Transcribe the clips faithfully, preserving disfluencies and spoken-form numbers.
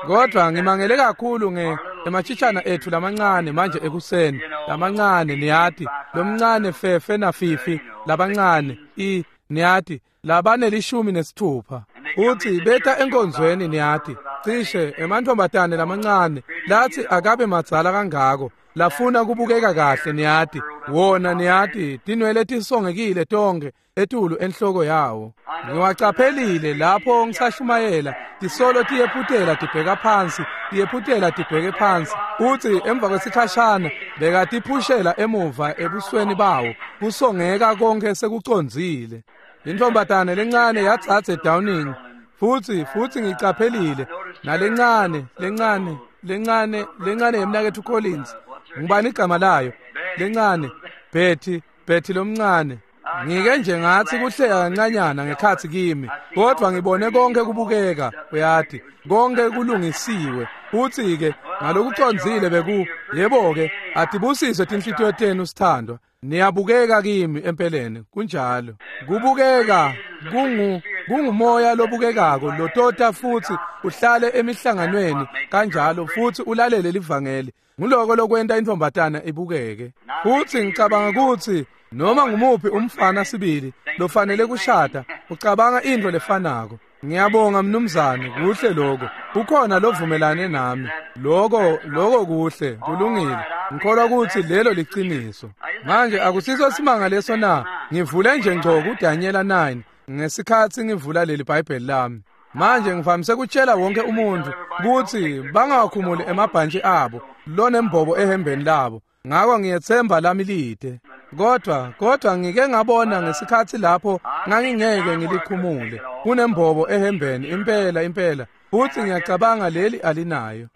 Kodwa ngimangele kakhulu nge emachitshana ethu lamancane manje ekuseni, lamancane niyati, lomncane fefe nafifi, labancane i niyati, labanelishumi nesithupha. Uthi beta enkonzweni niyati, cishe emantfombatane lamancane lathi akabe madzala kangako, lafuna kubukeka kahle niyati, wona niyati tinwele tisongekile tonke etulu enhloko yawo. Ngiwacaphelile lapho ngisashumayela, tisolo tiyephutela tibheka phansi, tiyephutela tibheke phansi. Uthi emva kwesikhashana bekatiphushela emuva ebusweni bawo, kusongeka konke sekucondzile. Intombatane lencane yatsatse Downing, futhi futhi ngicaphelile nalencane lencane lencane lencane yemnaketfu Collins. Ngubani igama layo? Lencane Betty, Betty lomncane. Ngike nje ngathi kuhleka kancanyana ngekhathi kimi, kodwa ngibone konke kubukeka, uyati, konke kulungisiwe. Uthi ke ngalokucondzile beku, yebo ke, atibusiswe tinhlitiyo tenu sithandwa. Niyabukeka kimi empeleni, kunjalo. Kubukeka kungu kungumoya lobukekako lotota futhi uhlale emihlanganweni kanjalo futhi ulalele livangeli. Nguloko lokwenta intombatana ibukeke. Futhi ngicabanga ukuthi noma ngumuphi umfana sibili lofanele kushada ucabanga into lefanako. Ngiyabonga mnumzane, kuhle lokho. Ukhona lovumelane nami. Lokho lokho kuhle, kulungile. Ngikholwa ukuthi lelo liqiniso. Manje akusiso simanga leso na? Ngivule nje ngco kuDaniel nine ngesikhathi ngivula leli bible lami. Manje ngivamise ukutshela wonke umuntu ukuthi bangakhumuli emabhantshi abo lonembobo ehembeni labo. Ngakho ngiyethemba lami lide. Kodwa kodwa ngike ngabona ngesikhathi lapho ngangingeke ngilikhumule. Kunembobo ehembeni impela impela. Futhi ngiyacabanga leli alinayo.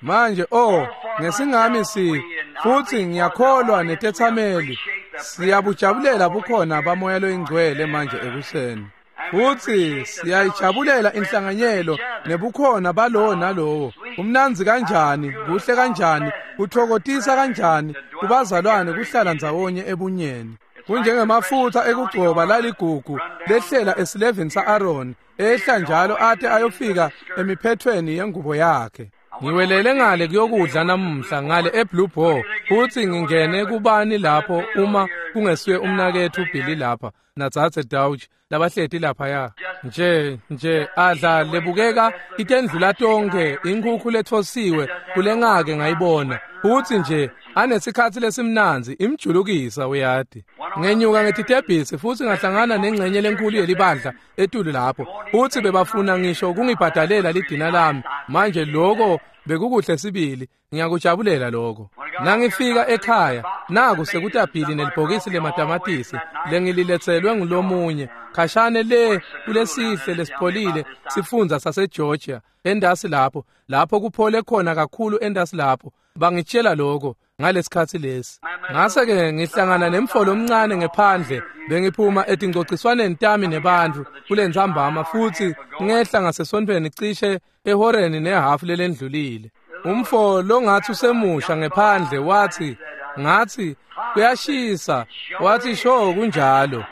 Manje oh ngesingami si futhi ngiyakholwa netethameli siyabujabulela bukhona bamoya loyingcwele manje ekuseni. Futhi siyayijabulela inhlanganyelo nebukhona balowo nalowo. Umnanzi kanjani, kuhle kanjani, kuthokotisa kanjani kubazalwane kuhlala ndzawonye ebunyeni. Kunjengemafutha ekugcoba laligugu lehlela esilevini sa-Aaron, ehla njalo ate ayofika emiphethweni yengubo yakhe. Ngiwelele ngale kuyokudla namuhla ngale eBlue Boar, futhi ngingene kubani lapho uma kungesuye umnakethu Billy lapha natsatse Dauch labahleti lapha ya. Nje nje adla lebukeka itendlula tonke inkhukhu lethosiwe kulengake ngayibona. Futhi nje anesikhathi lesimnanzi imjulukisa uyati. Ngenyuka ngetitebhisi futhi ngahlangana nengcenye lenkulu yelibandla etulu lapho. Futhi bebafuna ngisho kungibhadalela lidina lami. Manje lokho bekukuhle sibili, ngiyakujabulela lokho. Nangifika ekhaya naku sekutabhili nelibhokisi lematamatisi lengililetselwe ngulomunye khashane le kulesihle lesipholile sifundza saseGeorgia endasi lapho, lapho kuphole khona kakhulu endasi lapho. Bangitshela lokho ngalesikhathi lesi. Ngase ke ngihlangana nemfolo omncane ngephandle, bengiphuma etingcociswaneni tami nebantu kulentsambama futhi ngehla ngasesontweni cishe ehoreni nehafu lelendlulile. Umfo longathi usemusha ngephandle wathi, ngathi kuyashisa, wathi sho kunjalo.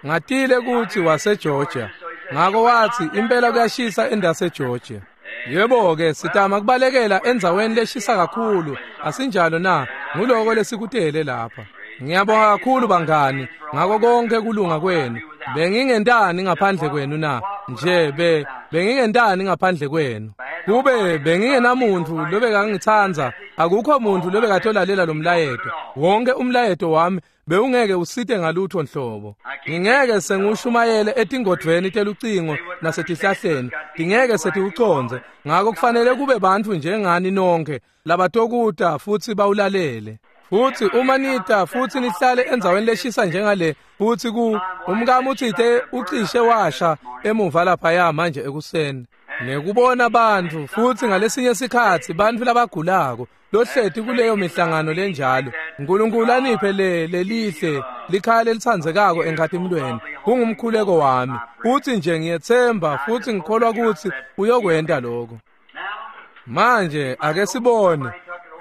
Ngatile ukuthi waseGeorgia. Ngako wathi impela kuyashisa endaseGeorgia. Yebo ke sitama kubalekela endzaweni leshisa kakhulu, asinjalo na? Nguloko lesikutele lapha. Ngiyabonga kakhulu bangani ngako konke kulunga kwenu. Bengingentani ngaphandle kwenu na? Nje be bengingentani ngaphandle kwenu? Kube bengingenamuntu lobekangithandza, akukho muntu lobekatolalela lo mlayeto. Wonke umlayeto wami bewungeke usite ngalutho nhlobo. Ngingeke sengushumayele etingodvweni telucingo nasetihlahleni, ngingeke setiucondze. Ngakho kufanele kube bantfu njengani nonke labatokuta futhi bawulalele. Futhi uma nita futhi nihlale endzaweni leshisa njengale, futhi ku umkami uthite ucishe washa emuva laphaya manje ekuseni. Nekubona bantfu futhi ngalesinye sikhatsi bantfu labagulako lohleti kuleyo mihlangano lenjalo. uNkulunkulu aniphe le lelihle likhaya lelitsandzekako enkhatimulweni. Kungumkhuleko wami. Futhi nje ngiyethemba futhi ngikholwa ukuthi uyokwenta lokho. Manje ake sibone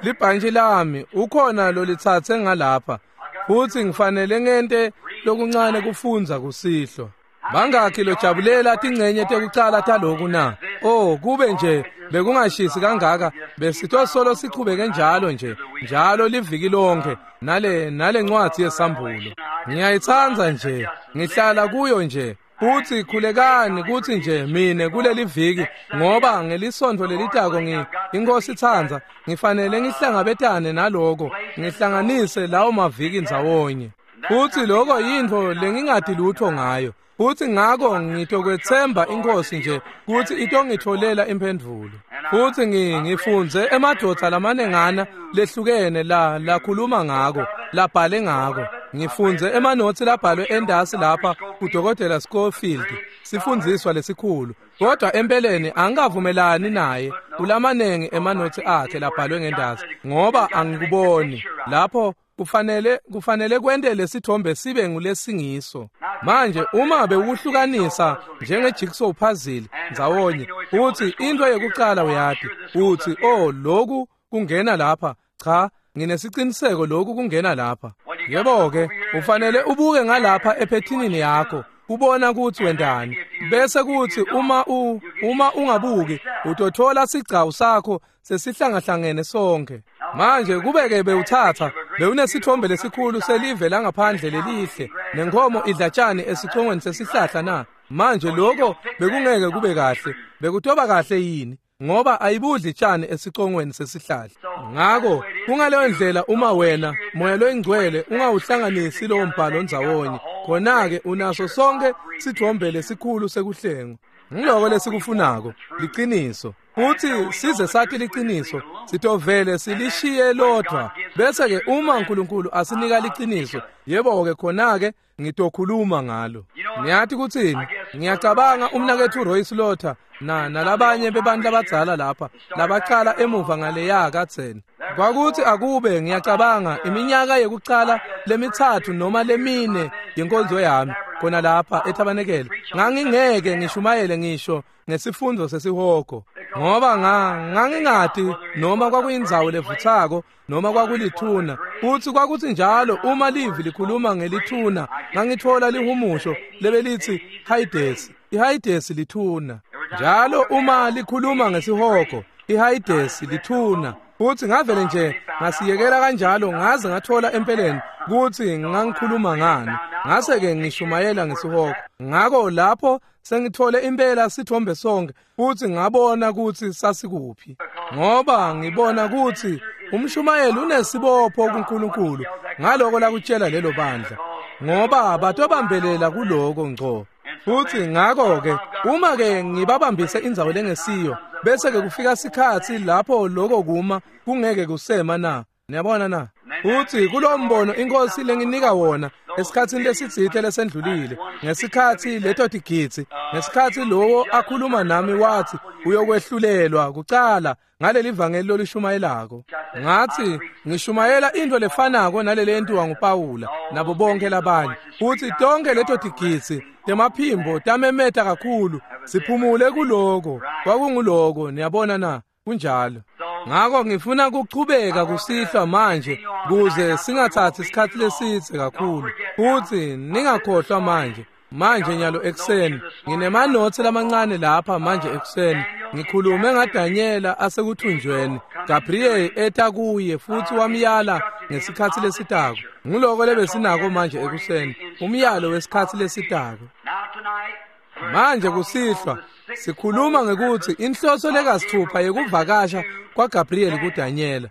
libhantshi lami ukhona lolitsatse ngalapha, futhi ngifanele ngente lokuncane kufundza kusihlwa. Bangakhi lojabulela tincenye tekucala taloku na? Oh, kube nje bekungashisi kangaka besitosolo sichubeke njalo nje njalo liviki lonke nale nale ncwadi yesambulo. Ngiyayitsandza nje, ngihlala kuyo nje. Futhi khulekani kuthi nje mine kuleli viki, ngoba ngelisonto lelitako ngi inkosi itsandza ngifanele ngihlangabetane naloko, ngihlanganise lawo maviki ndzawonye. Futhi lokho yintfo lengingati lutho ngayo. Futhi ngako ngitokwetsemba inkosi nje kuthi itongitholela imphendvulo. Futhi ngifundze emadvodza lamanengana lehlukene la lakhuluma ngako, labhale ngako. Ngifundze emanotsi labhalwe endasi lapha kuDokotela Schofield, sifundziswa lesikhulu. Kodwa empeleni angikavumelani naye kulamanengi emanotsi akhe labhalwe ngendasi, ngoba angikuboni lapho kufanele kufanele kwente lesithombe sibe ngulesingiso. Manje uma bewuhlukanisa njenge jigsaw puzzle ndzawonye, uthi into yekucala uyati, uthi oh lokhu kungena lapha, cha nginesiqiniseko lokhu kungena lapha. Yebo ke, ufanele ubuke ngalapha ephethinini yakho ubona ukuthi wendani, bese kuthi uma u uma ungabuki utothola sigcawu sakho sesihlangahlangene sonke. Manje kubeke bewuthatha bewunesithombe lesikhulu selive langaphandle lelihle nenkomo idlatshani esicongweni sesihlahla na? Manje lokho bekungeke kube kahle. Bekutoba kahle yini? Ngoba ayibudli tshani esicongweni sesihlahla. Ngako kungaleyo ndlela uma wena moya loyingcwele ungawuhlanganisi lowo mbhalo ndzawonye, khona-ke unaso sonke sithombe lesikhulu sekuhlengwa. Ngiloko lesikufunako, liqiniso. Futhi size sathi liqiniso, sitovele silishiye lodwa. Bese-ke uma uNkulunkulu asinika liqiniso, yebo-ke khona-ke ngitokhuluma ngalo. Niyathi kuthini? Ngiyacabanga umnakethu Roy Slaughter na nalabanye bebantu labadzala lapha labacala emuva ngaleya kadzeni. Kwakuthi akube ngiyacabanga iminyaka yekucala lemithathu noma lemine yenkonzo yami khona lapha ethabanekele, ngangingeke ngishumayele ngisho ngesifundo sesihogo, ngoba ngangingati noma kwakuyindzawo levuthako noma kwakulithuna. Futhi kwakuthi njalo uma livi likhuluma ngelithuna ngangithola lihumusho lebelithi Hades. iHades lithuna. Njalo uma likhuluma ngesihogo, iHades lithuna. Futhi ngavele nje ngasiyekela kanjalo ngaze ngathola empeleni kuthi ngangikhuluma ngani. Ngase-ke ngishumayela ngesihogo. Ngako lapho sengithole impela sithombe sonke futhi ngabona ukuthi sasikuphi, ngoba ngibona ukuthi umshumayeli unesibopho kuNkulunkulu ngaloko lakutshela lelo bandla, ngoba batobambelela kuloko ngco. Futhi ngako-ke uma-ke ngibabambise indzawo lengesiyo, bese-ke kufika sikhatsi lapho loko kuma kungeke kusema na. Niyabona na? Futhi kulo mbono inkosi lenginika wona esikhatsini lesitsite lesendlulile, ngesikhatsi leto tigitsi, ngesikhatsi lowo akhuluma nami wathi uyokwehlulelwa kucala ngaleli vangeli lolishumayelako. Ngathi ngishumayela into lefanako nalele yentiwa nguPawula nabo bonke labanye. Futhi tonke leto tigitsi temaphimbo tamemeta kakhulu, siphumule kuloko. Kwakunguloko, niyabona na? Kunjalo. Ngako ngifuna kuchubeka kusihlwa manje kuze singathathi isikhathi lesitse kakhulu. Futhi ningakhohlwa manje, manje nyalo ekuseni nginemanothi lamancane lapha manje ekuseni. Ngikhulume ngaDanyela asekuthunjweni, Gabriel eta kuye futhi wamyala ngesikhathi lesitako. Nguloko lebesinako manje ekuseni, umyalo wesikhathi lesitako. Manje kusihlwa sikhuluma ngekuthi inhloso lekasithupha yekuvakasha kwaGabriel kuDanyela.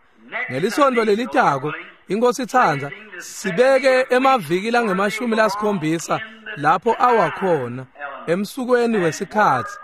Ngelisonto lelitako inkosi itsandza sibeke emaviki langemashumi lasikhombisa lapho awakhona emsukweni wesikhatsi.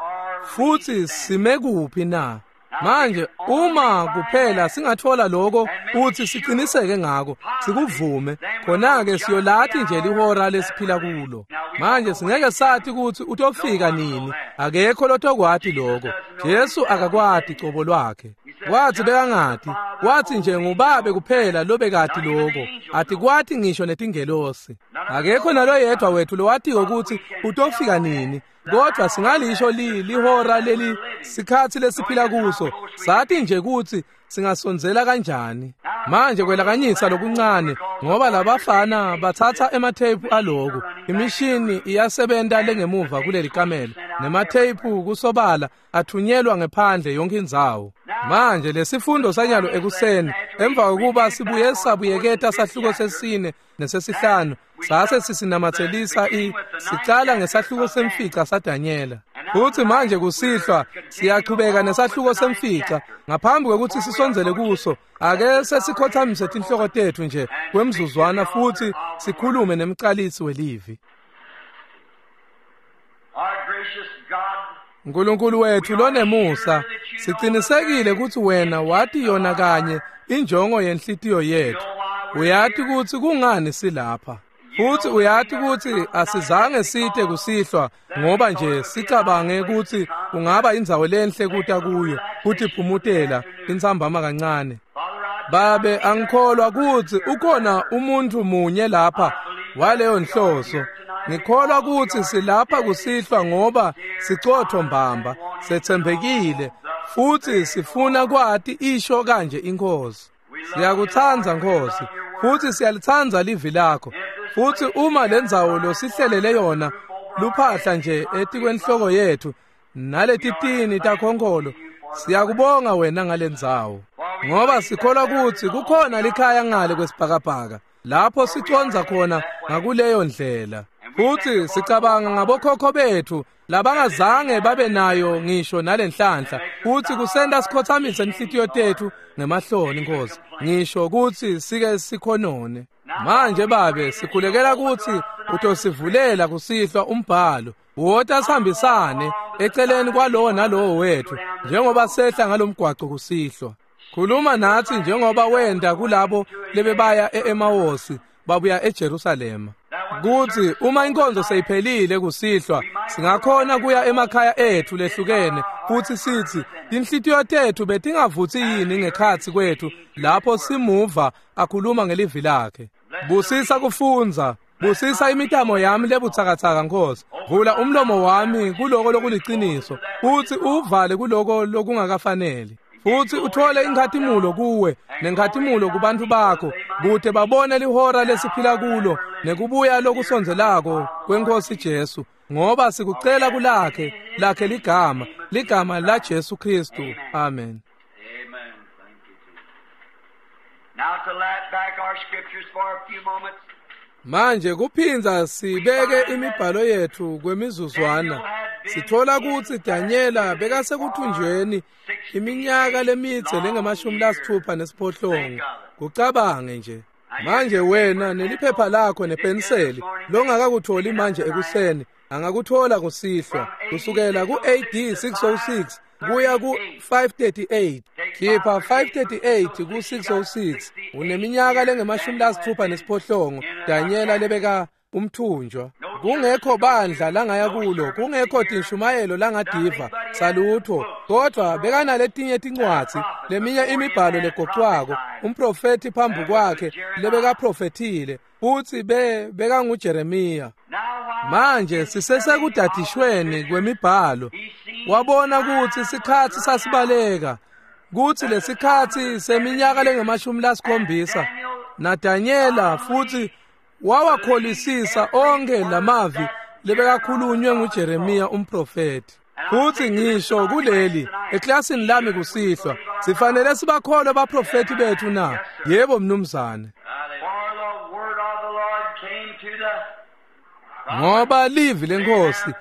Futhi sime kuphi na? Manje uma kuphela singathola lokho uthi siqiniseke ngako, sikuvume, khona-ke siyolathi nje lihora lesiphila kulo. Manje singeke sathi ukuthi utofika nini, akekho lotokwati lokho. Jesu akakwati cobo lwakhe. Wathi bekangati, wathi nje ngubabe kuphela lobekati lokho, atikwati ngisho netingelosi. Akekho naloyedwa wethu lowatiko ukuthi utofika nini. Kodwa singalisho li lihora leli sikhatsi lesiphila kuso, sathi nje kutsi singasondzela kanjani. Manje kwelakanyisa lokuncane ngoba labafana bathatha ematheyiphu aloku. Imishini iyasebenta lengemuva kuleli kamelo nematheyiphu kusobala athunyelwa ngephandle yonke indzawo. Manje lesifundo sanyalo ekuseni emva kokuba sibuye sabuyeketa sahluko sesine nesesihlanu sase sisinamathelisa i sicala ngesahluko semfica saDanyela. Futhi manje kusihlwa siyachubeka nesahluko semfica. Ngaphambi kwekutsi sisondzele kuso, ake sesikhothamise tinhloko tetfu nje kwemzuzwana futhi sikhulume nemcalisi welivi. Nkulunkulu wethu lonemusa, sicinisekile kutsi wena wati yona kanye injongo yenhlitiyo yetfu. Uyati kutsi kungani silapha. Futhi uyati kutsi asizange site kusihlwa ngoba nje sicabange kutsi kungaba indzawo lenhle kuta kuyo kutiphumutela intsambama kancane. Babe, angikholwa kutsi ukhona umuntu munye lapha waleyo nhloso. Ngikholwa kutsi silapha kusihlwa ngoba sicotho mbamba, setsembekile futhi sifuna kwati isho kanje iNkhosi. Siyakutsandza Nkhosi, futhi siyalitsandza livi lakho. Futhi uma lendzawo losihlelele yona luphahla nje etikwenhloko yethu naletitini takhonkolo, siyakubonga wena ngalendzawo, ngoba sikholwa kutsi kukhona likhaya ngale kwesibhakabhaka lapho sicondza khona ngakuleyo ndlela. Futhi sicabanga ngabokhokho bethu labangazange babe nayo ngisho nalenhlanhla, futhi kusenta sikhothamise inhlitiyo tethu ngemahloni Nkosi, ngisho kutsi sike sikhonone. Manje Babe, sikhulekela kutsi utosivulela kusihlwa umbhalo, wota sihambisane eceleni kwalowo nalowo wethu njengoba sehla ngalomgwaco kusihlwa. Khuluma natsi njengoba wenda kulabo lebebaya e-Emawosi babuya eJerusalema, kutsi uma inkonzo seyiphelile kusihlwa singakhona kuya emakhaya ethu lehlukene futhi sithi tinhlitiyo tethu betingavutsi yini ngekhatsi kwethu lapho simuva akhuluma ngelivi lakhe. Busisa kufundza, busisa imitamo yami lebutsakatsaka Nkosi. Vula umlomo wami kuloko lokuliciniso futhi uvale kuloko lokungakafaneli. Futhi uthole inkhatimulo kuwe nenkhatimulo kubantu bakho, kute babone lihora lesiphila kulo nekubuya lokusondzelako kweNkosi Jesu, ngoba sikucela kulakhe lakhe ligama, ligama la Jesu Kristu. Amen. Amen. Thank you, Jesus. Now to lap back our scriptures for a few moments. Manje kuphinza sibeke imibhalo yethu kwemizuzwana. Sithola kutsi Danyela bekasekuthunjweni iminyaka lemitse lengamashumi lasithupha nesiphohlongo. Kucabange nje. Manje wena neliphepha lakho nepenseli longakakutholi manje ekuseni angakuthola kusihlwa kusukela ku-A D six oh six kuya ku-five thirty-eight. Khipha five thirty-eight ku-six oh six. Uneminyaka lengemashumi lasithupha nesiphohlongo Danyela lebeka umthunjwa. Kungekho bandla langaya kulo, kungekho tinshumayelo langadiva salutho, kodwa bekanaletinye tincwadzi, leminye imibhalo legocwako, umprofeti phambi kwakhe lebekaprofethile, futhi be bekanguJeremiya. Manje sisesekudadishweni kwemibhalo, wabona kutsi sikhatsi sasibaleka, kutsi lesikhatsi seminyaka lengemashumi lasikhombisa naDanyela futhi wawakholisisa onke lamavi lebekakhulunywe nguJeremiya umprofeti. Futhi ngisho kuleli eklasini lami kusihlwa, sifanele sibakholwe baprofeti bethu na? Yebo mnumzane. For the word of the Lord came to the Ngoba livi lenkosi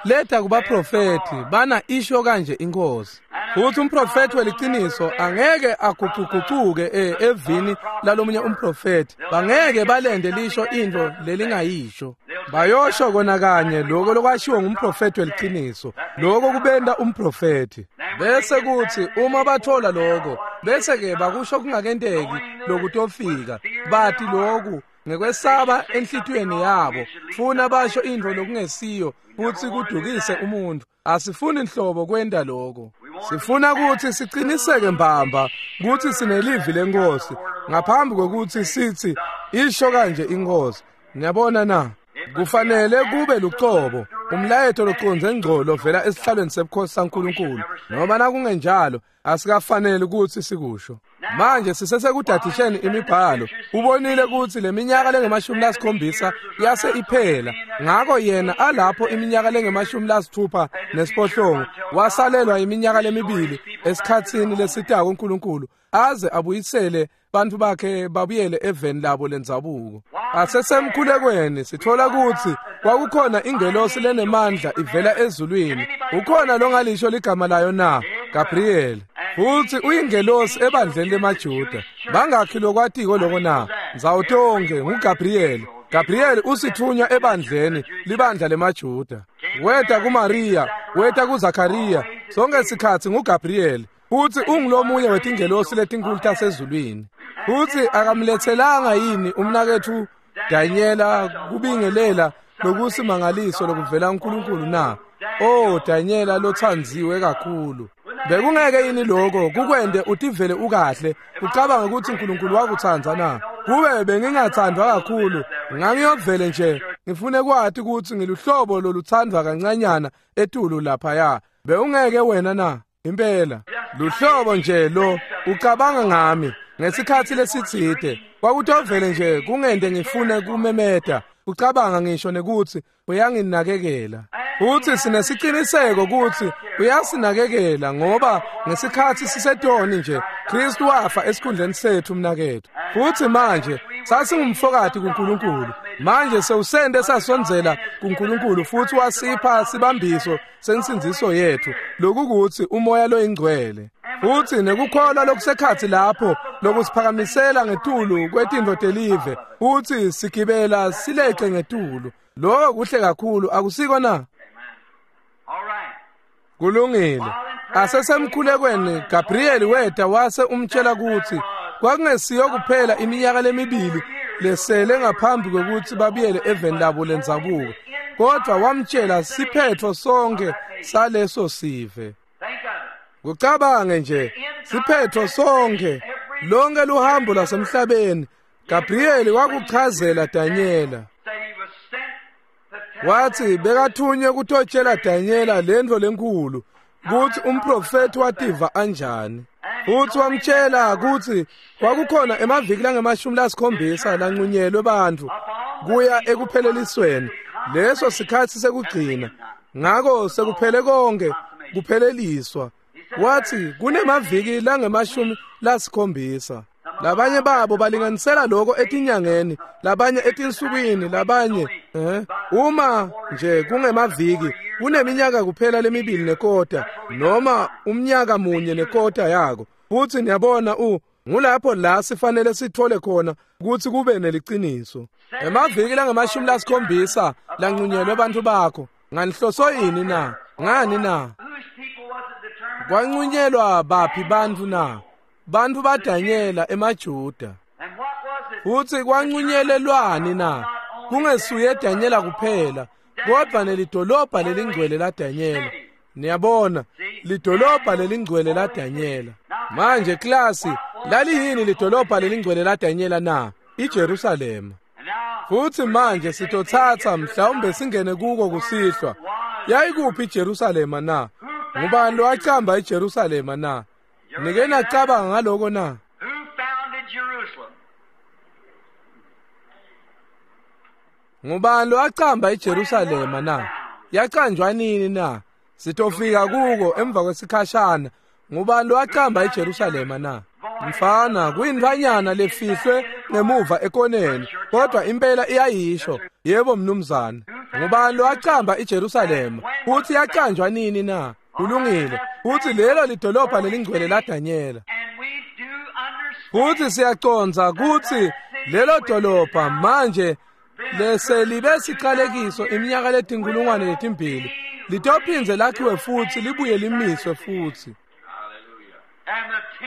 leta kubaprofeti bana isho kanje inkosi. Futhi umprofeti weliciniso angeke agucugucuke evini lalomunye umprofeti, bangeke balende lisho into lelingayisho. Bayosho kona kanye lokho lokwashiwo ngumprofeti weliciniso, lokho kubenda umprofeti. Bese kuthi uma bathola lokho, bese ke bakusho kungakenteki lokutofika, bathi lokhu ngekwesaba enhlitiyweni yabo, funa basho into lokungesiyo futhi kudukise umuntu. Asifuni inhlobo kwenda lokho. Sifuna ukuthi siqiniseke mbamba ukuthi sinelivi lenkosi ngaphambi kokuthi sithi isho kanje inkosi. Niyabona na? Kufanele kube lucobo. Umlayeto loconze ngco lovela esihlalweni sebukhosi saNkulunkulu. Noma nakungenjalo asikafanele ukuthi sikusho. Manje sisesekudadisheni imibhalo. Ubonile ukuthi leminyaka lengemashumi lasikhombisa yase iphela. Ngako yena alapho iminyaka lengemashumi lasithupha nesiphohlongo wasalelwa iminyaka lemibili esikhatsini lesitako uNkulunkulu aze abuyisele bantu bakhe babuyele eveni labo lendzabuko. Asesemkhulekweni sithola ukuthi kwakukhona ingelosi lenemandla ivela ezulwini. Ukhona longalisho ligama layo na? Gabriel. Futhi uyingelosi ebandleni lemaJuda. Bangakhi lokwatiko lokho na? Ndzawutonke nguGabriel. Gabriel usithunywa ebandleni libandla lemaJuda. Weta kuMaria, weta kuZakaria, sonke sikhatsi nguGabriel. Futhi ungulomunye wetingelosi letinkulu tasezulwini. Futhi akamlethelanga yini umnakethu Daniela kubingelela lokusimangaliso lokuvela uNkulunkulu na? Oh Daniela lothandziwe kakhulu. Bekungeke yini lokho kukwende utivele ukahle ucabanga ukuthi uNkulunkulu wakuthanda na? Kube bengingathandwa kakhulu ngangiyovele nje ngifune kwathi ukuthi ngiluhlobo loluthandwa kancanyana etulu laphaya. Bewungeke wena na? Impela luhlobo nje lo ucabanga ngami ngesikhathi lesitsite kwakutovele nje kungende ngifune kumemeta ucabanga ngisho nekuthi uyanginakekela. Futhi sinesiciniseko ukuthi uyasinakekela ngoba ngesikhathi sisetoni nje Kristu wafa esikhundleni sethu mnakethu. Futhi manje sasingumfokati kuNkulunkulu. Manje sewusende sasondzela kuNkulunkulu futhi wasipha sibambiso sensindziso yethu lokukuthi umoya loyingcwele. Futhi nekukholwa lokusekhathi lapho lokusiphakamisela ngetulu kwetintfo telive futhi sigibela sileqe ngetulu. Lokho kuhle kakhulu akusiko na? Kulungile. Asesemkhulekweni Gabriel weta wase umtshela ukuthi kwakungesiyo kuphela iminyaka lemibili lesele ngaphambi kwekuthi babuyele eveni labo lendzabuko, kodwa wamtshela siphetho sonke saleso sive. Kucabange nje siphetho sonke lonke luhambo lasemhlabeni. Gabriel wakuchazela Daniela. Wathi bekathunywe kutotshela Daniela lento lenkulu ukuthi umprofeti wativa anjani. Futhi wamtshela ukuthi kwakukhona emaviki langemashumi lasikhombisa lanqunyelwe bantfu kuya ekuphelelisweni leso sikhathi sekugcina. Ngako sekuphele konke kupheleliswa. Wathi kunemaviki langemashumi lasikhombisa. Labanye babo balinganisela lokho etinyangeni, labanye etinsukwini, labanye eh uma nje kungemaviki kuneminyaka kuphela lemibili nekota noma umnyaka munye nekota yako. Futhi niyabona u ngulapho la sifanele sithole khona ukuthi kube neliciniso. Emaviki langemashumi lasikhombisa lanqunyelwe abantu bakho nganihloso yini na? Ngani na? Kwanqunyelwa baphi bantfu na? Bantfu baDanyela emaJuda. Futhi kwanqunyelelwani na? Kungesuye Danyela kuphela kodwa nelidolobha lelingcwele laDanyela. Niyabona lidolobha lelingcwele laDanyela. Manje klasi laliyini lidolobha lelingcwele laDanyela na? IJerusalema. Futhi manje sitothatha mhlawumbe singene kuko kusihlwa. Yayikuphi iJerusalema na? Ngubani lowacamba iJerusalema na? Nike nacabanga ngaloko na? Ngubani lowacamba iJerusalema na? Yacanjwa nini na? Sitofika kuko emva kwesikhashana. Ngubani lowacamba iJerusalema na? Mfana kuyintfanyana lefihlwe ngemuva ekoneni, kodwa impela iyayisho. Yebo mnumzane. Ngubani lowacamba iJerusalema? Futhi yacanjwa nini na? Kulungile. Futhi lelo lidolobha lelingcwele laDanyela. Futhi siyaconza ukuthi lelo dolobha manje leselibe siqalekiso iminyaka letinkulungwane letimbili litophinze lakhiwe futhi libuye limiswe futhi.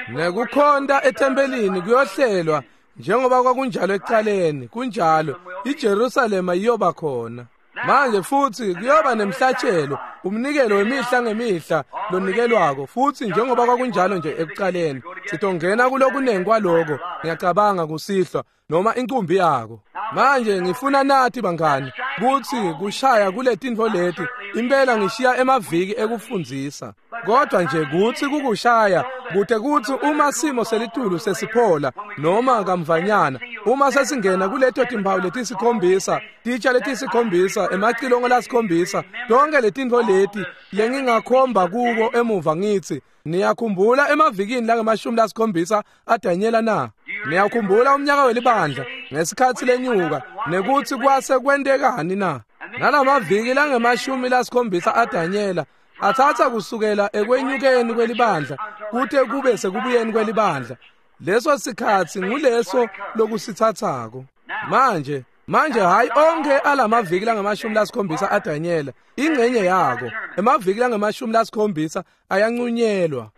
Nekukhonta ethempelini kuyohlelwa njengoba kwakunjalo ekuqaleni. Kunjalo iJerusalema iyoba khona. Manje futhi kuyoba nemhlatshelo, umnikelo wemihla ngemihla lonikelwako futhi njengoba kwakunjalo nje ekuqaleni. Sitongena kulokunengi kwaloko ngiyacabanga kusihlwa noma inkumbi yako. Manje ngifuna nathi bangani kutsi kushaya kuletintfo leti impela ngishiya emaviki ekufundzisa, kodwa nje kutsi kukushaya kute kutsi uma simo selitulu sesiphola noma kamvanyana uma sesingena kuleto timphawu letisikhombisa, titsha letisikhombisa, emacilongo lasikhombisa, tonke letintfo leti lengingakhomba kuko emuva ngitsi niyakhumbula emavikini langemashumi lasikhombisa aDanyela na? Niyakhumbula umnyaka welibandla ngesikhatsi lenyuka nekutsi kwase kwentekani na? Nalamaviki langemashumi lasikhombisa aDanyela atsatsa kusukela ekwenyukeni kwelibandla kute kube sekubuyeni kwelibandla. Leso sikhatsi nguleso lokusitsatsako. Manje manje hayi onke alamaviki langamashumi lasikhombisa aDanyela, ingcenye yako emaviki langamashumi lasikhombisa ayancunyelwa.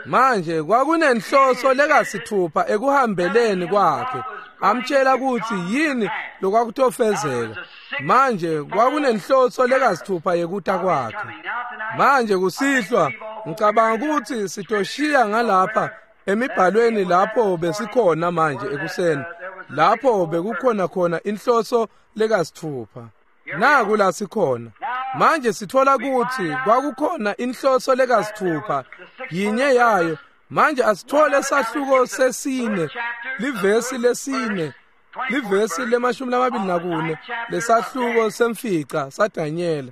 Manje kwakunenhloso lekasithupha ekuhambeleni kwakhe, amtshela kutsi yini lokwakutofezeka. Manje kwakunenhloso lekasithupha yekuta kwakhe. Manje kusihlwa ngicabanga kutsi sitoshiya ngalapha emibhalweni lapho besikhona manje ekuseni, lapho bekukhona khona inhloso lekasithupha. Naku la sikhona manje, sithola kutsi kwakukhona inhloso lekasithupha yinye yayo. Manje asithole sahluko sesine, livesi lesine, livesi lemashumi lamabili nakune lesahluko semfica saDanyela.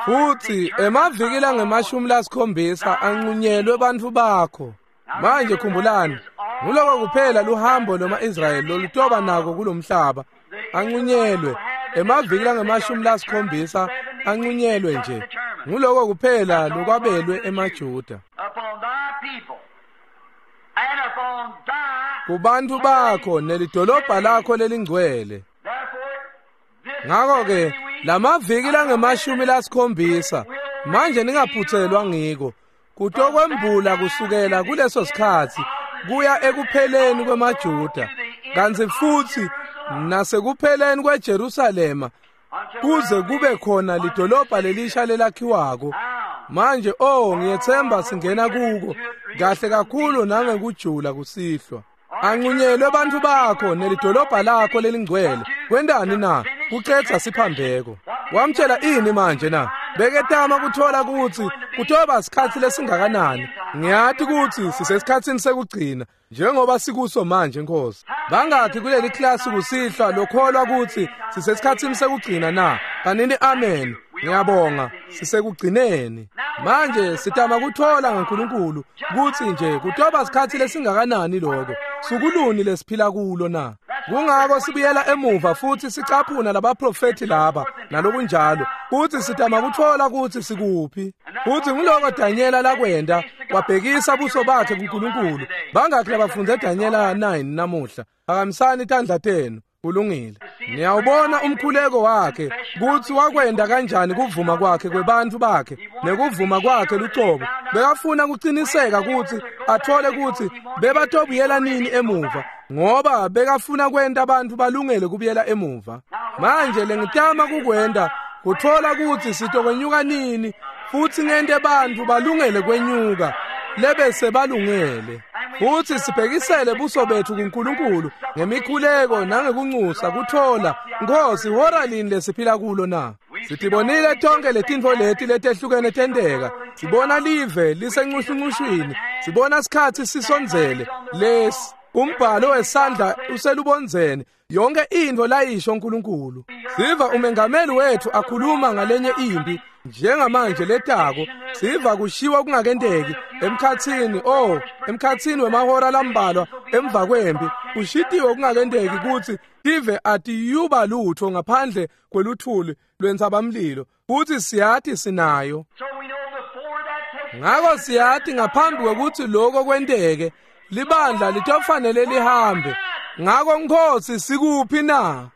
Futsi emaviki langemashumi lasikhombisa ancunyelwe bantfu bakho. Manje khumbulani, nguloko kuphela luhambo loma-Israyeli lolutoba nako kulomhlaba. Ancunyelwe emaviki langemashumi lasikhombisa, ancunyelwe nje. Nguloko kuphela lokwabelwe emaJuda. Kubantfu bakho nelidolobha lakho lelingcwele. Ngakho-ke lamaviki langemashumi lasikhombisa manje ningaphutselwa ngiko, kutokwembula kusukela kuleso sikhatsi kuya ekupheleni kwemaJuda, kantsi futsi nasekupheleni kweJerusalema kuze kube khona lidolobha lelisha lelakhiwako. Manje oh ngiyethemba singena kuko kahle kakhulu nangekujula kusihlwa. Ancunyelwe bantfu bakho nelidolobha lakho lelingcwele. Kwentani na? Kucedza siphambeko. Wamtshela ini manje na? Beketama kuthola kutsi kutoba sikhatsi lesingakanani. Ngiyati kutsi sisesikhatsini sekugcina njengoba sikuso manje Nkosi. Bangakhi kuleli klasi kusihlwa lokholwa kutsi sisesikhatsini sekugcina na? Kanini amen. Ngiyabonga, sisekugcineni. Manje sitama kuthola ngaNkulunkulu kutsi nje kutoba sikhatsi lesingakanani lokho. Sukuluni lesiphila kulo na? Kungako sibuyela emuva futhi sicaphuna labaprofethi laba nalokunjalo, futhi sitama kuthola kutsi sikuphi. Futhi nguloko Danyela lakwenta, wabhekisa buso bakhe kuNkulunkulu. Bangakhi labafundze Danyela nine namuhla? Phakamisani tandla tenu. Kulungile. Niyawubona umkhuleko wakhe kutsi wakwenda kanjani kuvuma kwakhe kwebantfu bakhe nekuvuma kwakhe lucobo. Bekafuna kuciniseka kutsi athole kutsi bebatobuyela nini emuva, ngoba bekafuna kwenta bantfu balungele kubuyela emuva. Manje lengitama kukwenda kuthola kutsi sitokwenyuka nini futsi ngente bantfu balungele kwenyuka lebese balungele. Futsi sibhekisele buso bethu kuNkulunkulu ngemikhuleko nangekunxusa kuthola Nkosi hora lini lesiphila kulo na? Sitibonile tonke letintfo leti letehlukene tenteka. Sibona live lisencushuncushwini, sibona sikhatsi sisondzele lesi umbhalo wesandla uselubondzeni, yonke intfo layisho uNkulunkulu. Siva umengameli wethu akhuluma ngalenye impi njengamanje letako, siva kushiwa kungakenteki emkhatsini, oh emkhatsini wemahora lambalwa emva kwempi kushitiwe kungakenteki kutsi tive atiyuba lutho ngaphandle kweluthuli lwentsabamlilo, futsi siyati sinayo. Ngako siyati ngaphambi kwekutsi lokho kwenteke libandla litofanele lihambe. Ngako Nkosi sikuphi na?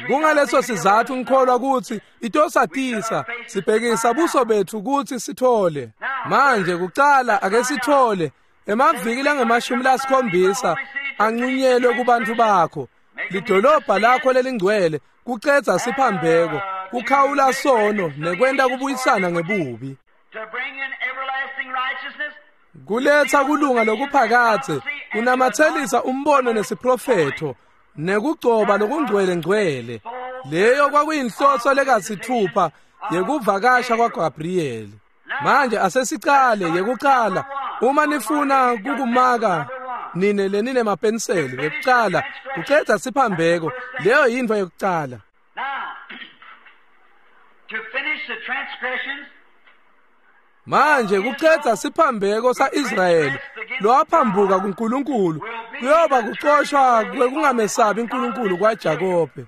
Kungaleso sizatfu ngikholwa kutsi itosatisa sibhekisa buso bethu kutsi sithole. Manje kucala ake sithole emaviki langemashumi lasikhombisa ancunyelwe kubantfu bakho, lidolobha lakho lelingcwele, kucedza siphambeko, kukhawula sono nekwenta kubuyisana ngebubi, Kuletsa kulunga lokuphakatse kunamatselisa umbono nesiprofetho nekugcoba lokungcwele ngcwele. Leyo kwakuyinhloso lekasithupha yekuvakasha kwaGabriel. Manje asesicale yekucala uma nifuna kukumaka nine lenine mapenseli yekucala kucedza siphambeko leyo yintfo yekucala. Manje kucedza siphambeko saIsrayeli lowaphambuka kuNkulunkulu kuyoba kucoshwa kwekungamesabi uNkulunkulu kwaJakobe.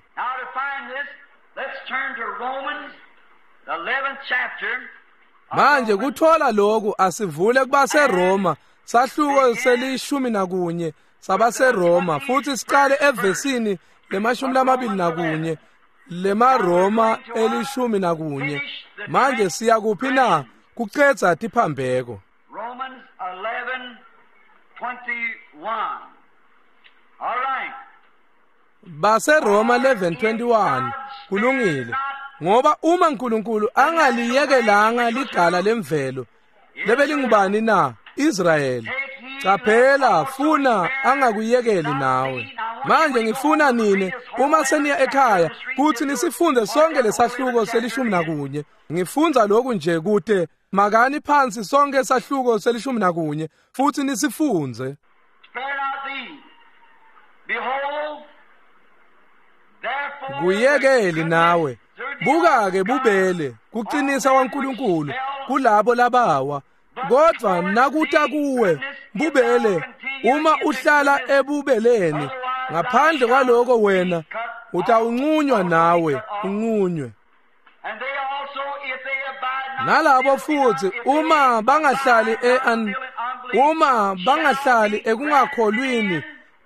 Manje kuthola lokhu asivule kubaseRoma sahluko selishumi nakunye sabaseRoma futhi siqale evesini lemashumi lamabili nakunye lemaRoma elishumi nakunye. Manje siya kuphi na? Kucedza tiphambeko. Romans eleven twenty-one. All right. BaseRoma eleven twenty-one kulungile. Ngoba uma uNkulunkulu angaliyekelanga ligala lemvelo lebelingubani na? Israyeli. Caphela funa angakuyekeli nawe. Manje ngifuna nine uma seniya ekhaya kuthi nisifunde sonke lesahluko selishumi nakunye. Ngifunza lokhu nje kude makani phansi sonke sahluko selishumi nakunye futhi nisifunze. Kuyekeli nawe. Buka-ke bubele kuqinisa kwaNkulunkulu kulabo labawa. Kodwa nakuta kuwe bubele uma uhlala ebubeleni ngaphandle kwaloko wena utawunqunywa nawe unqunywe. Nalabo futhi uma bangahlali e uma bangahlali ekungakholwini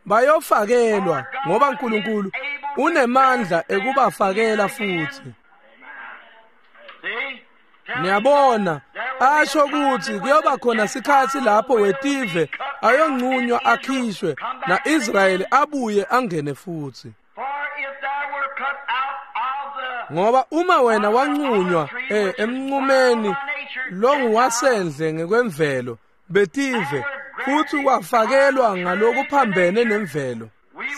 bayofakelwa ngoba uNkulunkulu unemandla ekubafakela futhi. Niyabona asho ukuthi kuyoba khona sikhathi lapho wetive ayonqunywa akhishwe naIsrayeli abuye angene futhi. Ngoba uma wena wanqunywa eh emnqumeni longuwasendle ngekwemvelo betive futhi wafakelwa ngalokuphambene nemvelo.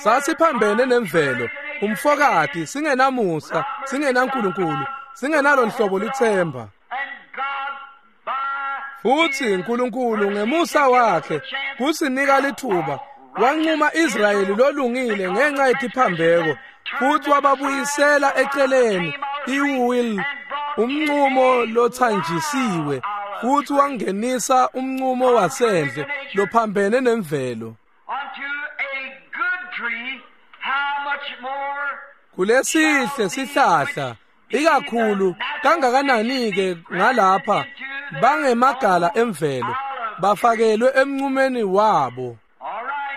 Sasiphambene nemvelo umfokati singenamusa singenaNkulunkulu singenalo nhlobo lithemba. Futhi uNkulunkulu ngemusa wakhe kusinika lithuba wanquma Israyeli lolungile ngenxa yetiphambeko futhi wababuyisela eceleni iwill umnqumo lothanjisiwe futhi wangenisa umnqumo wasendle lophambene nemvelo. Kulesihle sihlahla ikakhulu kangakanani ke ngalapha bangemagala emvelo bafakelwe emnqumeni wabo.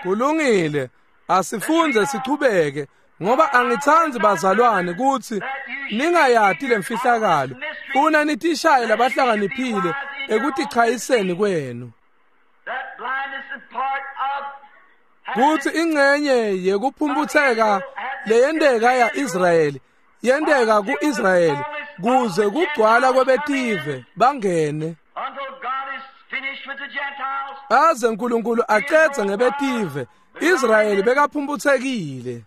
Kulungile asifunze sichubeke ngoba angithandi bazalwane ukuthi ningayati lemfihlakalo funa nitishaye labahlakaniphile ekutichayiseni kwenu. Kuthi ingcenye yekuphumputheka leyendeka yaIsrayeli yendeka kuIsrayeli kuze kugcwala kwebetive bangene aze uNkulunkulu acedze ngebetive. Israyeli bekaphumputhekile.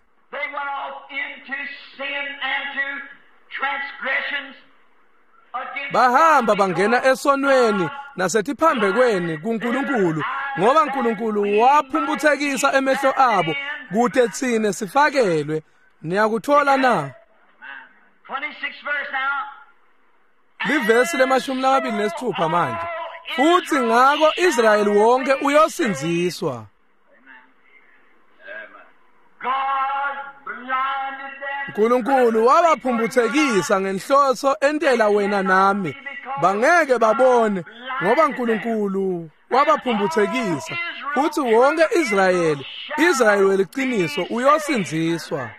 Bahamba bangena esonweni nasetiphambekweni kuNkulunkulu ngoba uNkulunkulu waphumputhekisa emehlo abo kude tsine sifakelwe. Niyakuthola na? Livesi lemashumi lamabili nesithupha manje. Futhi ngako Israyeli wonke uyosindziswa. uNkulunkulu wabaphumputhekisa ngenhloso entela wena nami bangeke babone ngoba uNkulunkulu wabaphumputhekisa. Futhi wonke Israyeli Israyeli weliqiniso uyosindziswa.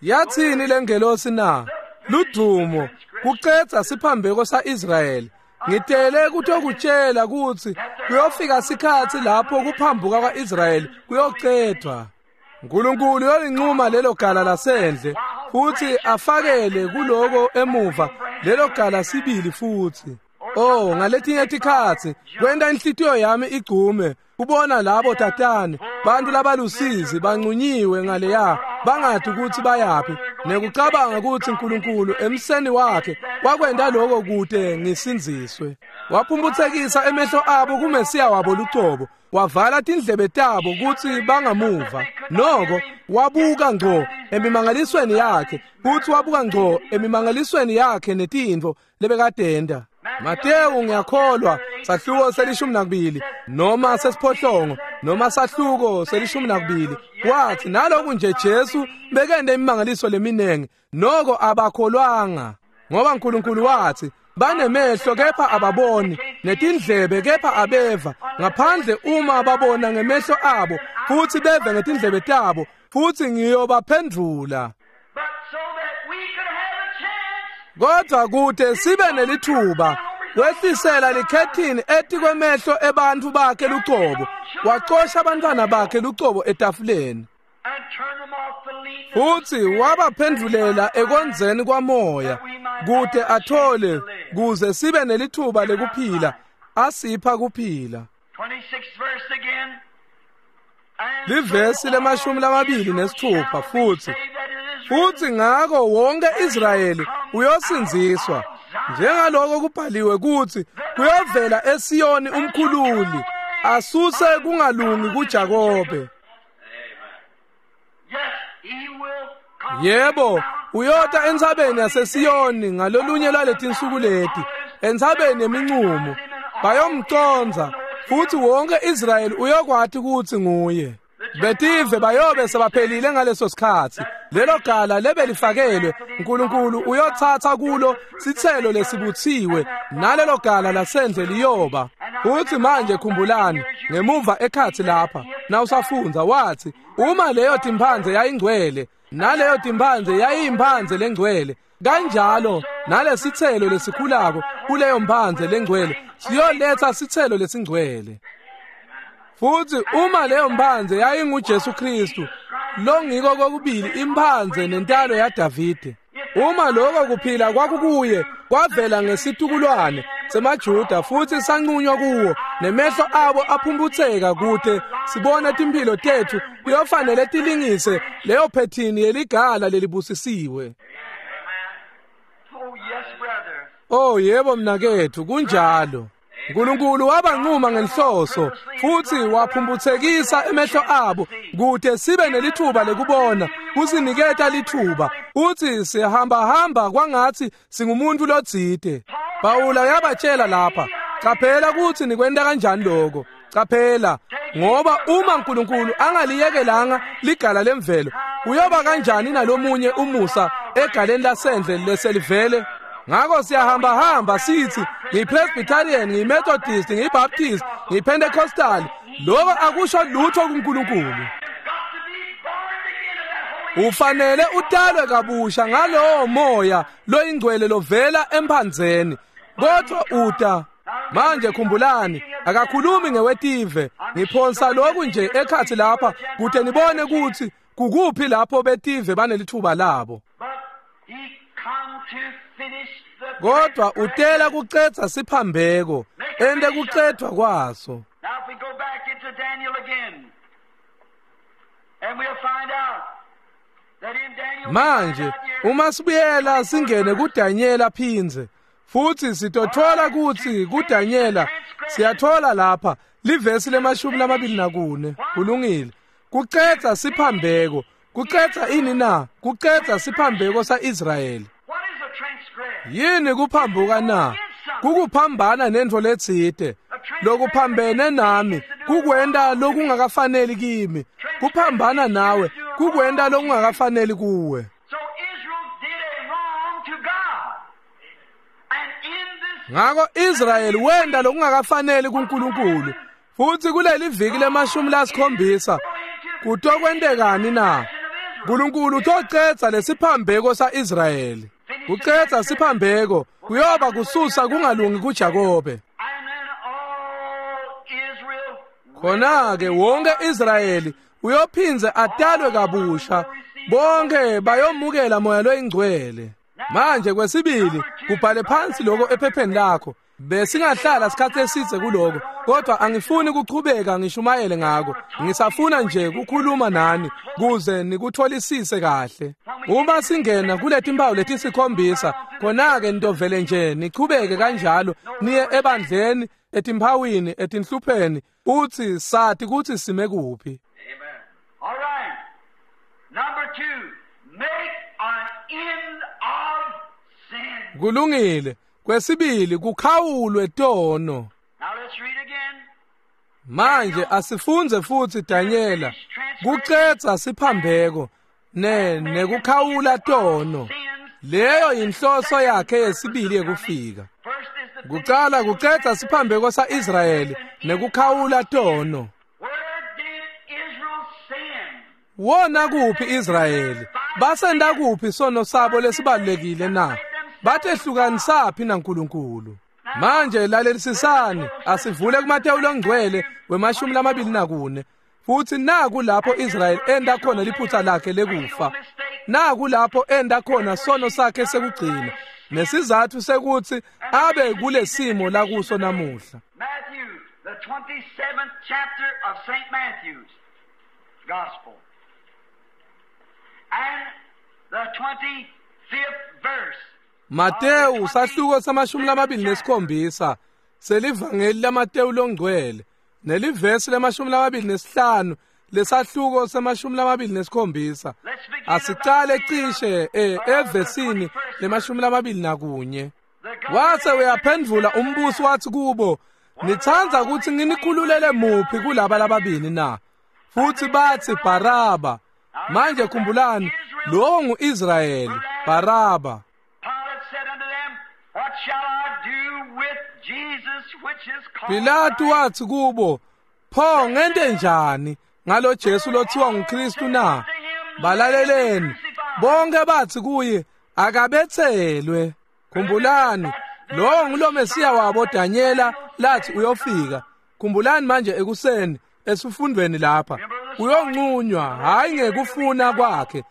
Yathini lengelosi na? Ludumo kucedza siphambeko saIsrayeli. Ngitele kutokutshela ukuthi kuyofika sikhathi lapho kuphambuka kwaIsrayeli kuyocedwa. uNkulunkulu uyolinquma lelo gala lasendle futhi afakele kuloko emuva lelo gala sibili futhi. Oh, ngaletinye tikhatsi kwenta inhlitiyo yami igcume kubona labo tatane bantu labalusizi bancunyiwe ngaleya bangati ukuthi bayaphi nekucabanga ukuthi uNkulunkulu emseni wakhe wakwenta lokho kude ngisindziswe. Waphumphutsekisa emehlo abo kuMesiya wabo lucobo, wavala tindlebe tabo kutsi bangamuva. Noko wabuka ngco emimangalisweni yakhe, futsi wabuka ngco emimangalisweni yakhe netintfo lebekadenda. Matewu ngiyakholwa sahluko selishumi nakubili noma sesiphohlongo noma sahluko selishumi nakubili wathi naloku nje Jesu bekende imimangaliso leminengi noko abakholwanga, ngoba uNkulunkulu wathi banemehlo kepha ababoni netindlebe kepha abeva, ngaphandle uma babona ngemehlo abo futhi beve ngetindlebe tabo, futhi ngiyobaphendvula. Kodwa kude sibe nelithuba wehlisela likhethini etikwemehlo ebantfu bakhe lucobo, wacosha abantwana bakhe lucobo etafuleni, futhi wabaphendvulela ekonzeni kwamoya kude athole kuze sibe nelithuba lekuphila, asipha kuphila. Livesi lemashumi lamabili nesithupha futhi futhi ngako wonke Israyeli uyosindziswa, njengaloko kubhaliwe kuthi kuyovela eSiyoni umkhululi asuse kungalungi kuJakobe. Yebo, uyota entsabeni yaseSiyoni ngalolunye lwaletinsuku leti, entsabeni yemincumo, bayomconza futhi wonke Israyeli uyokwati ukuthi nguye. Betive bayobe sebaphelile ngaleso sikhatsi. Lelo gala lebelifakelwe uNkulunkulu uyotsatsa kulo sitselo lesibuthiwe, nalelo gala lasendle liyoba. Futhi manje khumbulani ngemuva ekhatsi lapha nawusafundza wathi uma leyo timphandze yayingcwele naleyo timphandze yayiyimphandze lengcwele, kanjalo nalesitselo lesikhulako kuleyo mphandze lengcwele siyoletsa sitselo lesingcwele. Futhi uma leyo mphandze yayinguJesu Kristu longiko kokubili imphandze nentalo yaDavide, uma lokho kuphila kwakukuye kwavela ngesitukulwane semaJuda futhi sanqunywa kuwo nemehlo abo aphumputseka kude sibone timphilo tethu kuyofanele tilingise leyo phethini yeligala lelibusisiwe. Oh yebo mnakethu, kunjalo. uNkulunkulu wabanquma ngenhloso futhi waphumphutsekisa emehlo abo kude sibe nelithuba lekubona, kusiniketa lithuba. Uthi sihamba hamba kwangathi singumuntu lotsite. Pawula yabatshela lapha, caphela ukuthi nikwenta kanjani lokho. Caphela, ngoba uma uNkulunkulu angaliyekelanga ligala lemvelo, uyoba kanjani nalomunye umusa egaleni lasendle leselivele? Ngakho siyahamba hamba sithi ngiyiPresbyterian, ngiyiMethodist, ngiyiBaptist, ngiyiPentecostal. Lokho akusho lutho kuNkulunkulu. Ufanele utalwe kabusha ngalowo moya loyingcwele lovela emphandzeni. Kodwa uta manje khumbulani, akakhulumi ngewetive. Ngiphonsa lokhu nje ekhathi lapha kude nibone ukuthi kukuphi lapho betive banelithuba labo. Kodwa utela kucetha siphambeko ende kucethwa kwaso. Manje uma sibuyela singene kuDanyela phindze futhi sitothola ukuthi kuDanyela siyathola lapha livesi lemashumi lamabili nakune. Kulungile. Kucetha siphambeko. Kucetha ini na? Kucetha siphambeko saIsrayeli. Yini kuphambuka na? Kukuphambana nentfo letsite. Lokuphambene nami kukwenta lokungakafaneli kimi. Kuphambana nawe kukwenta lokungakafaneli kuwe. Ngako Israyeli wenta lokungakafaneli kuNkulunkulu. Futhi kuleli viki lemashumi lasikhombisa kutokwentekani na? uNkulunkulu utocetha lesiphambeko saIsrayeli. Kucetha siphambeko kuyoba kususa kungalungi kuJakobe. Khona-ke wonke Israyeli uyophindze atalwe kabusha, bonke bayomukela moya loyingcwele. Manje kwesibili kubhale phansi lokho ephepheni lakho. Besingahlala isikhathi esitse kuloko, kodwa angifuni kuchubeka ngishumayele ngako. Ngisafuna nje kukhuluma nani kuze nikutholisise kahle. Uma singena kuletimpawu letisikhombisa, khona-ke nitovele nje nichubeke kanjalo niye ebandleni, etimphawini, etinhlupheni, uthi sathi kutsi sime kuphi. Amen. All right. Number two, make an end of sin. Kulungile. Kwesibili, kukhawulwe tono. Now let's read again. Manje asifunze futsi Daniela kucedza siphambeko ne nekukhawula tono. Leyo inhloso yakhe yesibili yekufika. First is the Kucala kucedza siphambeko saIsrayeli nekukhawula tono. Where did Israel sin? Wona kuphi Israyeli? Basenda kuphi sono sabo lesibalekile na? Batehlukanisaphi naNkulunkulu? Manje lalelisisani, asivule kuMateyu longcwele wemashumi lamabili nakune. Futhi naku lapho Israyeli enda khona liphutha lakhe lekufa. Naku lapho enda khona sono sakhe sekugcina. Nesizathu sekuthi abe kulesimo lakuso namuhla. Matthew, the twenty-seventh chapter of Saint Matthew's Gospel. And the twenty-fifth verse. Mateyu sahluko samashumi lamabili nesikhombisa selivangeli laMateyu longcwele nelivesi lemashumi lamabili nesihlanu lesahluko semashumi lamabili nesikhombisa. Let's begin Asicale cishe eh, evesini lemashumi lamabili nakunye. The Wase uyaphendvula umbusi wathi kubo, nitsandza kutsi nginikhululele muphi kulaba lababili na? Futhi bathi Baraba. Manje khumbulani, lowo nguIsrayeli, Baraba. Pilate said unto them, What shall I do with Jesus which is called Pilatu Christ? wathi kubo, pho ngente njani ngalo Jesu lothiwa nguKristu na? Balaleleni, bonke bathi kuye akabethelwe. Khumbulani, lowo ngulo Mesiya wabo Daniela lathi uyofika. Khumbulani manje ekuseni esifundweni lapha, uyonqunywa hayi ngekufuna kwakhe,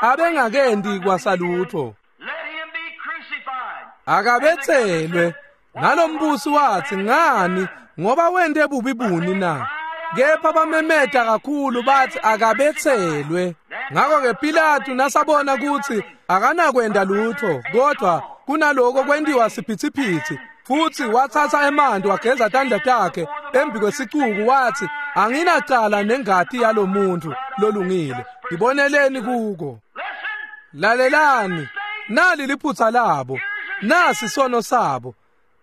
abengakendi kwasalutho. Let him be crucified. Akabethelwe. Nalombusi wathi ngani, ngoba wente bubi buni na? Kepha bamemeta kakhulu bathi akabethelwe. Ngakho-ke Pilatu nasabona ukuthi akanakwenda lutho, kodwa kunaloko kwentiwa siphithiphithi, futhi wathatha emanti wageza tandla takhe embi kwesicuku wathi, anginacala nengati yalomuntu lolungile, ngiboneleni kuko. Listen, Lalelani, nali liphutha labo, nasi sono sabo.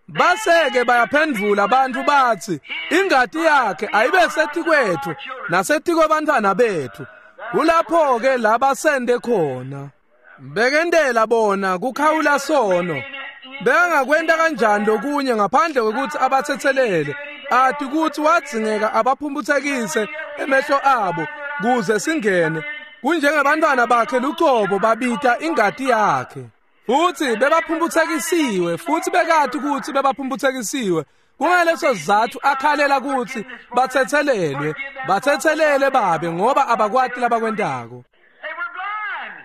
Baseke bayaphendvula abantu bathi, ingati yakhe ayibe setikwethu nasetikwebantfwana bethu. Kulapho-ke labasende khona. Bekendela bona kukhawula sono. Bekangakwenta kanjani lokunye ngaphandle kwekuthi abathethelele, athi kuthi wadzingeka abaphumputhekise emehlo abo kuze singene. Kunjengebantwana bakhe lucobo babita ingati yakhe. Futhi bebaphumputhekisiwe, futhi bekathi ukuthi bebaphumputhekisiwe. Kungaleso sizathu akhalela ukuthi bathethelelwe, bathethelele babe ngoba abakwati labakwentako. they were blind.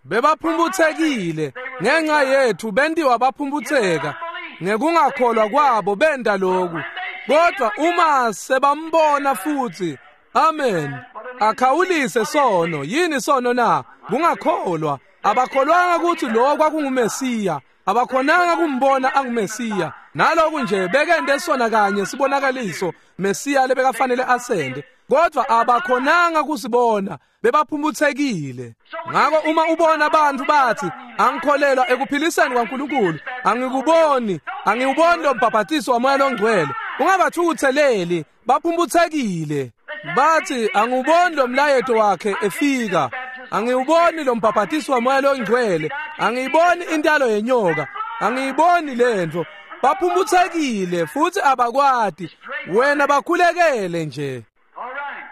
Bebaphumputhekile ngenxa yethu, bentiwa baphumputheka ngekungakholwa kwabo benda lokhu. Kodwa uma sebambona futhi, amen, akhawulise sono. Yini sono na? Kungakholwa. Abakholwanga ukuthi lo kwakunguMesiya, abakhonanga kumbona anguMesiya. Naloku nje bekende sona kanye sibonakaliso Mesiya lebekafanele asende, kodwa abakhonanga kusibona, bebaphumputhekile. Ngakho uma ubona abantu bathi angikholelwa ekuphiliseni kwaNkulunkulu, angikuboni, angiwuboni lo mbhaphathiso waMoya longcwele, ungabathukutheleli, baphumputhekile. Bathi angiwuboni lo mlayeto wakhe efika, angiwuboni lo mbhaphathiso waMoya longcwele, angiyiboni intalo yenyoka, angiyiboni lento. Baphumputhekile futhi abakwati. Wena bakhulekele nje. All right.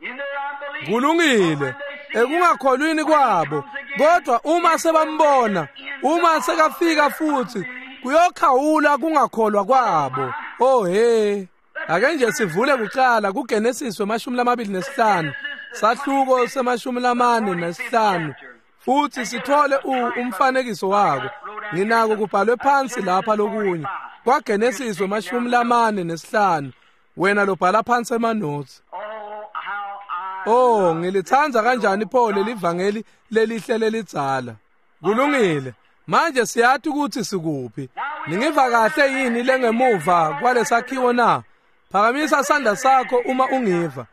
In their unbelief, Kulungile ekungakholwini kwabo, kodwa uma sebambona, uma sekafika futhi, kuyokhawula kungakholwa kwabo. Oh he, ake nje sivule kuqala kuGenesis wemashumi lamabili nesihlanu, sahluko semashumi lamane nesihlanu, futhi sithole umfanekiso wako. Nginako kubhalwe phansi lapha lokunye kwaGenesis wemashumi lamane nesihlanu. Wena lobhala phansi emanotes. Oh, ngilithanda kanjani pho lelivangeli lelihle lelidzala. Kulungile. Manje siyathi ukuthi sikuphi. Ningiva kahle yini lengemuva kwalesakhiwo na? Phakamisa sandla sakho uma ungiva.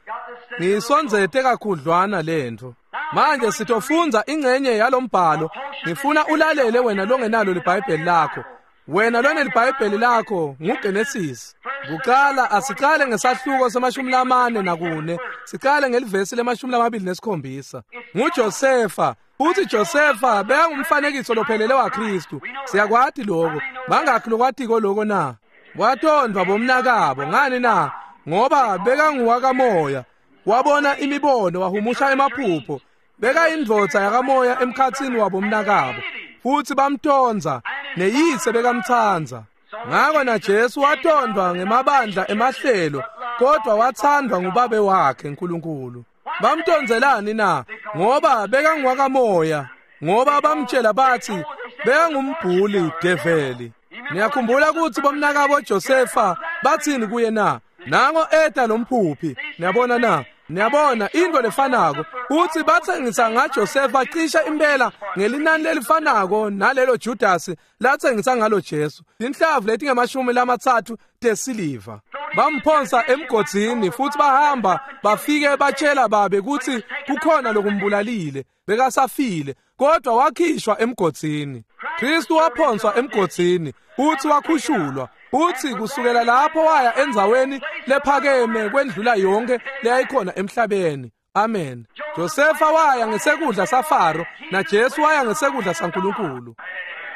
Ngiyisondzete kakhudlwana lento. Manje sitofundza ingcenye yalombhalo. Ngifuna ulalele wena longenalo liBhayibheli lakho. Wena lona liBhayibheli lakho nguGenesis. Kuqala asiqale ngesahluko semashumi lamane nakune. Siqale ngelivesi lemashumi lamabili nesikhombisa. NguJosefa. Uthi Josefa bekangumfanekiso lophelele waKristu. Siyakwati lokho. Bangakhi lokwatiko lokho na? Watondwa bomnakabo ngani na? Ngoba bekanguwakamoya. Wabona imibono wahumusha emaphupho. Bekayindvodza yakamoya emkhatsini wabomnakabo. Futhi bamtonza neyise bekamthanza. Ngako na Jesu watondwa ngemabandla emahlelo, kodwa wathandwa ngubabe wakhe uNkulunkulu. Bamtonzelani na? Ngoba bekangwakamoya, ngoba bamtshela bathi bekangumbhuli develi. Niyakhumbula ukuthi bomnakabo Josefa bathini kuye na? Nango eta lomphuphi. Niyabona na? Niyabona into lefanako. Uthi bathengisa ngaJosefa cisha impela ngelinani lelifanako nalelo Judas lathengisa ngalo Jesu. Inhlavu letingamashumi lamathathu tesiliva. Bamphonsa emgodzini futhi bahamba bafike batshela babe ukuthi kukhona lokumbulalile, bekasafile, kodwa wakhishwa emgodzini. Kristu waphonswa emgodzini futhi wakhushulwa. Uthi kusukela lapho waya endzaweni lephakeme kwendlula yonke leyayikhona emhlabeni. Amen. Josefa waya ngesekudla saFaro naJesu waya ngesekudla saNkulunkulu.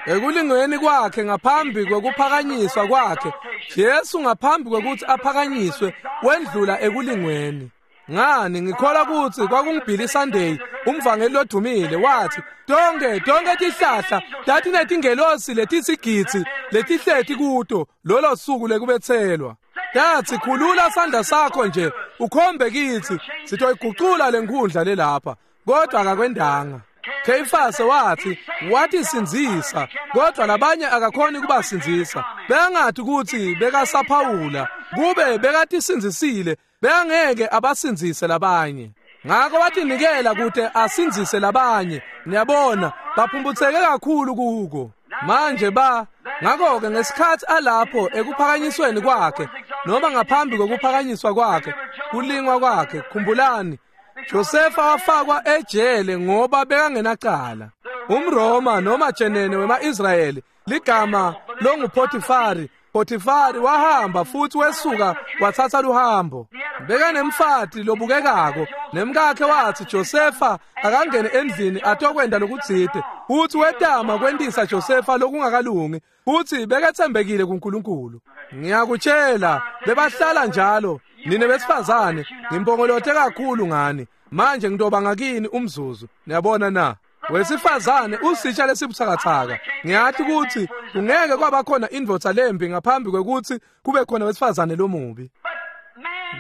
Ekulingweni kwakhe ngaphambi kwekuphakanyiswa kwakhe, Jesu ngaphambi kwekuthi aphakanyiswe wendlula ekulingweni. Ngani ngikholwa ukuthi kwakunguBilly Sunday umvangeli lodumile wathi tonke tonke tihlahla tatinetingelosi letisigidzi letihleti kuto lolo suku lekubethelwa. Tathi khulula sandla sakho nje ukhombe kithi sitoyigucula lenkundla lelapha, kodwa akakwendanga. Kheyifase wathi wathi sinzisa, kodwa labanye akakhoni kubasinzisa. Bengathi ukuthi bekasaphawula kube bekatisinzisile bengeke abasinzise labanye. Ngakho wathinikela kude asinzise labanye. Niyabona baphumbutheke kakhulu kuko. Manje ba ngakho-ke ngesikhathi alapho ekuphakanyisweni kwakhe noma ngaphambi kokuphakanyiswa kwakhe kulingwa kwakhe, khumbulani Josefa wafakwa ejele ngoba bekangenacala. UmRoma noma jenene wema-Israyeli ligama longuPotifari. Potifari wahamba futhi wesuka wathatha luhambo. Bekanemfati lobukekako nemkakhe wathi Josefa akangene endlini atokwenda lokutsite. Futhi wetama kwentisa Josefa lokungakalungi futhi bekethembekile kuNkulunkulu. Ngiyakutshela bebahlala njalo. Nine besifazane ngimpongolote kakhulu ngani. Manje ngitoba ngakini umzuzu. Niyabona na? Wesifazane usitsha lesibuthakathaka. Ngiyathi ukuthi kungeke kwaba khona indvodza lembi ngaphambi kwekuthi kube khona wesifazane lomubi.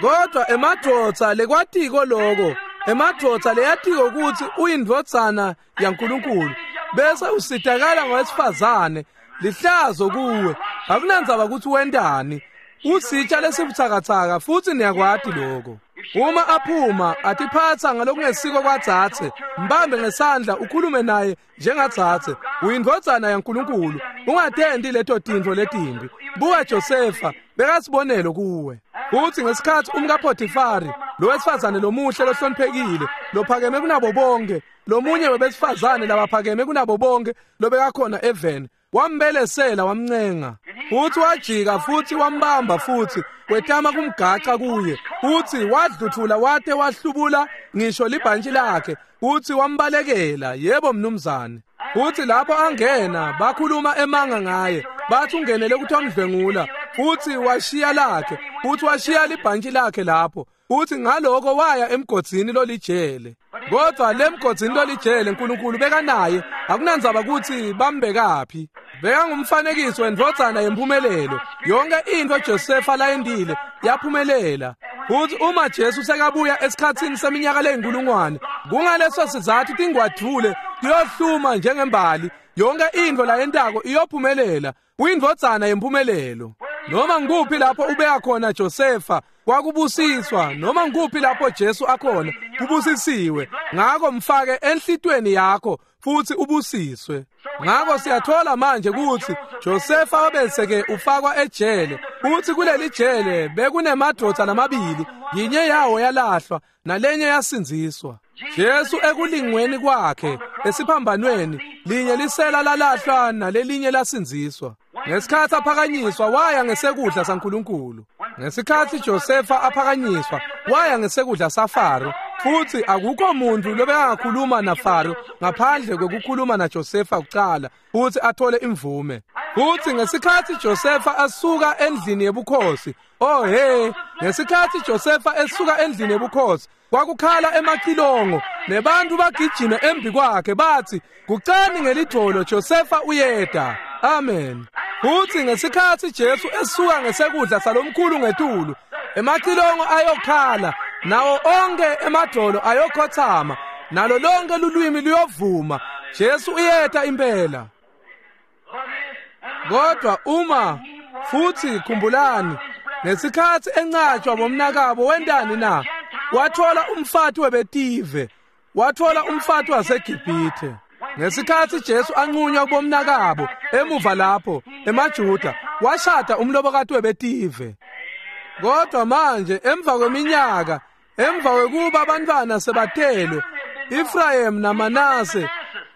Kodwa emadvodza lekwatiko lokho, emadvodza leyatiko ukuthi uyindvodzana yaNkulunkulu, bese usitakala ngowesifazane, lihlazo kuwe. Akunandzaba ukuthi wendani. Usitsha lesibuthakathaka futhi niyakwati lokho. Uma aphuma atiphatsa ngalokungesiko kwadzatse, mbambe ngesandla ukhulume naye njengadzatse. Uyindvodzana yaNkulunkulu, ungatendi leto tintfo letimbi. Buka Josefa bekasibonelo kuwe. Futhi ngesikhathi umkaPotifari, lo wesifazane lomuhle lohloniphekile, lophakeme kunabo bonke, lomunye webesifazane labaphakeme kunabo bonke lobekakhona eveni, wambelesela wamncenga. Futhi wajika futhi wambamba futhi wetama kumgaca kuye. Futhi wadluthula wate wahlubula ngisho libhantshi lakhe. Futhi wambalekela. Yebo mnumzane. Futhi lapho angena bakhuluma emanga ngaye, bathi ungenele ukuthi wamdlwengula. Futhi washiya lakhe, futhi washiya libhantshi lakhe lapho. Futhi ngaloko waya emgodzini lolijele. Kodwa lemgodzini lolijele uNkulunkulu bekanaye, akunandzaba ukuthi bambekaphi. Bekangumfanekiso wendvodzana yempumelelo. Yonke into Josefa layendile yaphumelela. Futhi uma Jesu sekabuya esikhatsini seminyaka leyinkulungwane, kungaleso sizathu tingwadvule tiyohluma njengembali Yonke intfo layentako iyophumelela. Uyindvodzana yempumelelo. Noma ngikuphi lapho ubeya khona Josefa kwakubusiswa, noma ngikuphi lapho Jesu akhona kubusisiwe. Ngako mfake enhlitweni yakho futhi ubusiswe. Ngako siyathola manje kutsi Josefa wabese-ke ufakwa ejele. Futhi kuleli jele bekunemadvodza lamabili, yinye yawo yalahlwa nalenye yasindziswa. Jesu ekulingweni kwakhe esiphambanweni, linye lisela lalahlwa nalelinye lasindziswa. Ngesikhatsi aphakanyiswa waya ngesekudla saNkulunkulu. Ngesikhatsi Josefa aphakanyiswa waya ngesekudla saFaro, futsi akukho muntu lobekangakhuluma naFaro ngaphandle kwekukhuluma naJosefa kucala futsi athole imvume. Futsi ngesikhatsi Josefa asuka endlini yebukhosi, oh he, ngesikhatsi Josefa esuka endlini yebukhosi kwakukhala emacilongo nebantu bagijima embi kwakhe bathi, "Gucani ngelidvolo, Josefa uyeda." Amen. Futsi ngesikhatsi Jesu esuka ngesekudla salomkhulu ngetulu, emacilongo ayokhala, nawo onke emadvolo ayokhothama, nalo lonke lulwimi luyovuma, Jesu uyeta impela. Kodwa uma futhi khumbulani, ngesikhatsi encatshwa bomnakabo wentani na? Wathola umfati webetive, wathola umfati waseGibhithe. Ngesikhatsi Jesu anqunywa kubomnakabo emuva lapho emaJuda, washada umlobokati webetive. Kodwa manje emva kweminyaka, emva kwekuba abantwana sebatelwe, Ephraim naManase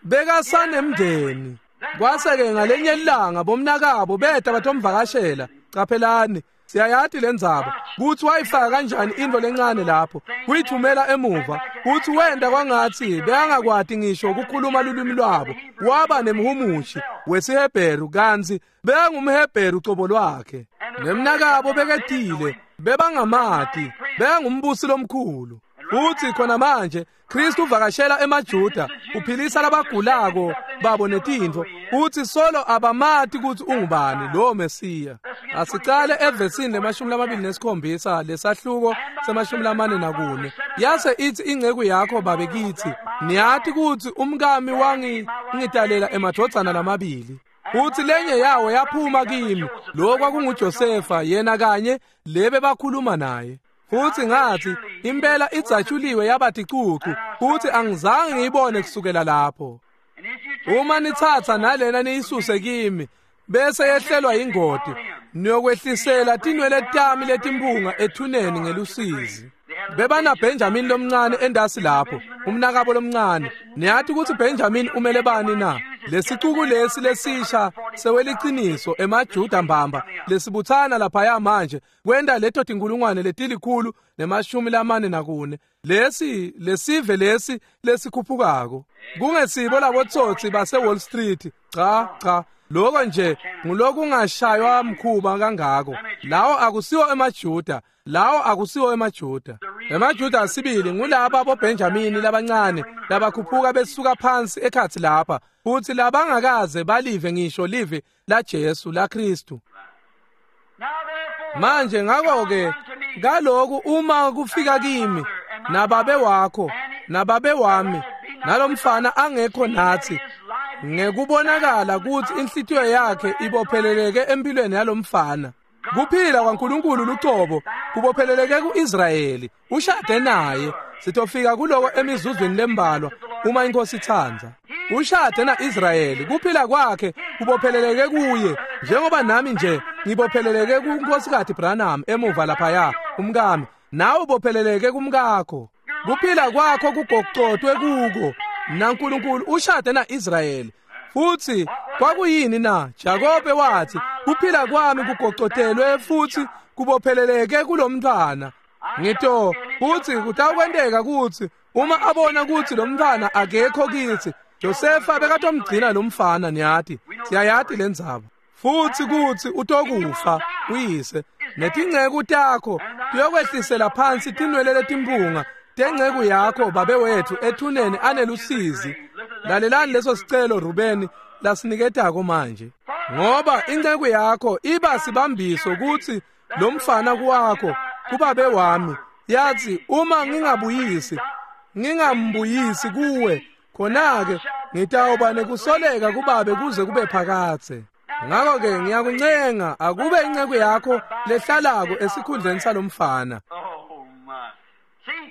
bekasanemndeni. Kwase-ke ngalenye ilanga bomnakabo beta batomvakashela. Caphelani, siyayati lendzaba kutsi wayifaka kanjani intfo lencane lapho, kuyithumela emuva, kutsi wenta kwangatsi bekangakwati ngisho ukukhuluma lulwimi lwabo. Waba nemhumushi wesiHebheru kantsi bekangumHebheru cobo lwakhe. Nemnakabo beketile, bebangamati, bekangumbusi lomkhulu. Futsi khona manje Kristu uvakashela emaJuda, uphilisa labagulako babo netintfo, futsi solo abamati kutsi ungubani lo Mesiya. Asicale evesini lemashumi lamabili nesikhombisa lesahluko semashumi lamane nakune. Yase itsi inceku yakho babe kitsi, niyati kutsi umkami wangitalela emadvodzana lamabili. Futsi lenye yawo yaphuma kimi, lo kwakunguJosefa yena kanye lebe bakhuluma naye. Futsi ngathi impela idzatshuliwe yaba ticucu, futsi angizange ngiyibone kusukela lapho. Uma nitsatsa nalena niyisuse kimi, bese yehlelwa ingoti, niyokwehlisela tinwele tami letimpunga ethuneni ngelusizi. Bebana Benjamin lomncane endasi lapho, umnakabo lomncane. Niyati kutsi Benjamin umele bani na? Lesicuku lesi lesisha seweliciniso emaJuda mbamba lesibutsana laphaya manje kwenta leto tinkulungwane letilikhulu nemashumi lamane nakune. Lesi lesive lesi lesikhuphukako kungesibo labotsotsi base Wall Street. Cha cha, lokho nje ngulokungashaywa mkhuba kangako. Lawo akusiwo emaJuda, lawo akusiwo emaJuda. EmaJuda asibili ngulaba boBenjamini labancane labakhuphuka besuka phansi ekhatsi lapha, futhi labangakaze balive ngisho live la Jesu la Kristu. Manje ngakho-ke kaloku uma kufika kimi nababe wakho nababe wami nalomfana angekho nathi, ngekubonakala kutsi inhlitiyo yakhe ibopheleleke empilweni yalomfana. Kuphila kwaNkulunkulu lucobo kubopheleleke kuIsrayeli, ushade naye. Sitofika kuloko emizuzwini lembalwa uma inkosi itsandza. Ushade naIsrayeli, kuphila kwakhe kubopheleleke kuye, njengoba nami nje ngibopheleleke kuNkosikati Branham emuva laphaya, umkami. Nawe ubopheleleke kumkakho. Kuphila kwakho kugocotwe kuko naNkulunkulu ushade naIsrayeli. Futsi kwakuyini na? Jakobe wathi, kuphila kwami kugocotelwe futhi kubopheleleke kulomntwana. Ngito futhi kutawukwenteka kutsi uma abona kutsi lomntwana akekho kithi, Josefa bekatomgcina lomfana. Niyati, siyayati lendzaba. Futsi kutsi utokufa uyise, netinceku takho tiyokwehlisela phansi tinwele letimpunga tenceku yakho babe wethu ethuneni anelusizi. Lalelani leso sicelo Rubeni lasiniketako manje, ngoba inceku yakho iba sibambiso kutsi lomfana kuwakho kubabe wami. Yathi, uma ngingabuyisi ngingambuyisi kuwe, khona-ke Ngitawuba nekusoleka kubabe kuze kube phakadze. Ngakho-ke ngiyakuncenga akube inceku yakho lehlalako esikhundleni salomfana.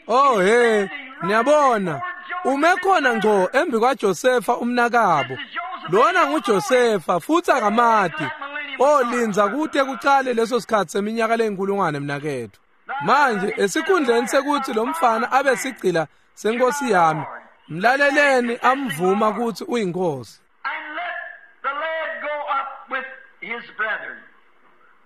Oh he, niyabona, ume khona ngco embi kwaJosefa umnakabo. Lona nguJosefa futsi akamati. Oh lindza kute kucale leso sikhatsi seminyaka leyinkulungwane mnaketfu. Manje esikhundleni sekuthi lo mfana abe sigcila senkosi yami, mlaleleni amvuma kutsi uyinkosi. And let the lad go up with his brethren.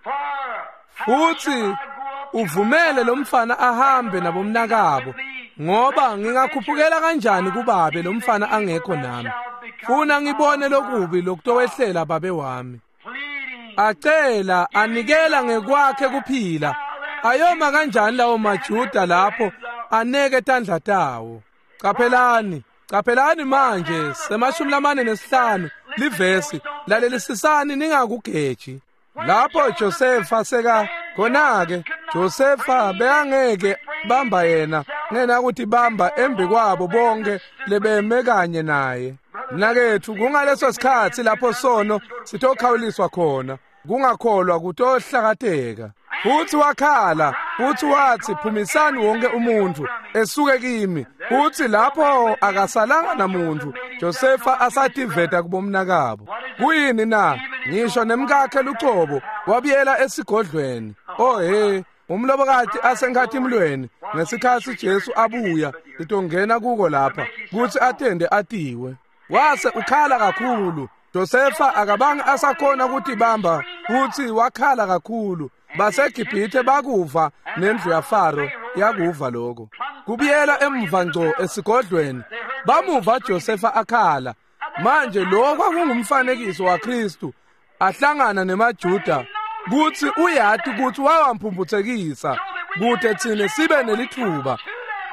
For how Futsi shall I go up to uvumele lo mfana ahambe nabomnakabo, ngoba ngingakhuphukela kanjani kubabe lo mfana angekho nami? Funa ngibone lokubi lokutowehlela babe wami. pleading? Acela anikela ngekwakhe kuphila. Ayoma kanjani lawo maJuda lapho aneke tandla tawo? Qaphelani, qaphelani manje semashumi lamane nesihlanu livesi, lalelisisani ningakugeji. Lapho Josefa seka khona-ke Josefa bekangeke bamba yena ngena ukuthi bamba embi kwabo bonke lebeme kanye naye. Mnaketfu, kungaleso sikhatsi lapho sono sitokhawuliswa khona, kungakholwa kutohlakateka. Futsi wakhala, futsi watsi, phumisani wonke umuntfu esuke kimi. Futsi lapho akasalanga namuntfu, Josefa asativeta kubomnakabo. Kuyini na? Ngisho nemkakhe lucobo wabuyela esigodlweni. Oh he, umlobokati asenkhatimlweni ngesikhatsi Jesu abuya litongena kuko lapha kutsi atende atiwe. Wase ukhala kakhulu. Josefa akabange asakhona kutibamba futsi wakhala kakhulu. BaseGibhithe bakuva nendlu yaFaro yakuva lokho. Kubuyela emva ngco esigodlweni, bamuva Josefa akhala. Manje lo kwakungumfanekiso waKristu ahlangana nemaJuda kutsi uyati kutsi wawamphumphutsekisa kute tsine sibe nelitfuba.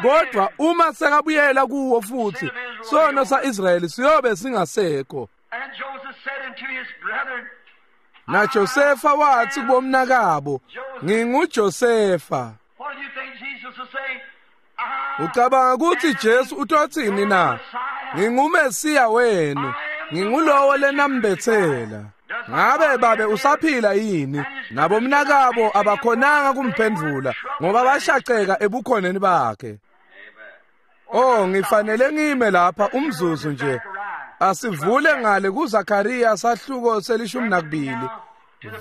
Kodwa uma sekabuyela kuwo futsi, sono sa-Israyeli siyobe singasekho. And Joseph said unto his brethren, Na Josefa watsi kubomnakabo, nginguJosefa. What do you think Jesus will say? I Ucabanga kutsi Jesu utotsini na? NginguMesiya wenu, ngingulowo lenambetsela. Ngabe babe usaphila yini? Nabomnakabo abakhonanga kumphendvula ngoba bashaqeka ebukhoneni bakhe. Oh, ngifanele ngime lapha umzuzu nje. Asivule ngale kuZakaria sahluko selishumi nakubili.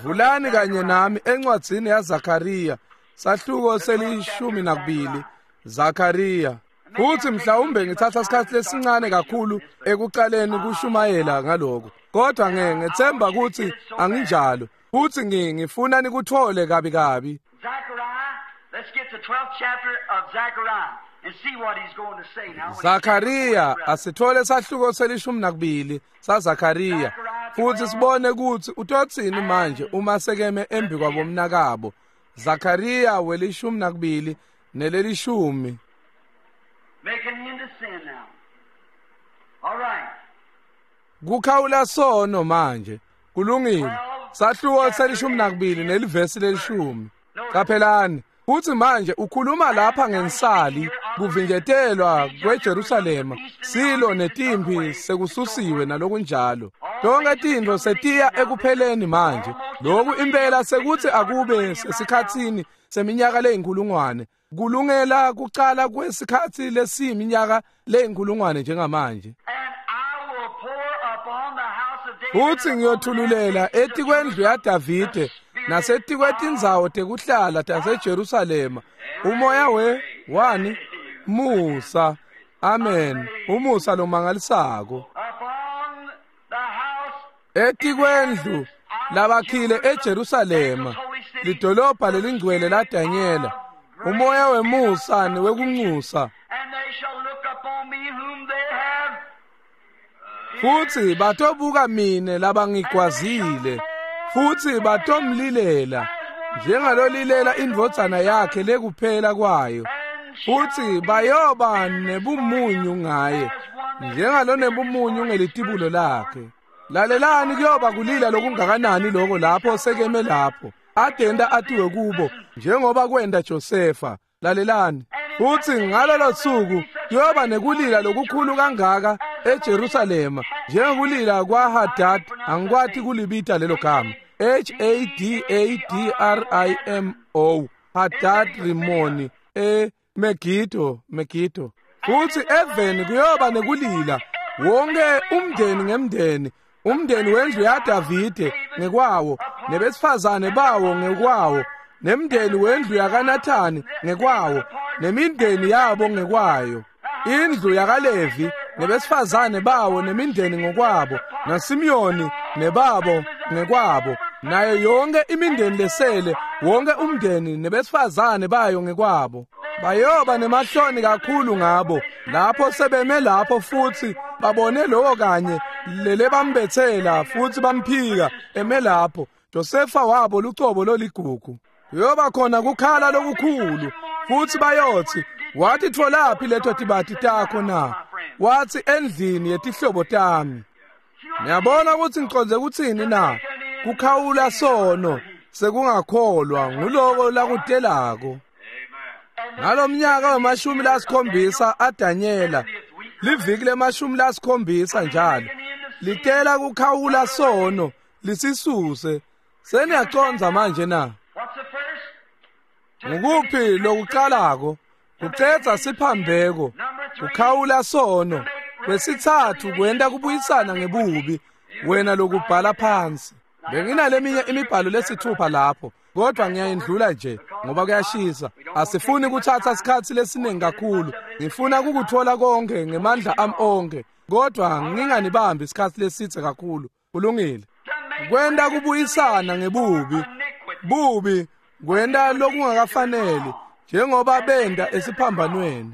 Vulani kanye nami encwadzini yaZakaria sahluko selishumi nakubili. Zakaria. Futhi mhlawumbe ngithatha isikhathi lesincane kakhulu ekuqaleni kushumayela ngaloko. Kodwa nge ngethemba ukuthi anginjalo. Futhi ngi ngifuna nikuthole kabi kabi. Zechariah, let's get the twelfth chapter of Zechariah and see what he's going to say now. when he Zakaria asithole sahluko selishumi nakubili saZakaria futhi sibone ukuthi utotsini manje uma sekeme embi kwabomnakabo. Zakaria welishumi nakubili nelelishumi. Making him to sin now. All right. Kukhawula sono manje. Kulungile. Sahluko selishumi nakubili nelivesi lelishumi. Qaphelani, futhi manje ukhuluma lapha ngensali kuvinjetelwa kweJerusalema, silo netimpi sekususiwe nalokunjalo. Tonke tintfo setiya ekupheleni manje. Lokhu impela sekuthi akube sesikhatsini seminyaka leyinkulungwane. Kulungela kucala kwesikhatsi lesiyiminyaka leyinkulungwane njengamanje. And I will pour upon the house of David Futhi ngiyothululela etikwendlu yaDavide nasetikwetindzawo tekuhlala taseJerusalema umoya we wani musa. Amen. Umusa lomangalisako upon the house etikwendlu labakhile eJerusalema, lidolobha lelingcwele laDanyela, umoya wemusa newekunxusa. and they shall look upon me whom they have Futhi batobuka mine labangigwazile, futhi batomlilela njengalolilela indvodzana yakhe lekuphela kwayo. and Futhi bayoba nebumunyu ngaye njengalonebumunyu ngelitibulo lakhe. Lalelani, kuyoba kulila lokungakanani lokho lapho sekeme lapho adenda atiwe kubo njengoba kwenda Josefa. Lalelani, futhi ngalolo suku kuyoba nekulila lokukhulu kangaka eJerusalema njengokulila kwaHadad angikwati kulibita lelo gama H A D A D R I M O Hadad Rimoni e Megiddo Megiddo futhi eveni kuyoba nekulila wonke umndeni ngemndeni umndeni wendlu yaDavide ngekwawo nebesifazane bawo ngekwawo nemndeni wendlu yakaNathani ngekwawo nemindeni yabo ngekwayo indlu yakaLevi nebesifazane bawo nemindeni ngokwabo naSimiyoni nebabo ngekwabo nayo yonke imindeni lesele wonke umndeni nebesifazane bayo ngekwabo bayoba nemahloni kakhulu ngabo lapho sebeme lapho futhi babone lowo kanye lele bambethela futhi bamphika eme lapho Josefa wabo lucobo loligugu kuyoba khona kukhala lokukhulu futhi bayothi wathi tholaphi leto tibati takho na wathi endlini yetihlobo tami niyabona ukuthi ngiconze ukuthini na kukhawula sono sekungakholwa nguloko lakutelako ngalomnyaka wemashumi lasikhombisa aDanyela liviki lemashumi lasikhombisa njalo litela kukhawula sono lisisuse seniyaconza manje na ngukuphi lokuqalako kucedza siphambeko kukhawula sono kwesithathu kwenta kubuyisana ngebubi wena lokubhala phansi benginaleminye imibhalo lesithupha lapho kodwa ngiyayindlula nje ngoba kuyashisa asifuni kuthatha isikhathi lesiningi kakhulu ngifuna ukukuthola konke ngemandla ami onke kodwa nginganibambi isikhathi lesithe kakhulu kulungile kwenta kubuyisana ngebubi bubi kwenta lokungakafaneli njengoba benda esiphambanweni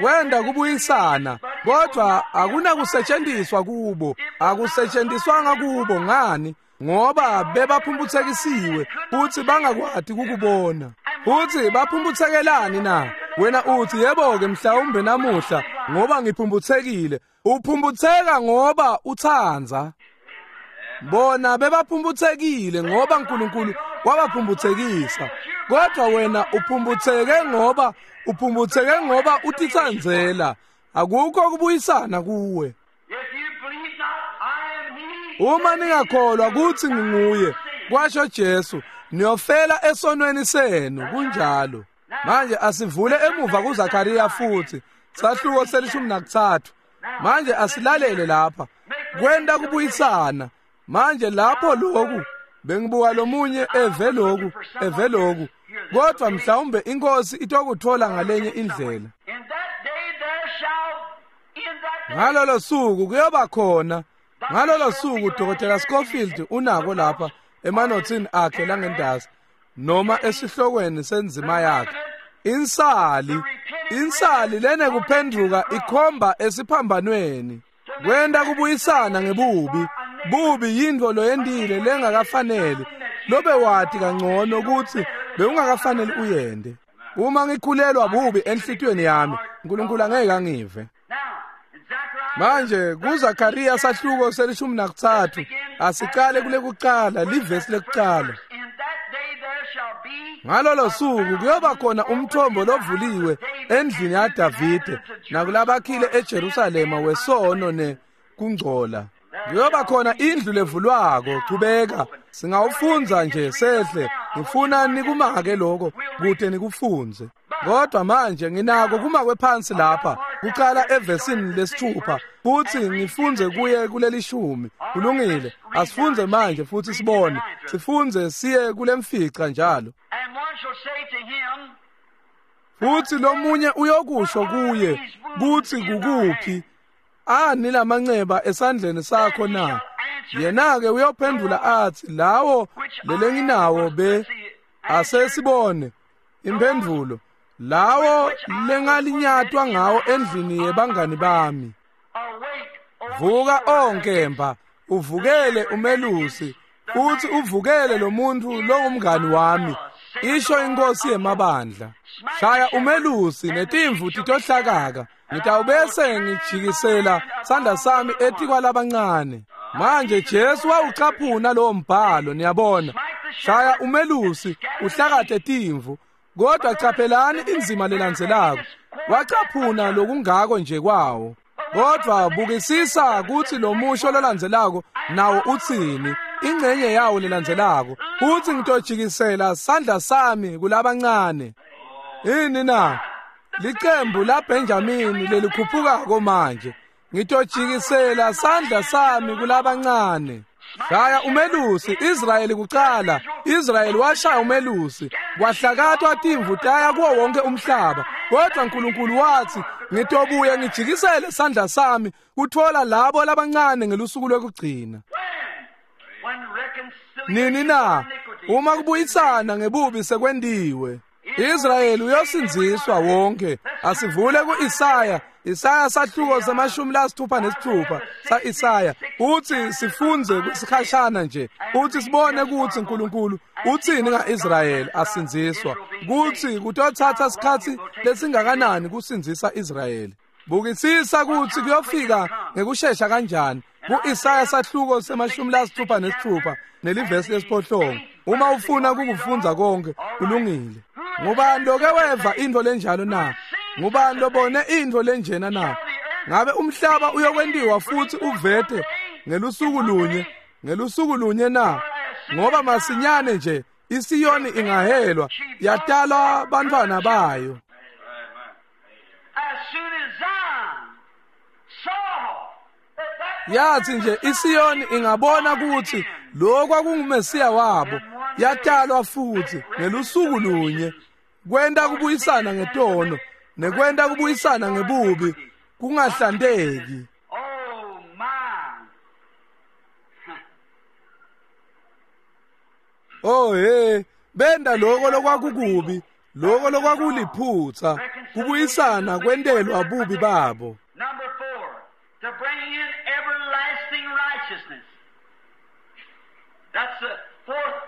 wenda kubuyisana kodwa akunakusetshenziswa kubo akusetshenziswanga kubo ngani ngoba bebaphumputhekisiwe futhi bangakwati ukubona futhi baphumputhekelani na wena uthi yebo ke mhlawumbe namuhla ngoba ngiphumputhekile uphumputheka ngoba uthandza bona bebaphumputhekile ngoba uNkulunkulu wabaphumputhekisa kodwa wena uphumputheke ngoba uphumputheke ngoba utitsandzela akukho kubuyisana kuwe uma ningakholwa kuthi nginguye kwasho Jesu niyofela esonweni senu kunjalo manje asivule emuva kuZakaria futhi sahluko selishumi nakuthathu manje asilalele lapha kwenta kubuyisana manje lapho lokhu bengibuka lomunye eve lokhu eve lokhu kodwa mhlawumbe inkosi itokuthola ngalenye indlela ngalolo suku kuyoba khona ngalolo suku Dokotela Scofield unako lapha emanothini akhe langendasi noma esihlokweni senzima yakhe insali insali lene kuphenduka ikhomba esiphambanweni kwenta kubuyisana ngebubi bubi yintfo loyentile lengakafaneli lobe wati kangcono ukuthi bewungakafaneli uyende uma ngikhulelwa bubi enhlitiyweni yami uNkulunkulu angeke angive manje kuZakaria sahluko selishumi nakuthathu asiqale kule kuqala livesi lekuqala ngalolo suku kuyoba khona umthombo lovuliwe endlini yaDavide nakulabakhile eJerusalema wesono ne kungcola kuyoba khona indlu levulwako chubeka singawufundza nje sehle ngifuna nikumake lokho kude nikufunze kodwa manje nginako kumakwe phansi lapha kuqala evesini lesithupha futhi ngifunze kuye kulelishumi kulungile asifunze manje futhi sibone sifunze siye kulemfica njalo futhi lomunye uyokusho kuye kuthi kukuphi ani lamanceba esandleni sakho na yena ke uyophendula athi lawo lelenginawo be asesibone impendulo lawo lengalinyatwa ngawo endlini yebangani bami vuka onkemba uvukele umelusi futhi uvukele lo muntu longumngani wami isho inkosi yemabandla shaya umelusi netimvu titohlakaka ngitawubese ngijikisela sandla sami etikwalabancane manje Jesu wawucaphuna lowo mbhalo niyabona shaya umelusi uhlakathe timvu kodwa chaphelani inzima lelandzelako wacaphuna lokungako nje kwawo Kodwa bukisisa kutsi lo musho lolandzelako nawo utsini, ingcenye yawo lelandzelako utsi ngitojikisela sandla sami kulabancane. Ini na? Licembu la Benjamini lelikhuphukako manje. Ngitojikisela sandla sami kulabancane. Shaya umelusi Israyeli kucala. Israyeli washaya umelusi, kwahlakatwa timvu taya kuwo wonke umhlaba. Kodwa uNkulunkulu wathi ngitobuye ngijikisele sandla sami kuthola labo labancane ngelusuku lokugcina. Nini na? Uma kubuyisana ngebubi sekwendiwe, Israyeli uyosindziswa wonke. Asivule ku-Isaya, Isaya sahluko semashumi lasithupha nesithupha sa-Isaya. Uthi sifunze kwesikhashana nje, uthi sibone ukuthi uNkulunkulu uthini nga-Israyeli asindziswa, kuthi kutothatha sikhatsi lesingakanani kusindzisa Israyeli. Bukisisa kutsi kuyofika ngekushesha kanjani. Ku-Isaya sahluko semashumi lasithupha nesithupha nelivesi lesiphohlongo. Uma ufuna kukufundza konke kulungile. Ngubani loke weva intfo lenjalo na? Ngubani lobone intfo lenjena na? Ngabe umhlaba uyokwentiwa futsi uvete ngelusuku lunye, ngelusuku lunye na? Ngoba masinyane nje iSiyoni ingahelwa yatalwa bantfwana bayo. Yathi nje iSiyoni ingabona ukuthi lo kwakunguMesiya wabo, yatalwa futhi ngelusuku lunye, kwenta kubuyisana ngetono nekwenta kubuyisana ngebubi kungahlanteki. Oh my. Oh hey, benda lokho lokwakukubi, lokho lokwakuliphutha, kubuyisana kwentelwa bubi babo. Number four, to bring in everlasting righteousness. That's the fourth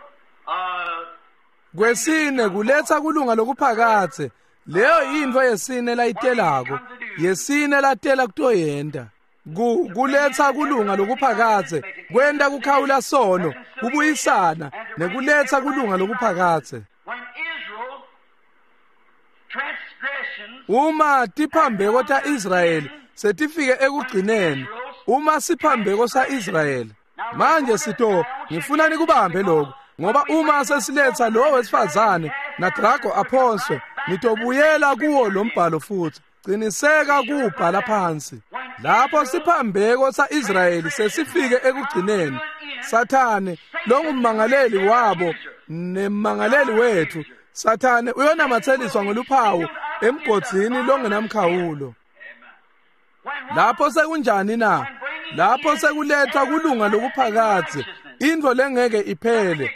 uh Kwesine kuletha kulunga lokuphakathe. Leyo yintfo yesine layitelako, yesine latela kutoyenta. Ku kuletha kulunga lokuphakathe, kwenta kukhawula sono, kubuyisana nekuletha kulunga lokuphakathe. when Israel transgressions Uma tiphambeko ta-Israyeli setifike ekugcineni, uma siphambeko sa-Israyeli manje sito ngifuna nikubambe lokho, ngoba uma sesiletha lo wesifazane naDrago aphonswe, nitobuyela kuwo lo mbhalo futhi. Qiniseka kuwubhala phansi. Lapho siphambeko sa-Israyeli sesifike ekugcineni, Sathane longummangaleli wabo nemmangaleli wethu, Sathane uyonamatheliswa ngoluphawu emgodzini longenamkhawulo. when Lapho sekunjani na? Lapho sekuletha kulunga lokuphakathe, intfo lengeke iphele.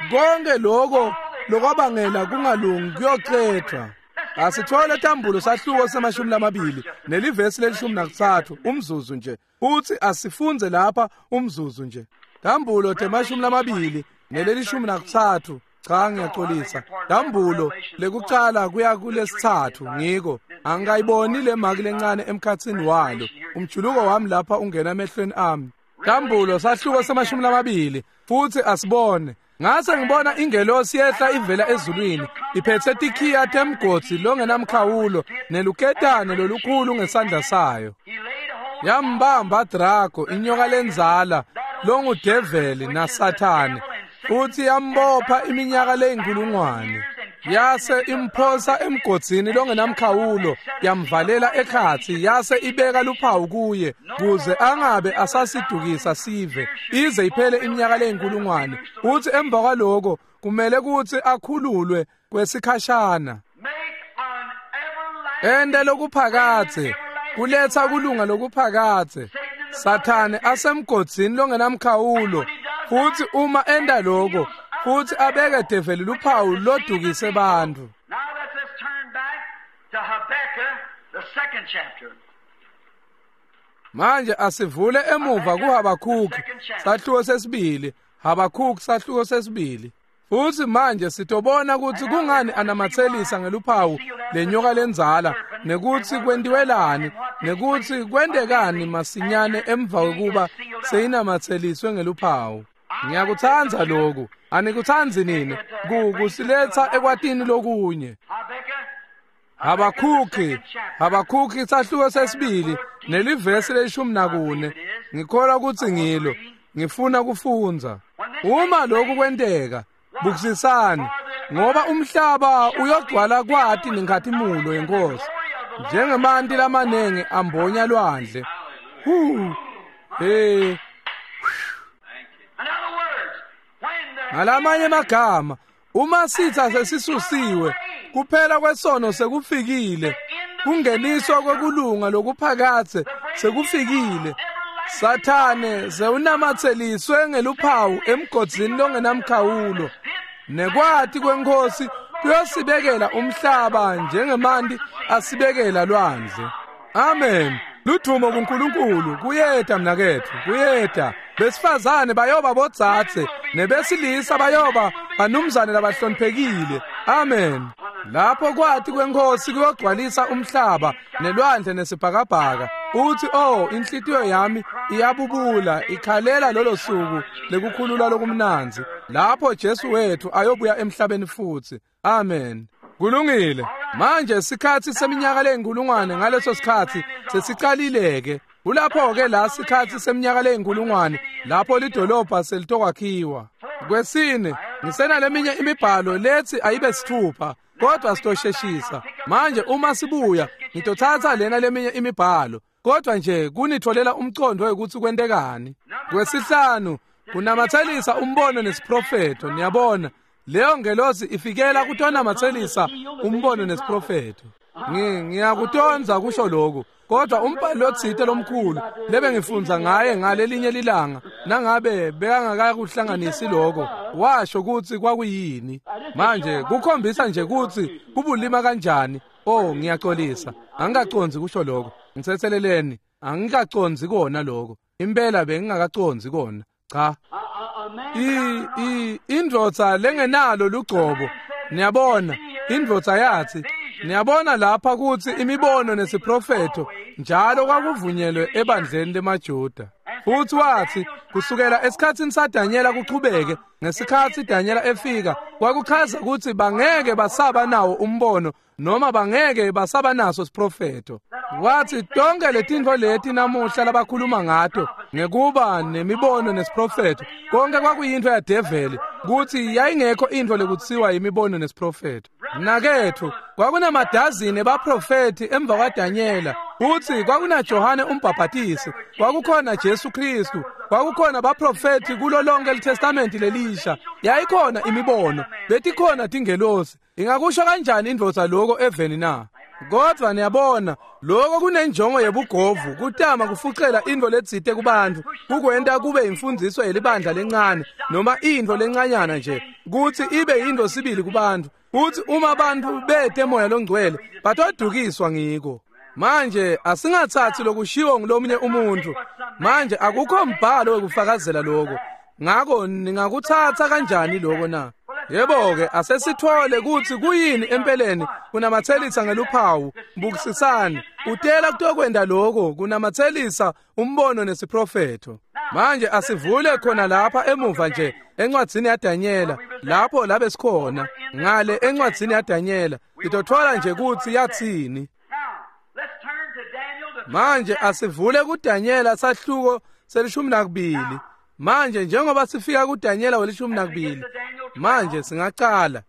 Konke lokho lokwabangela kungalungi kuyocethwa. Asithole Tambulo sahluko semashumi lamabili nelivesi lelishumi nakutsatfu umzuzu nje. Uthi asifunze lapha umzuzu nje. Tambulo temashumi lamabili nelelishumi nakutsatfu. Cha, ngiyaxolisa. Tambulo lekucala kuya kulesithathu ngiko. Angikayiboni le maki lencane emkhatsini walo. Umjuluko wami lapha ungena emehlweni ami. Tambulo sahluko semashumi lamabili futhi asibone. Ngase ngibona ingelosi yehla ivela ezulwini iphethe tikhiya temgodzi longenamkhawulo neluketane lolukhulu ngesandla sayo. he laid hold Yambamba Drago inyoka lenzala longudeveli naSathane, futhi yambopha iminyaka leyinkulungwane. Yase imphosa emgodzini longenamkhawulo, yamvalela ekhatsi, yase ibeka luphawu kuye kuze angabe asasidukisa sive ize iphele iminyaka leyinkulungwane. Uthi emva kwaloko kumele kuthi akhululwe kwesikhashana, make an everlasting ente lokuphakathe, kuletha kulunga lokuphakathe. Sathane asemgodzini longenamkhawulo, futhi uma enda lokho futhi abeke develi luphawu lodukise bantfu. Now let us turn back to Habakkuk, the second chapter. Manje asivule emuva kuHabakhuki sahluko sesibili, Habakhuki sahluko sesibili. Futhi manje sitobona ukuthi kungani anamathelisa ngeluphawu lenyoka lenzala, nekuthi kwentiwelani, nekuthi kwentekani masinyane emva kokuba seyinamatheliswe ngeluphawu. Ngiyakutsandza lokhu, anikutsanzi nini? Ku kusiletha ekwatini lokunye. Habakkuk Habakhuki, Habakhuki sahluko sesibili nelivesi lelishumi nakune. Ngikholwa kutsi ngilo. Ngifuna kufundza. Uma lokhu kwenteka, bukisisani, ngoba umhlaba uyogcwala kwati nenkhatimulo yenkosi, njengemanti lamanengi ambonya lwandle. Hu, he. Ngalamanye magama, uma sitha sesisusiwe, kuphela kwesono sekufikile, kungeniswa kwekulunga lokuphakathe sekufikile. Sathane sewunamatseliswe ngeluphawu emgodzini longenamkhawulo. Nekwati kwenkosi kuyosibekela umhlaba njengemanti asibekela lwandle. Amen. Ludvumo kuNkulunkulu, kuyeta mnaketfu, kuyeta. Besifazane bayoba bodzadze, nebesilisa bayoba banumzane labahloniphekile. Amen. Lapho kwati kwenkosi kuyogcwalisa umhlaba nelwandle nesibhakabhaka. Uthi, oh, inhlitiyo yami iyabubula, ikhalela lolo suku lekukhulula lokumnandzi, lapho Jesu wethu ayobuya emhlabeni futhi. Amen. Kulungile. Manje sikhatsi seminyaka leyinkulungwane ngaleso sikhatsi sesicalile-ke. Kulapho-ke la sikhatsi seminyaka leyinkulungwane lapho lidolobha selitokwakhiwa. Kwesine, ngisenaleminye imibhalo lethi ayibe sithupha, kodwa sitosheshisa. Manje uma sibuya ngitothatha lena leminye imibhalo, kodwa nje kunitholela umcondo wekuthi kwentekani. Kwesihlanu, kunamatselisa umbono nesiprofetho. Niyabona, leyo ngelosi ifikela kutonamatselisa umbono nesiprofetho. Ngiyakutonza kusho lokhu, kodwa umbhalo lotsite lomkhulu lebe ngifundza ngaye ngalelinye lilanga, nangabe bekangakakuhlanganisi lokho, washo kutsi kwakuyini. Manje kukhombisa nje kutsi kubulima kanjani. Oh, ngiyaxolisa, angikacondzi kusho lokho. Ngitsetseleleni, angikacondzi kona lokho. Impela bengingakacondzi kona. Cha. I i indvodza lengenalo lugcobo. Niyabona, indvodza yathi, niyabona lapha kutsi imibono nesiprofetho njalo kwakuvunyelwe ebandleni lemaJuda. Futhi wathi kusukela esikhatsini saDanyela kuchubeke, ngesikhatsi Danyela efika, kwakuchaza kutsi bangeke basaba nawo umbono noma bangeke basaba naso siprofetho. Wathi tonke letintfo leti namuhla labakhuluma ngato ngekuba nemibono nesiprofetho, konke kwakuyintfo yadeveli, kutsi yayingekho intfo lekutsiwa imibono nesiprofetho. Mnaketfu, kwakunamadazini ebaprofethi emva kwaDanyela, utsi kwakunaJohane umbhabhatisi, kwakukhona Jesu Kristu, kwakukhona baprofethi kulo lonke liTestamenti lelisha. Yayikhona imibono, betikhona tingelosi. Ingakusho kanjani indvodza lokho eveni na? Kodwa niyabona, lokho kunenjongo yebugovu, kutama kufucela intfo letsite kubantu, kukwenta kube imfundiso yelibandla lencane noma intfo lencanyana nje, kutsi ibe yintfo sibili kubantu. Uthi uma abantu bete moya longcwele batodukiswa ngiko. Manje asingathathi lokushiwo ngulomunye umuntu. Manje akukho mbhalo wekufakazela lokho. Ngako ningakuthatha kanjani lokho na? Yebo-ke, asesithole kutsi kuyini empeleni kunamatselisa ngeluphawu. Bukisisani, utela kutokwenta lokho kunamatselisa umbono nesiprofetho. Manje asivule khona lapha emuva nje encwadzini yaDanyela, lapho labe sikhona ngale encwadzini yaDanyela, sitothola nje kutsi yatsini. Manje asivule kuDanyela sahluko selishumi nakubili. Manje njengoba sifika kuDanyela welishumi nakubili, manje singacala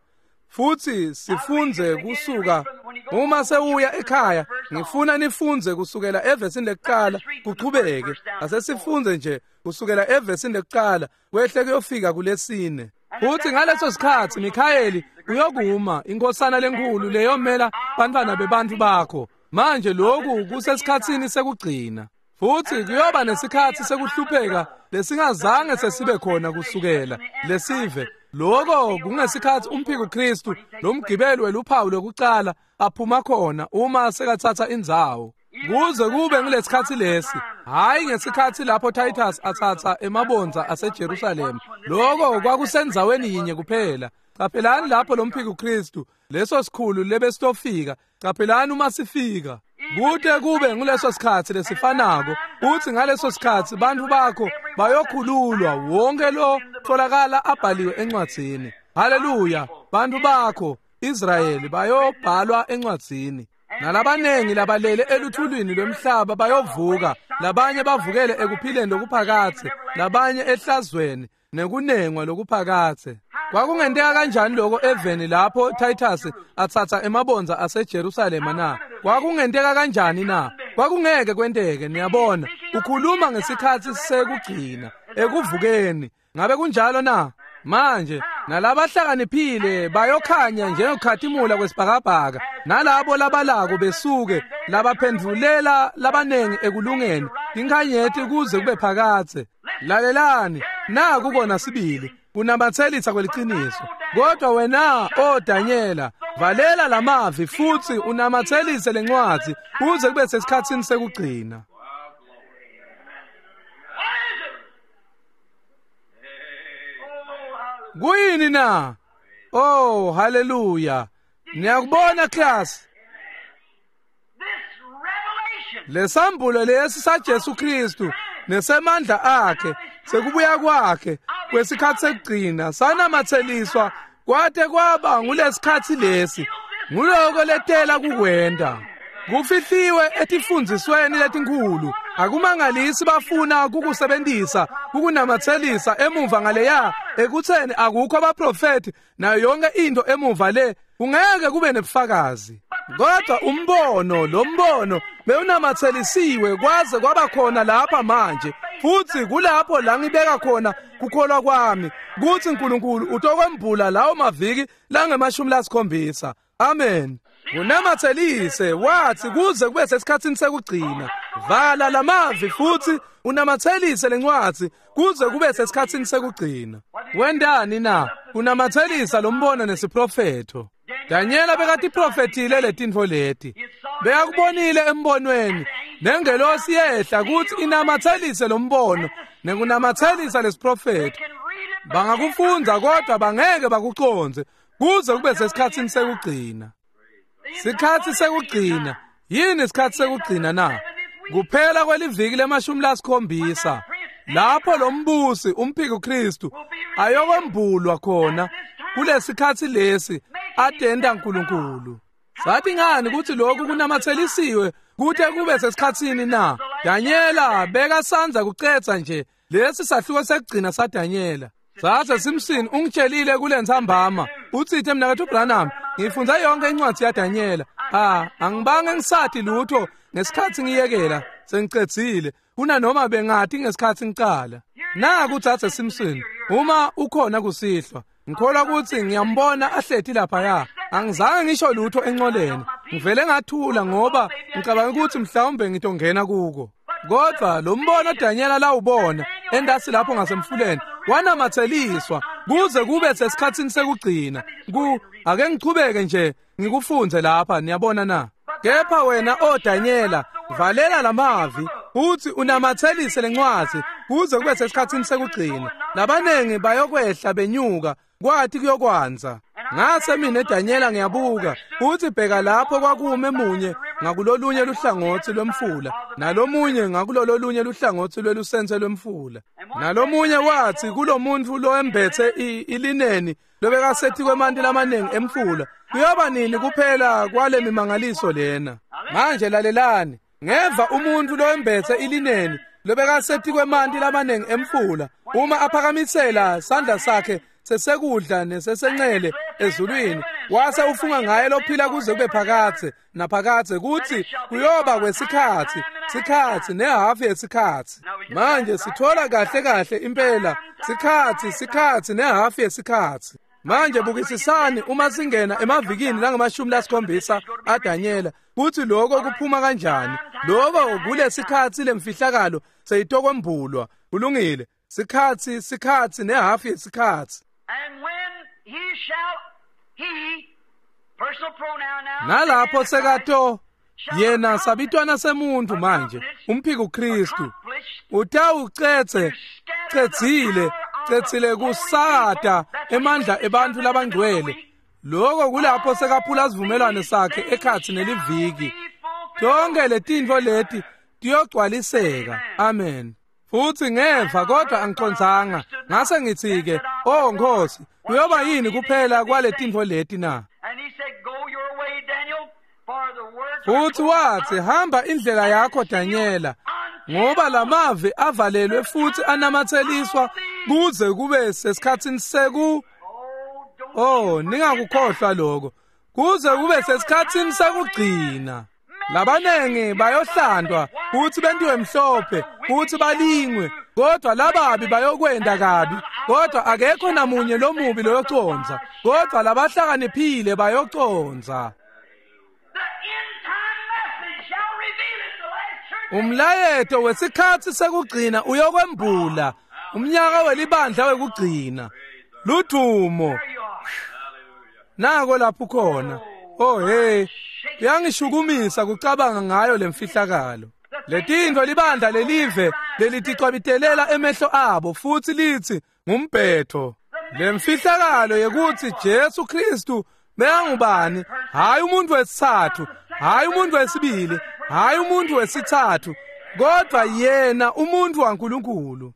futhi sifundze kusuka. Uma sewuya ekhaya, ngifuna nifundze kusukela evesini lekuqala kuchubeke. Asesifundze nje kusukela evesini lekuqala kwehle kuyofika kulesine. Futhi ngaleso sikhatsi Mikhayeli uyokuma, inkosana lenkulu leyomela bantfwana bebantfu bakho. Manje lokhu kusesikhatsini sekugcina. Futhi kuyoba nesikhatsi sekuhlupheka lesingazange sesibe khona kusukela lesive. Lokho kungesikhatsi umphiko Kristu lomgibeli weluphawu lokucala aphuma khona uma sekathatha indzawo. Kuze kube ngilesikhatsi lesi, hayi ngesikhatsi lapho Titus athatha emabondza aseJerusalema. Lokho kwakusendzaweni yinye kuphela. Caphelani lapho lomphiko Kristu, leso sikhulu lebesitofika, caphelani uma sifika. Kute kube nguleso sikhatsi lesifanako, uthi ngaleso sikhatsi bantfu bakho bayokhululwa, wonke lo tholakala abhaliwe encwadzini. Haleluya, bantfu bakho Israyeli bayobhalwa encwadzini. Nalabanengi labalele eluthulwini lwemhlaba bayovuka, labanye bavukele ekuphileni lokuphakathe, labanye ehlazweni nekunengwa lokuphakathe. Kwakungenteka kanjani lokho eveni lapho Titus atsatsa emabondza aseJerusalema na? Kwakungenteka kanjani na? Kwakungeke kwenteke. Niyabona, ukhuluma ngesikhatsi sekugcina ekuvukeni. Ngabe kunjalo na? Manje nalabahlakaniphile bayokhanya njengokhatimula kwesibhakabhaka, nalabo labalako besuke labaphendvulela labanengi ekulungeni inkhanyeti kuze kube phakathe. Lalelani, naku kona sibili kunamatselisa kweliciniso. Kodwa wena, o Danyela, valela lamavi futsi unamatselise lencwadzi kuze kube sesikhatsini sekugcina. Kuyini na? Oh, haleluya. Niyakubona class? Lesambulo lesi saJesu Kristu nesemandla akhe sekubuya kwakhe kwesikhatsi sekugcina sanamatseliswa kwate kwaba ngulesikhatsi lesi. Nguloko letela kukwenta. Kufihliwe etifundzisweni letinkhulu. Akumangalisi bafuna kukusebentisa kukunamatselisa emuva ngaleya ekutheni akukho abaprofeti nayo yonke into emuva le, kungeke kube nebufakazi. Kodwa umbono, lo mbono bewunamatselisiwe kwaze kwaba khona lapha manje, futhi kulapho la ngibeka khona kukholwa kwami kutsi uNkulunkulu utokwembula lawo maviki langemashumi lasikhombisa. Amen. Unamatselise wathi kuze kube sesikhatsini sekugcina. Vala lamavi futhi unamatselise lencwadzi kuze kube sesikhatsini sekugcina. Wendani na? Unamatselisa lo mbono nesiprofetho. Danyela bekatiprofethile letintfo leti. Bekakubonile embonweni nengelosi yehla kutsi inamatselise lo mbono nekunamatselisa lesiprofetho. Bangakufundza kodwa bangeke bakucondze kuze kube sesikhatsini sekugcina. Sikhatsi sekugcina. Yini isikhatsi sekugcina na? Kuphela kweliviki lemashumi lasikhombisa lapho lo mbusi umphiko Kristu ayokwembulwa khona kulesikhatsi lesi atenda uNkulunkulu. Sathi ngani ukuthi lokhu kunamatselisiwe kute kube sesikhatsini na? Danyela bekasandza kucetsa nje lesi sahluko sekugcina saDanyela. Sase Simpson ungitshelile kulentsambama utsite mnaketfu Branham, ngifundza yonke incwadi yaDanyela. Ah, angibange ngisathi lutho ngesikhatsi ngiyekela sengicedzile kunanoma bengathi ngesikhatsi ngicala. Naku Dzadze Simpson, uma ukhona kusihlwa, ngikholwa kutsi ngiyambona ahleti laphaya. Angizange ngisho lutho encoleni, ngivele ngathula ngoba ngicabanga ukuthi mhlawumbe ngitongena kuko. Kodwa lo mbono Danyela lawubona endasi lapho ngasemfuleni wanamatseliswa kuze kube sesikhatsini sekugcina. Ku ake ngichubeke nje ngikufunze lapha, niyabona na? Kepha wena o Danyela, valela lamavi uthi unamatselise lencwadzi kuze kube sesikhatsini sekugcina. Labanengi bayokwehla benyuka kwathi kuyokwanza. Ngase mina Danyela ngiyabuka uthi bheka lapho kwakume munye ngakulolunye luhlangotsi lwemfula nalomunye ngakulololunye luhlangotsi lwelusense lwemfula. Nalomunye wathi kulomuntu loembethe ilineni lobekasethi kwemanti lamanengi emfula, kuyoba nini kuphela kwale mimangaliso lena? Manje lalelani, ngeva umuntu loembethe ilineni lobekasethi kwemanti lamanengi emfula uma aphakamisela sandla sakhe sesekudla nesesencele ezulwini, wase ufunga ngaye lophila kuze kube phakathe naphakathe kuthi kuyoba kwesikhatsi sikhatsi nehafu yesikhatsi. Manje sithola kahle kahle impela sikhatsi sikhatsi nehafu yesikhatsi. Manje bukisisani uma singena emavikini langamashumi lasikhombisa aDanyela kuthi lokho kuphuma kanjani. Lokho kulesikhatsi lemfihlakalo seyitokwembulwa. Kulungile, sikhatsi sikhatsi nehafu yesikhatsi. And when he shall, he, personal pronoun now, nalapho sekato yena sabitwana semuntu manje umphiko Kristu utawucetse cedzile cedzile kusakata emandla ebantfu labangcwele. Lokho kulapho sekaphula sivumelwano sakhe ekhatsi neliviki. Tonke letintfo leti tiyogcwaliseka. Amen. Futhi ngeva kodwa angicondzanga, ngase ngithi ke, oh Nkosi, kuyoba yini kuphela kwale tintfo leti na? Futhi wathi, hamba indlela yakho Danyela, ngoba lamavi avalelwe futhi anamatheliswa kuze kube sesikhatsini seku Oh, ningakukhohlwa lokho. Kuze kube sesikhatsini sekugcina. Labanengi bayohlandwa futhi bentiwe mhlophe futhi balingwe, kodwa lababi bayokwenda kabi, kodwa akekho namunye lomubi loyoconza, kodwa labahlakaniphile bayoconza. Umlayeto wesikhatsi sekugcina uyokwembula umnyaka welibandla wekugcina. Ludumo. Nako lapho khona. Oh hey, kuyangishukumisa kucabanga ngayo lemfihlakalo. Letintfo libandla lelive leliticwabitelela emehlo abo futhi lithi ngumbhetho. Lemfihlakalo yekuthi Jesu Kristu bekangubani, hayi umuntu wesithathu, hayi umuntu wesibili, hayi umuntu wesithathu, kodwa yena umuntu waNkulunkulu.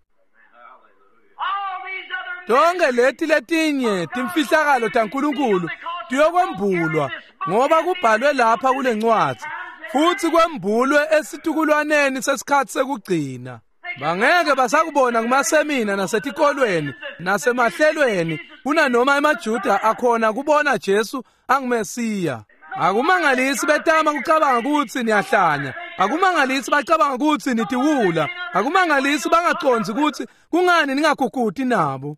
Tonke leti letinye timfihlakalo taNkulunkulu tiyokwembulwa ngoba kubhalwe lapha kule ncwadzi futhi kwembulwe esitukulwaneni sesikhatsi sekugcina. Bangeke basakubona kumasemina nasetikolweni nasemahlelweni kunanoma emaJuda akhona kubona Jesu anguMesiya. Akumangalisi betama kucabanga ukuthi niyahlanya, akumangalisi bacabanga ukuthi nitiwula, akumangalisi bangacondzi ukuthi kungani ningaguguti nabo.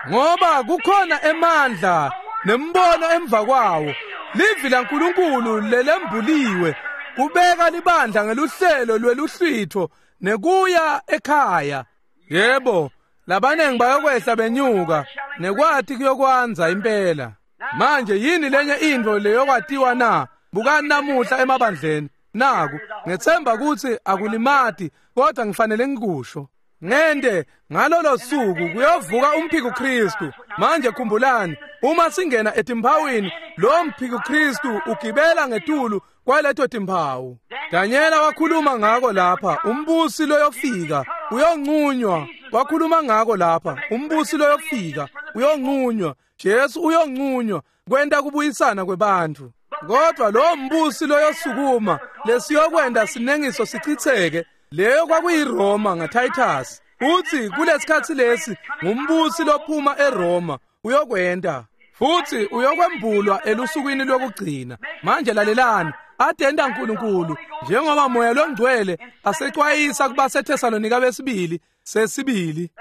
Ngoba kukhona emandla nembono emva kwawo, livi laNkulunkulu lelembuliwe kubeka libandla ngeluhlelo lweluhlwitho nekuya ekhaya. Yebo, labanengi bayokwehla benyuka nekwati kuyokwanza impela. Manje yini lenye intfo leyokwatiwa na? Bukani namuhla emabandleni. Naku ngethemba ukuthi akulimati, kodwa ngifanele ngikusho. Ngende ngalolo suku kuyovuka umphiko Kristu. Manje khumbulani, uma singena etimpawini, lo mphiko Kristu ugibela ngetulu kwaleto timpawu. Danyela wakhuluma ngako lapha, umbusi loyofika uyonqunywa. Wakhuluma ngako lapha, umbusi loyofika uyonqunywa. Jesu uyonqunywa kwenta kubuyisana kwebantfu. Kodwa lo mbusi loyosukuma lesiyokwenda sinengiso sichitheke, leyo kwakuyiRoma ngaTitus. Uthi kulesikhatsi lesi ngumbusi lophuma eRoma uyokwenda futhi uyokwembulwa elusukwini lokugcina. Manje lalelani, adenda uNkulunkulu njengoba moya longcwele asexwayisa kubaseThesalonika besibili sesibili.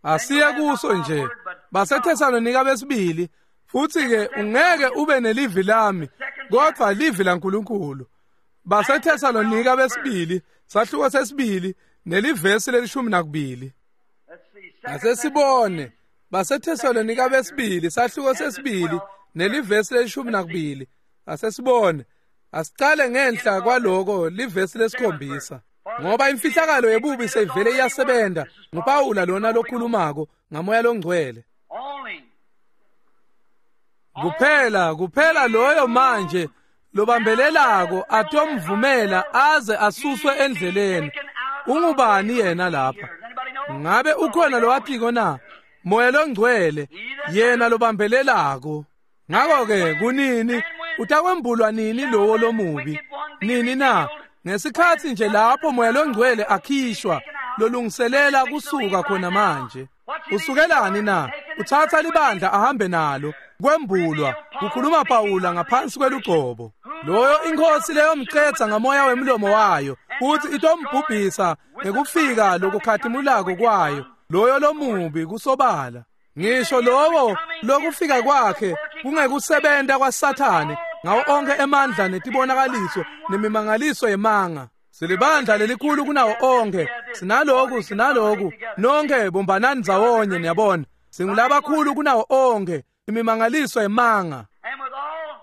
Asiye kuso nje baseThesalonika besibili. Futhi ke ungeke ube nelivi lami kodwa livi laNkulunkulu. BaseThesalonika besibili sahluko sesibili nelivesi lelishumi nakubili. Asesibone baseThesalonika besibili sahluko sesibili nelivesi lelishumi nakubili. Asesibone, asicale ngenhla kwaloko livesi lesikhombisa. Ngoba imfihlakalo yebubi seyivele iyasebenza, nguPawula lona lokhulumako ngamoya longcwele. Kuphela kuphela loyo manje lobambelelako atomvumela aze asuswe endleleni. Ungubani yena lapha? Ngabe ukhona lowatiko na? Moya longcwele yena lobambelelako. Ngakho-ke kunini utakwembulwa nini lowo lomubi? Nini na? Ngesikhatsi nje lapho moya longcwele akhishwa lolungiselela kusuka khona manje. Usukelani na? Uthatha libandla ahambe nalo. Kwembulwa kukhuluma Pawula ngaphansi kwelugcobo. Loyo inkosi leyomcetha ngamoya wemlomo wayo futhi itombhubhisa ngekufika lokukhatimulako kwayo. Loyo lomubi kusobala. Ngisho lowo lokufika kwakhe kungekusebenta kwaSathane ngawo onke emandla netibonakaliso nemimangaliso yemanga. Silibandla lelikhulu kunawo onke, sinaloku sinaloku, nonke bombanani ndzawonye. Niyabona, singulabakhulu kunawo onke, imimangaliso yemanga.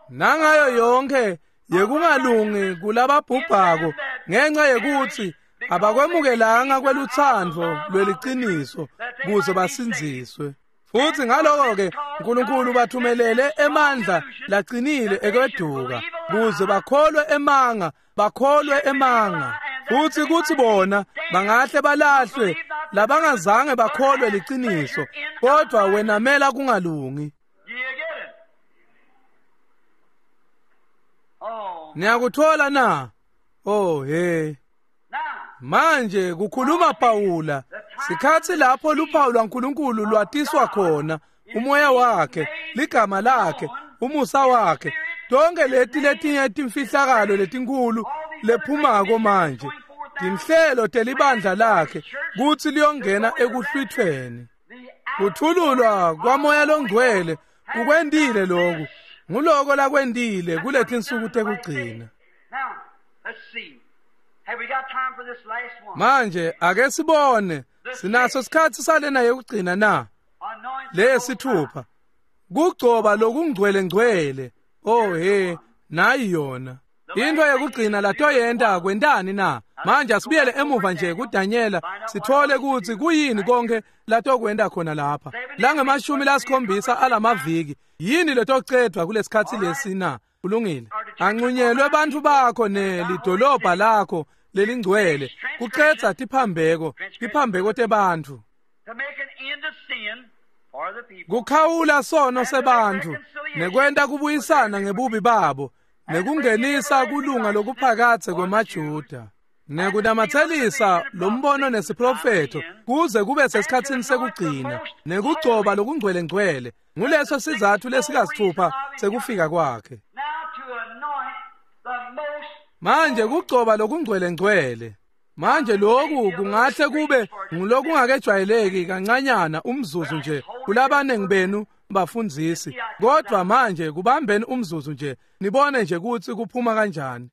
Nangayo yonke yekungalungi kulababhubhako ngenxa yekuthi abakwemukelanga kwelutsandvo lweliciniso kuze basindziswe. Futhi ngaloko-ke uNkulunkulu bathumelele emandla laqinile ekweduka kuze bakholwe emanga, bakholwe emanga. Futhi kuthi bona bangahle balahlwe labangazange bakholwe liciniso kodwa wenamela kungalungi. Niyakuthola na? Oh he. Manje kukhuluma Pawula sikhatsi lapho luphawu lwaNkulunkulu lwatiswa khona, umoya wakhe, ligama lakhe, umusa wakhe, tonke leti letinye timfihlakalo letinkulu lephumako manje tinhlelo telibandla lakhe kutsi liyongena ekuhlwithweni. Kuthululwa kwamoya longcwele kukwentile loku, nguloko lakwentile kuletinsuku tekugcina. Manje ake sibone sinaso sikhatsi salena yekugcina na? Lesithupha kugcoba lokungcwele ngcwele. Oh he, nayi yona into yekugcina latoyenta kwentani na? Manje asibuyele emuva nje kuDanyela sithole kutsi kuyini konke latokwenta khona lapha langemashumi lasikhombisa alamaviki. Yini letocedvwa kulesikhatsi lesi na? Kulungile. Ancunyelwe bantfu bakho nelidolobha lakho lelingcwele kucedza tiphambeko tiphambeko tebantfu, kukhawula sono sebantfu nekwenta kubuyisana ngebubi babo nekungenisa kulunga lokuphakatse kwemaJuda nekunamatselisa lombono nesiprofetho kuze kube sesikhatsini sekugcina nekugcoba lokungcwele-ngcwele. Nguleso sizatfu lesikasithupha sekufika kwakhe. Manje kugcoba lokungcwele-ngcwele. Manje lokhu kungahle kube ngulokungakejwayeleki kancanyana umzuzu nje kulabanengi benu bafundzisi, kodwa manje kubambeni umzuzu nje nibone nje kutsi kuphuma kanjani.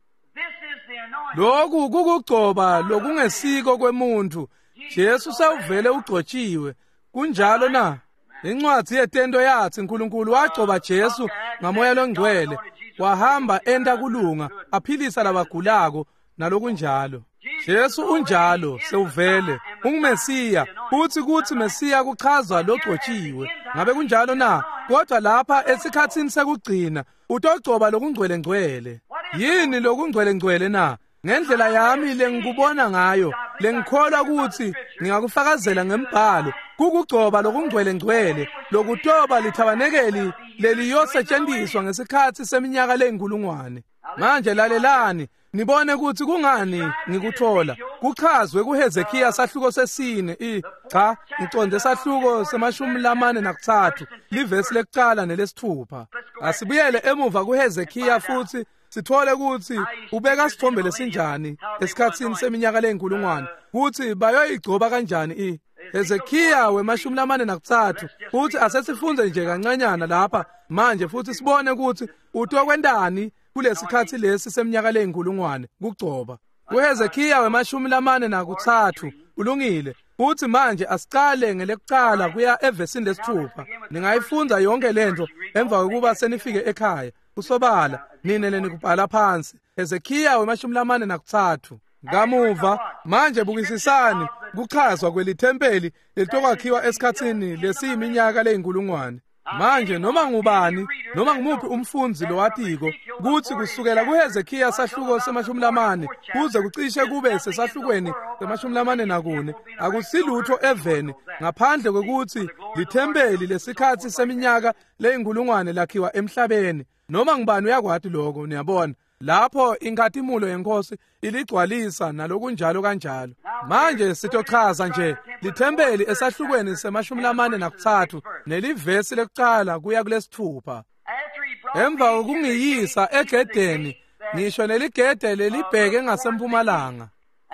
Lokhu kukugcoba lokungesiko kwemuntu. Jesu sewuvele ugcotshiwe. Kunjalo na? Incwadzi yetento yatsi uNkulunkulu wagcoba Jesu ngamoya longcwele, wahamba enta kulunga, aphilisa labagulako nalokunjalo. Jesu unjalo sewuvele unguMesiya, futhi kutsi Mesiya kuchazwa logcotshiwe. Ngabe kunjalo na? Kodwa lapha esikhatsini sekugcina utogcoba lokungcwele-ngcwele. Yini lokungcwele-ngcwele na? Ngendlela yami lengikubona ngayo, lengikholwa kutsi ngingakufakazela ngembhalo, kukugcoba lokungcwele-ngcwele lokutoba lithabanekeli leliyosetshenziswa ngesikhatsi seminyaka leyinkulungwane. Manje lalelani nibone kutsi kungani ngikuthola kuchazwe kuHezekiya sahluko sesine i cha ngiconde sahluko semashumi lamane nakutsatfu livesi lekucala nelesithupha. Asibuyele emuva kuHezekiya futsi sithole kutsi ubeka sithombe lesinjani esikhatsini seminyaka leyinkulungwane kutsi bayoyigcoba kanjani i Hezekiya wemashumi lamane nakutsatfu. Futsi asesifunze nje kancanyana lapha manje futsi sibone kutsi utokwentani kulesikhatsi lesi seminyaka leyinkulungwane kugcoba. KuHezekiya wemashumi lamane nakutsatfu. Ulungile. Futhi manje asicale ngelekucala kuya evesini lesithupha. Ningayifundza yonke lento emva kokuba senifike ekhaya. Kusobala nine lenikubhala phansi. Hezekiya wemashumi lamane nakutsatfu. Kamuva manje bukisisani kuchazwa kwelithempeli lelitokwakhiwa esikhatsini lesiyiminyaka leyinkulungwane. Manje noma ngubani noma ngumuphi umfundzi lowatiko kutsi kusukela kuHezekiya sahluko semashumi lamane kuze kucishe kube sesahlukweni semashumi lamane nakune akusilutho eveni ngaphandle kwekutsi lithempeli lesikhatsi seminyaka leyinkulungwane lakhiwa emhlabeni. Noma ngubani uyakwati lokho, niyabona lapho inkhatimulo yenkosi iligcwalisa nalokunjalo kanjalo. Manje sitochaza nje lithempeli esahlukweni semashumi lamane nakutsatfu nelivesi lekucala kuya kulesithupha. Emva kokungiyisa egedeni ngisho neligede lelibheke ngasempumalanga,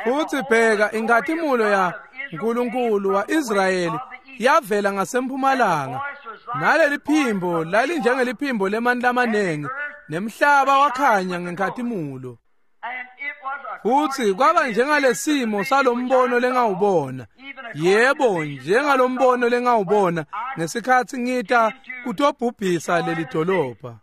futhi bheka inkhatimulo ya Nkulunkulu wa-Israyeli yavela ngasempumalanga, naleli phimbo lalinjengeliphimbo lemanti lamanengi, nemhlaba wakhanya ngenkhatimulo. Futhi kwaba njengalesimo salombono lengawubona, yebo njengalombono lengawubona ngesikhatsi ngita kutobhubhisa leli dolobha.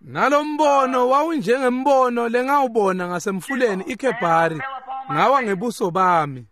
Nalombono wawunjengembono lengawubona ngasemfuleni iKebhari, ngawa ngebuso bami.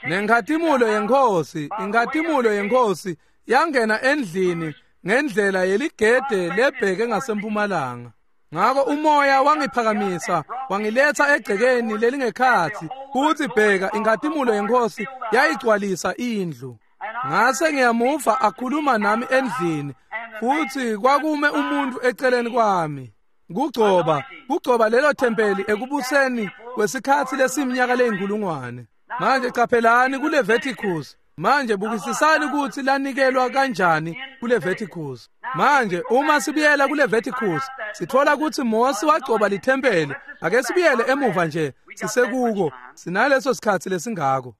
Nenkhatimulo yeNkhosi, inkhatimulo yeNkhosi yangena endlini ngendlela yeligede lebheke ngasempumalanga. Ngako umoya wangiphakamisa wangiletha egcekeni lelingekhatsi, futsi bheka inkhatimulo yeNkhosi yayigcwalisa indlu. Ngase ngiyamuva akhuluma nami endlini, futsi kwakume umuntu eceleni kwami. Kugcoba, kugcoba lelo thempeli ekubuseni kwesikhatsi lesiminyaka leyinkulungwane. Manje qaphelani kuLeviticus. Manje bukisisani kutsi lanikelwa kanjani kuLeviticus. Manje uma sibuyela kuLeviticus, sithola kutsi Mose wagcoba lithempeli. Ake sibuyele emuva nje, sisekuko, sinaleso sikhatsi lesingako.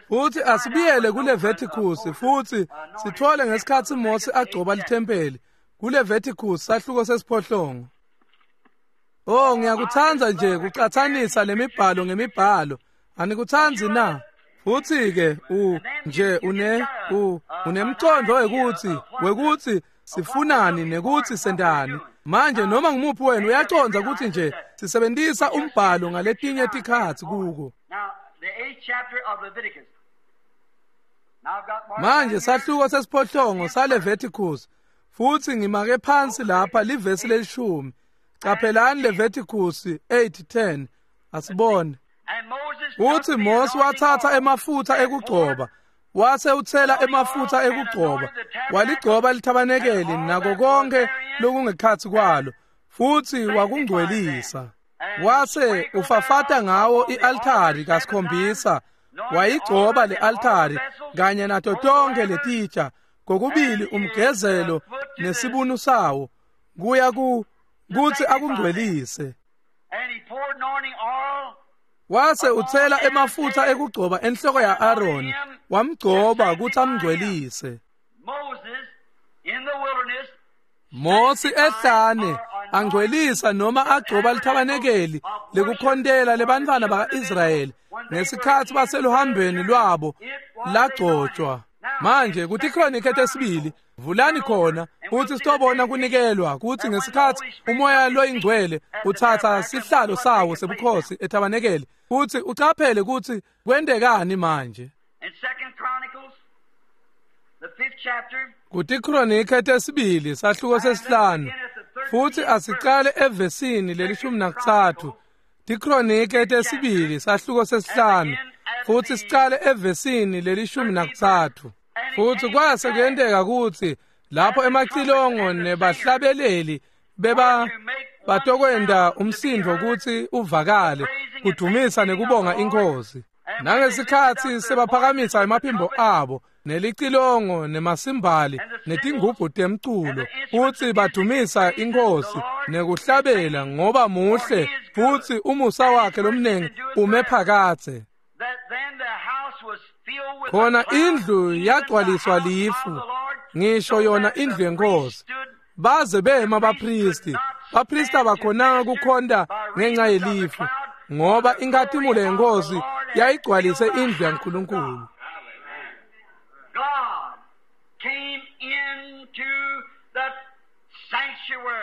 Futhi asibuyele kuLeviticus futhi sithole ngesikhatsi Mose agcoba lithempeli. KuLeviticus sahluko sesiphohlongo. Oh, ngiyakutsandza nje kucatsanisa lemibhalo ngemibhalo. Anikutsanzi na? Futhi ke u nje une u unemcondo wekuthi wekuthi sifunani nekuthi sendani. Manje noma ngumuphi wenu uyacondza ukuthi nje sisebenzisa umbhalo ngaletinye tikhatsi kuko. Manje sahluko sesiphohlongo saLeviticus, futhi ngimake phansi lapha livesi lelishumi. Qaphelani Leviticus eight ten. Asibone. Uthi Mose wathatha emafutha ekugcoba, wase uthela emafutha ekugcoba, waligcoba lithabanekeli nako konke lokungekhatsi kwalo, futhi wakungcwelisa. Wase ufafata ngawo i-altari kasikhombisa, wayigcoba le-altari kanye nato tonke letitsha, kokubili umgezelo nesibunu sawo, kuya ku kutsi akungcwelise. Wase uthela emafutha ekugcoba enhloko ya-Aroni, wamgcoba kutsi amngcwelise. Mose ehlane angcwelisa noma agcoba lithabanekeli lekukhontela lebantfwana baka-Israyeli ngesikhatsi baseluhambeni lwabo lagcotshwa. Manje kuTikhronike tesibili vulani khona futhi sitobona kunikelwa kutsi ngesikhatsi umoya loyingcwele utsatsa sihlalo sawo sebukhosi ethabanekeli, futhi ucaphele kutsi kwentekani manje. KuTikhronike tesibili sahluko sesihlanu, futhi asicale evesini lelishumi nakutsatfu. Tikhronike tesibili sahluko sesihlanu, futhi sicale evesini lelishumi nakutsatfu. Futhi kwase kuyenteka kutsi lapho emacilongo nebahlabeleli beba batokwenda umsindvo kutsi uvakale kudumisa nekubonga iNkhosi. Nangesikhatsi sebaphakamisa emaphimbo abo nelicilongo nemasimbali netingubhu temculo, futsi badumisa iNkhosi nekuhlabela ngoba muhle futsi umusa wakhe lomnengi ume phakadze. Khona indlu yagcwaliswa lifu, ngisho yona indlu yeNkhosi. Baze bema bapristi, bapristi abakhonanga kukhonta ngenxa yelifu, ngoba inkhatimulo yeNkhosi yayigcwalise indlu yaNkulunkulu.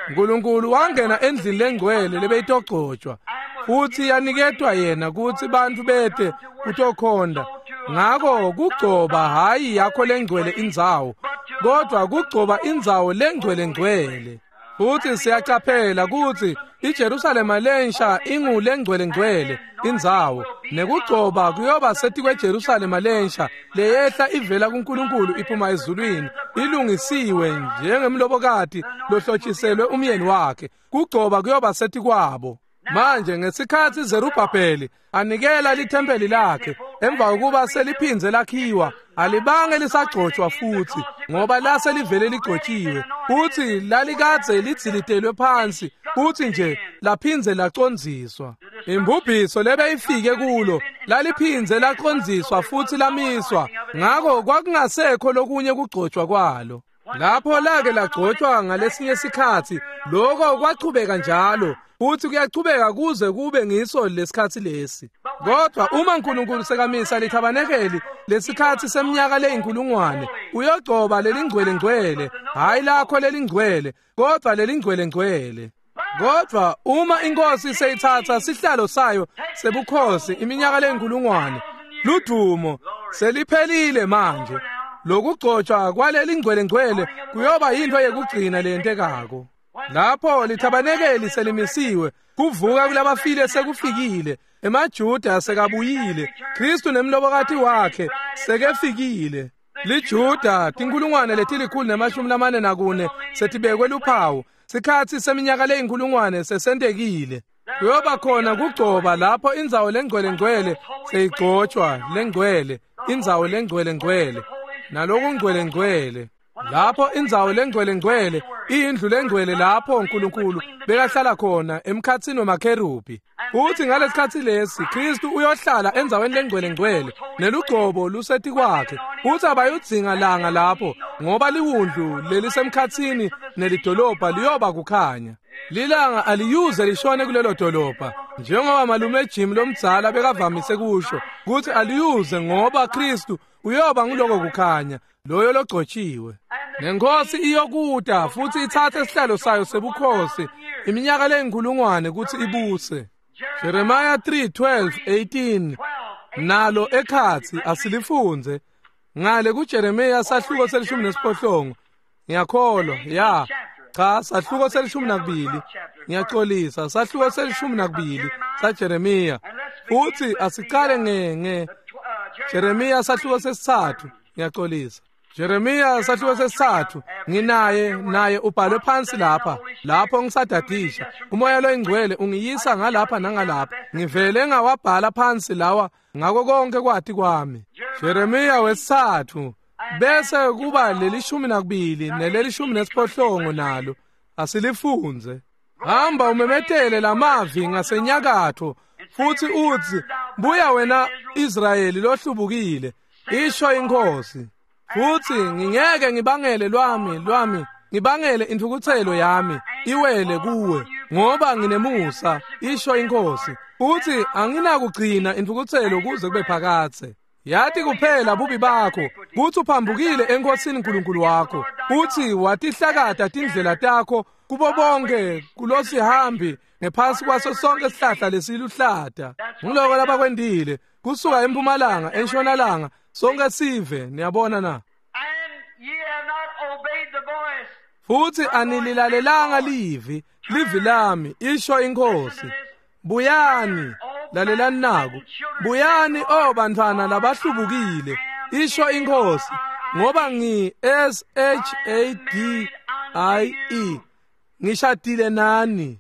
Nkulunkulu wangena endlini lengcwele lebeyitogcotshwa, futhi yaniketwa yena kutsi bantfu bete kutokhonta. Ngako kugcoba hayi yakho lengcwele indzawo, kodwa kugcoba indzawo lengcwele ngcwele. Futhi siyacaphela kutsi iJerusalema lensha ingulengcwele ngcwele indzawo, nekugcoba kuyoba setikweJerusalema lensha leyehla ivela kuNkulunkulu iphuma ezulwini, ilungisiwe njengemlobokati lohlotshiselwe umyeni wakhe. Kugcoba kuyoba setikwabo. Manje ngesikhatsi Zerubhabheli anikela lithempeli lakhe emva kokuba seliphindze lakhiwa, alibange lisagcotshwa futhi ngoba lase livele ligcotshiwe, futhi lalikadze lidzilitelwe phansi futhi nje laphindze lacondziswa. Imbubhiso lebeyifike kulo laliphindze lacondziswa futhi lamiswa, ngako kwakungasekho lokunye kugcotshwa kwalo. Lapho lake lagcotshwa ngalesinye sikhatsi, lokho kwachubeka njalo futhi kuyachubeka kuze kube ngiso lesikhatsi lesi. Kodwa uma uNkulunkulu sekamisa lithabanekeli lesikhatsi seminyaka leyinkulungwane, uyogcoba lelingcwele ngcwele, hayi lakho lelingcwele, kodwa lelingcwele ngcwele. Kodwa uma inkosi seyithatha sihlalo sayo sebukhosi iminyaka leyinkulungwane, ludumo seliphelile manje. Lokugcotshwa kwaleli ngcwele-ngcwele kuyoba yinto yekugcina leyentekako. Lapho lithabanekeli selimisiwe, kuvuka kulabafile sekufikile, emaJuda sekabuyile, Kristu nemlobokati wakhe sekefikile. LiJuda tinkulungwane letilikhulu nemashumi lamane nakune setibekwe luphawu. Sikhatsi seminyaka leyinkulungwane sesentekile. Kuyoba khona kugcoba lapho indzawo lengcwele-ngcwele seyigcotshwa lengcwele, indzawo lengcwele-ngcwele nalokungcwele-ngcwele. Lapho indzawo lengcwele-ngcwele iyindlu lengcwele lapho uNkulunkulu bekahlala khona emkhatsini wemakherubi. Futhi ngalesikhatsi lesi Kristu uyohlala endzaweni lengcwele-ngcwele nelugcobo lusetikwakhe. Futhi abayudzinga langa lapho ngoba liwundlu lelisemkhatsini nelidolobha liyoba kukhanya. Lilanga aliyuze lishone kulelo dolobha njengoba malume Jim lomdzala bekavamise kusho kutsi aliyuze ngoba Kristu uyoba nguloko kukhanya loyo logcotshiwe. Nenkosi iyokuta futhi ithathe isihlalo sayo sebukhosi iminyaka leyinkulungwane kutsi ibuse. Jeremiah three twelve eighteen nalo ekhatsi asilifundze ngale kuJeremiah sahluko selishumi nesiphohlongo. Ngiyakholwa ya cha sahluko selishumi nakubili, ngiyaxolisa, sahluko selishumi nakubili saJeremiah. Futhi asicale nge nge Jeremiah sahluko sesithathu, ngiyaxolisa. Jeremiah sahluko sesithathu, nginaye naye ubhalwe phansi lapha lapho ngisadadisha. Umoya loyingcwele ungiyisa ngalapha nangalapha, ngivele ngawabhala phansi lawa ngako konke kwati kwami. Jeremiah wesithathu bese kuba lelishumi nakubili nelelishumi nesiphohlongo nalo asilifundze. Hamba umemetele lamavi ngasenyakatho futhi utsi buya wena Israyeli lohlubukile, isho inkosi. Futhi ngingeke ngibangele lwami lwami ngibangele intfukutselo yami iwele kuwe ngoba nginemusa, isho inkosi. Futhi anginakugcina intfukutselo kuze kube phakadze. Yathi kuphela bubi bakho kutsi uphambukile enkosini uNkulunkulu wakho, uthi watihlakata tindlela takho kubo bonke kulosihambi ngephansi kwaso sonke isihlahla lesiluhlata. Ngiloko labakwendile kusuka empumalanga entshonalanga sonke sive, niyabona na. Futhi anililalelanga livi livi lami, isho inkosi. Buyani, lalelani naku, buyani o bantwana labahlubukile, isho inkosi, ngoba ngi S H A D I E ngishadile nani.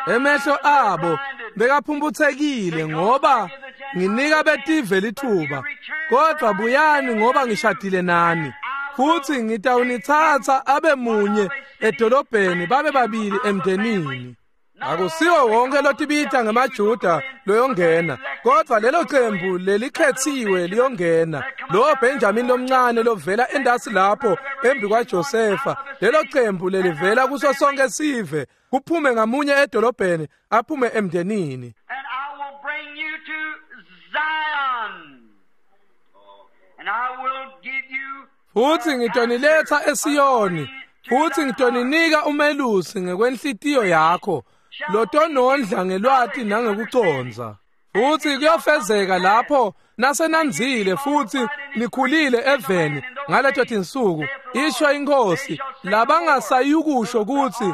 Emehlo abo bekaphumputhekile ngoba nginika betive lithuba, kodwa buyani ngoba ngishadile nani. Futhi ngitawunithatha abe munye edolobheni babe babili emndenini. Akusiwo wonke lotibita ngemaJuda loyongena, kodwa lelo qembu lelikhethiwe liyongena. Lo Benjamin lomncane lovela endasi lapho embi kwaJosefa, lelo qembu lelivela kuso sonke sive, kuphume ngamunye edolobheni aphume emndenini. And I will bring you to Zion. And I will give you. Futhi ngitoniletha eSiyoni, futhi ngitoninika umelusi ngekwenhlitiyo yakho lotonondla ngelwati nangekuconza. Futhi kuyofezeka lapho nasenanzile futhi nikhulile eveni ngaleto tinsuku, isho inkosi, labangasayukusho kutsi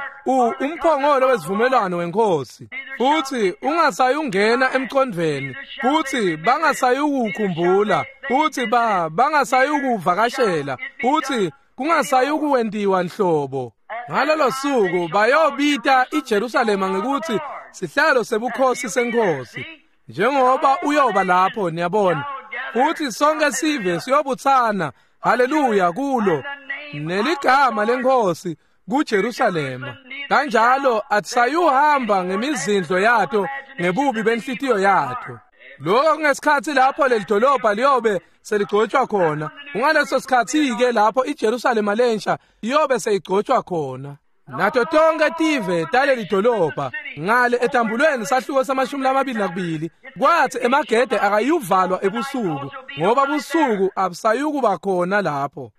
umphongolo wesivumelwano wenkosi, futhi ungasayungena emqondweni, futhi bangasayukukhumbula, futhi ba bangasayukuvakashela, futhi kungasayukuwendiwa nhlobo. Ngalolo suku bayobita iJerusalema ngekuthi sihlalo sebukhosi senkosi, njengoba uyoba lapho, niyabona. Futhi sonke sive siyobuthana, haleluya, kulo neligama lenkosi kuJerusalema. Kanjalo atisayuhamba ngemizindlo yato ngebubi benhlitiyo yato. Lokho kungesikhathi lapho leli dolobha liyobe seligcotshwa khona. Ungaleso sikhathi-ke lapho iJerusalema lensha iyobe seyigcotshwa khona. Nato tonke tive taleli dolobha ngale etambulweni sahluko samashumi lamabili nakubili, kwathi emagede akayuvalwa ebusuku ngoba busuku abusayukuba khona lapho.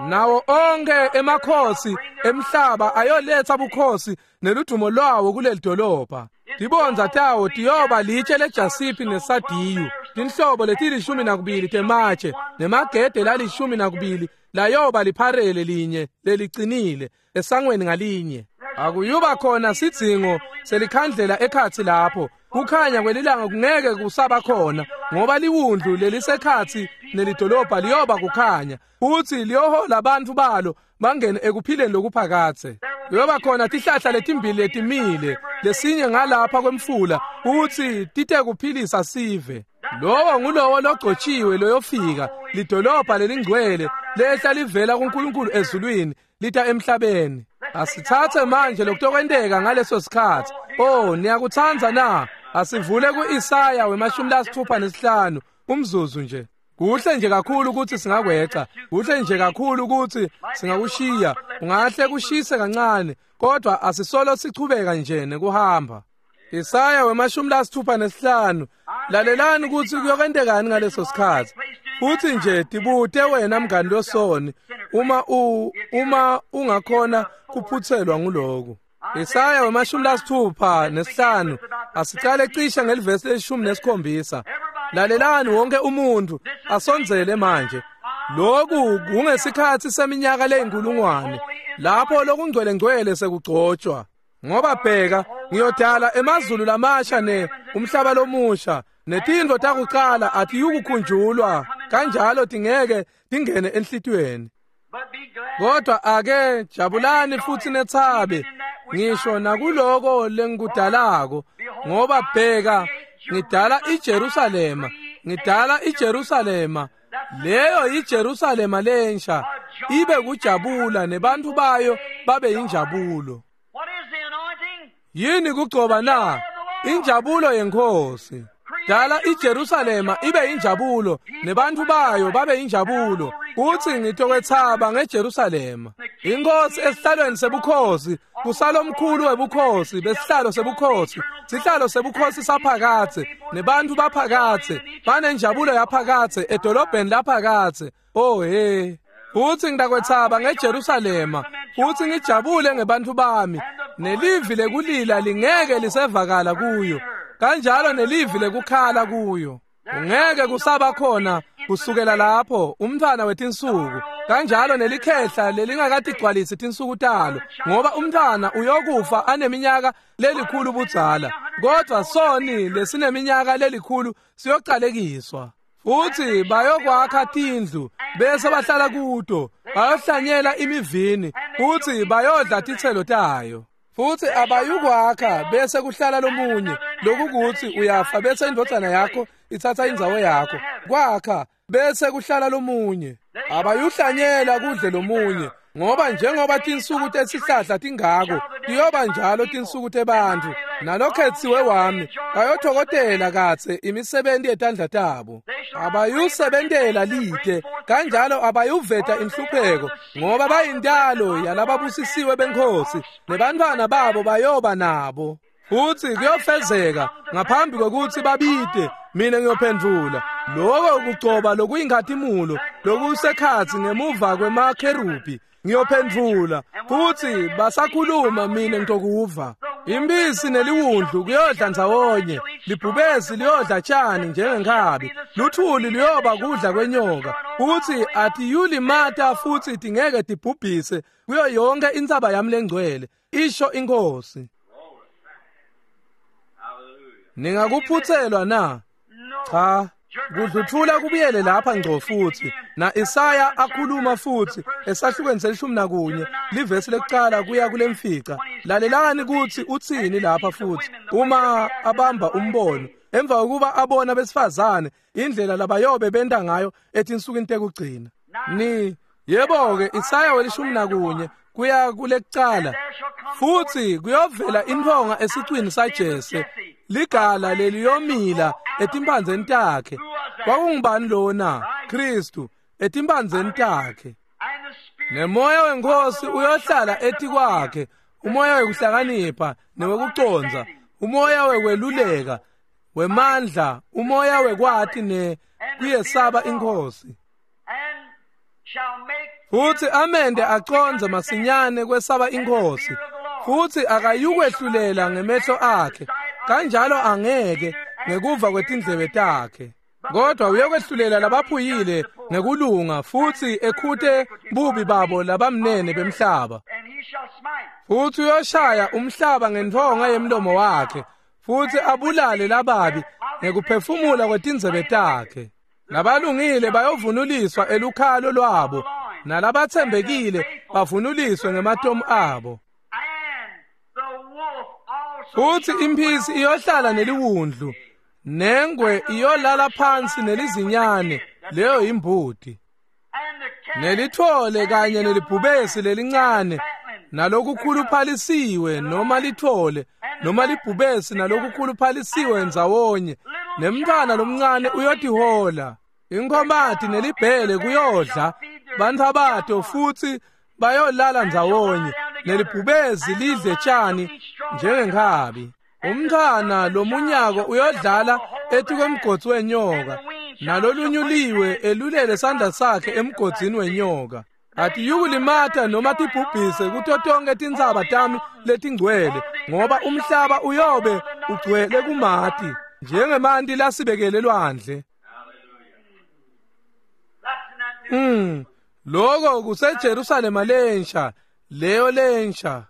Nawo onke emakhosi emhlaba ayoletha bukhosi neludumo lwawo kuleli dolobha. Tibondza tawo tiyoba litshe lejasipi nesadiyu, tinhlobo letilishumi nakubili tematshe nemagede lalishumi nakubili layoba lipharele linye lelicinile esangweni ngalinye. Akuyuba khona sidzingo selikhandlela ekhatsi lapho. Kukhanya kwelilanga kungeke kusaba khona, ngoba liwundlu lelisekhatsi nelidolobha liyoba kukhanya, futsi liyohola abantu balo bangene ekuphileni lokuphakadze. Kuyoba khona tihlahla letimbili letimile, lesinye ngalapha kwemfula, futsi tite kuphilisa sive. Lowo ngulowo logcotshiwe loyofika, lidolobha lelingcwele lehla livela kuNkulunkulu ezulwini lita emhlabeni. Asithathe manje lokutokwenteka ngaleso sikhathi. Oh, niyakutsandza na? Asivule ku-Isaya wemashumi lasithupha nesihlanu umzuzu nje. Kuhle nje kakhulu ukuthi singakweca, kuhle nje kakhulu ukuthi singakushiya, ungahle kushise kancane, kodwa asisolo sichubeka nje nekuhamba. Isaya wemashumi lasithupha nesihlanu. Lalelani ukuthi kuyokwentekani ngaleso sikhathi. Futhi nje tibute wena mngani losoni, uma u uma ungakhona kuphutselwa nguloku. Isaya wemashumi lasithupha nesihlanu. Asicale cishe ngelivesi leshumi nesikhombisa. Lalelani wonke umuntu asondzele manje. Lokhu kungesikhathi seminyaka leyinkulungwane lapho lokungcwele ngcwele sekugcotshwa. Ngoba bheka, ngiyodala emazulu lamasha ne umhlaba lomusha, netintfo takucala atiyukukhunjulwa, kanjalo tingeke tingene enhlitiyweni. Kodwa ake jabulani futhi nethabe ngisho nakuloko lengikudalako, ngoba bheka, ngidala iJerusalema, ngidala iJerusalema, leyo iJerusalema lensha, ibe kujabula nebantu bayo babe injabulo. Yini kugcoba na? Injabulo yenkosi. Dala iJerusalema ibe injabulo nebantu bayo babe injabulo. Uthi ngitokwethaba ngeJerusalema. Inkosi esihlalweni sebukhosi, kusalomkhulu webukhosi besihlalo sebukhosi, sihlalo sebukhosi saphakadze nebantu baphakadze banenjabulo yaphakadze edolobheni laphakadze. Oh hey. Uthi ngitakwethaba ngeJerusalema, uthi ngijabule ngebantu bami, nelivi lekulila lingeke lisevakala kuyo, kanjalo nelivi lekukhala kuyo. Ungeke kusaba khona kusukela lapho umntwana wetinsuku, kanjalo nelikhehla lelingakatigcwalisi tinsuku talo, ngoba umntwana uyokufa aneminyaka lelikhulu budzala, kodwa soni lesineminyaka lelikhulu siyocalekiswa. Futhi bayokwakha tindlu bese bahlala kuto, bayohlanyela imivini futhi bayodla titselo tayo. Futhi abayukwakha bese kuhlala lomunye, lokukuthi uyafa bese indvodzana yakho ithatha indzawo yakho. Kwakha bese kuhlala lomunye, abayuhlanyela kudle lomunye, ngoba njengoba tinsuku tesihlahla tingako, tiyoba njalo tinsuku tebantfu. Nalokhetsiwe wami bayothokotela katse imisebenzi yetandla tabo. Abayusebentela lite, kanjalo abayuveta inhlupheko, ngoba bayintalo yalababusisiwe benkosi, nebantfwana babo bayoba nabo. Futhi kuyofezeka ngaphambi kokuthi babite, mina ngiyophendvula. Lokho kugcoba lokuyinkhatimulo lokusekhatsi ngemuva kwemakherubi, ngiyophendvula. Futhi basakhuluma, mina ngitokuva. Impisi neliwundlu kuyodla ndzawonye, libhubesi liyodla tshani njengenkhabi, luthuli luyoba kudla kwenyoka. Futhi atiyulimata futhi tingeke tibhubhise kuyo yonke intsaba yami lengcwele, isho inkosi. Ningakuphutselwa na? Cha. Kudluthula kubuyele lapha ngco futhi na Isaya akhuluma futhi esahlukweni selishumi nakunye livesi lekucala kuya kulemfica. Lalelani ukuthi uthini lapha futhi uma abamba umbono emva kokuba abona besifazane indlela labayobe benta ngayo etinsukwini tekugcina. Ni yebo ke Isaya welishumi nakunye kuya kulekucala. Futhi kuyovela intfonga esicwini saJese, ligala leliyomila etimpandzeni takhe. Kwakungubani lona? Kristu etimpandzeni takhe. Nemoya wenkosi uyohlala etikwakhe, umoya wekuhlakanipha newekucondza, umoya wekweluleka, wemandla, umoya wekwati ne kuyesaba inkosi. Futhi amende acondze masinyane kwesaba inkosi, futhi akayukwehlulela ngemehlo akhe, kanjalo angeke ngekuva kwetindlebe takhe. Kodwa uyokwehlulela labaphuyile ngekulunga futsi ekhute bubi babo labamnene bemhlaba. Futsi uyoshaya umhlaba ngentfonga yemlomo wakhe, futsi abulale lababi ngekuphefumula kwetindzebe takhe. Labalungile bayovunuliswa elukhalo lwabo, nalabatsembekile bavunuliswe ngematomu abo. Futsi imphisi iyohlala neliwundlu, nengwe iyolala phansi nelizinyane, leyo imbuti. Nelitfole kanye nelibhubesi lelincane, nalokukhuluphalisiwe noma litfole noma libhubesi nalokukhuluphalisiwe ndzawonye, nemntfwana lomncane uyotihola. Inkhomati nelibhele kuyodla bantfwabato, futsi bayolala ndzawonye, nelibhubesi lidle tjani njengenkhabi. Umntfwana lomunyako uyodlala etikwemgodzi wenyoka, nalolunyuliwe elulele sandla sakhe emgodzini wenyoka. Atiyukulimata noma tibhubhise kuto tonkhe tintsaba tami letingcwele, ngoba umhlaba uyobe ugcwele kumati njengemanti lasibekele lwandle. Mm, loko kuseJerusalema lensha, leyo lensha.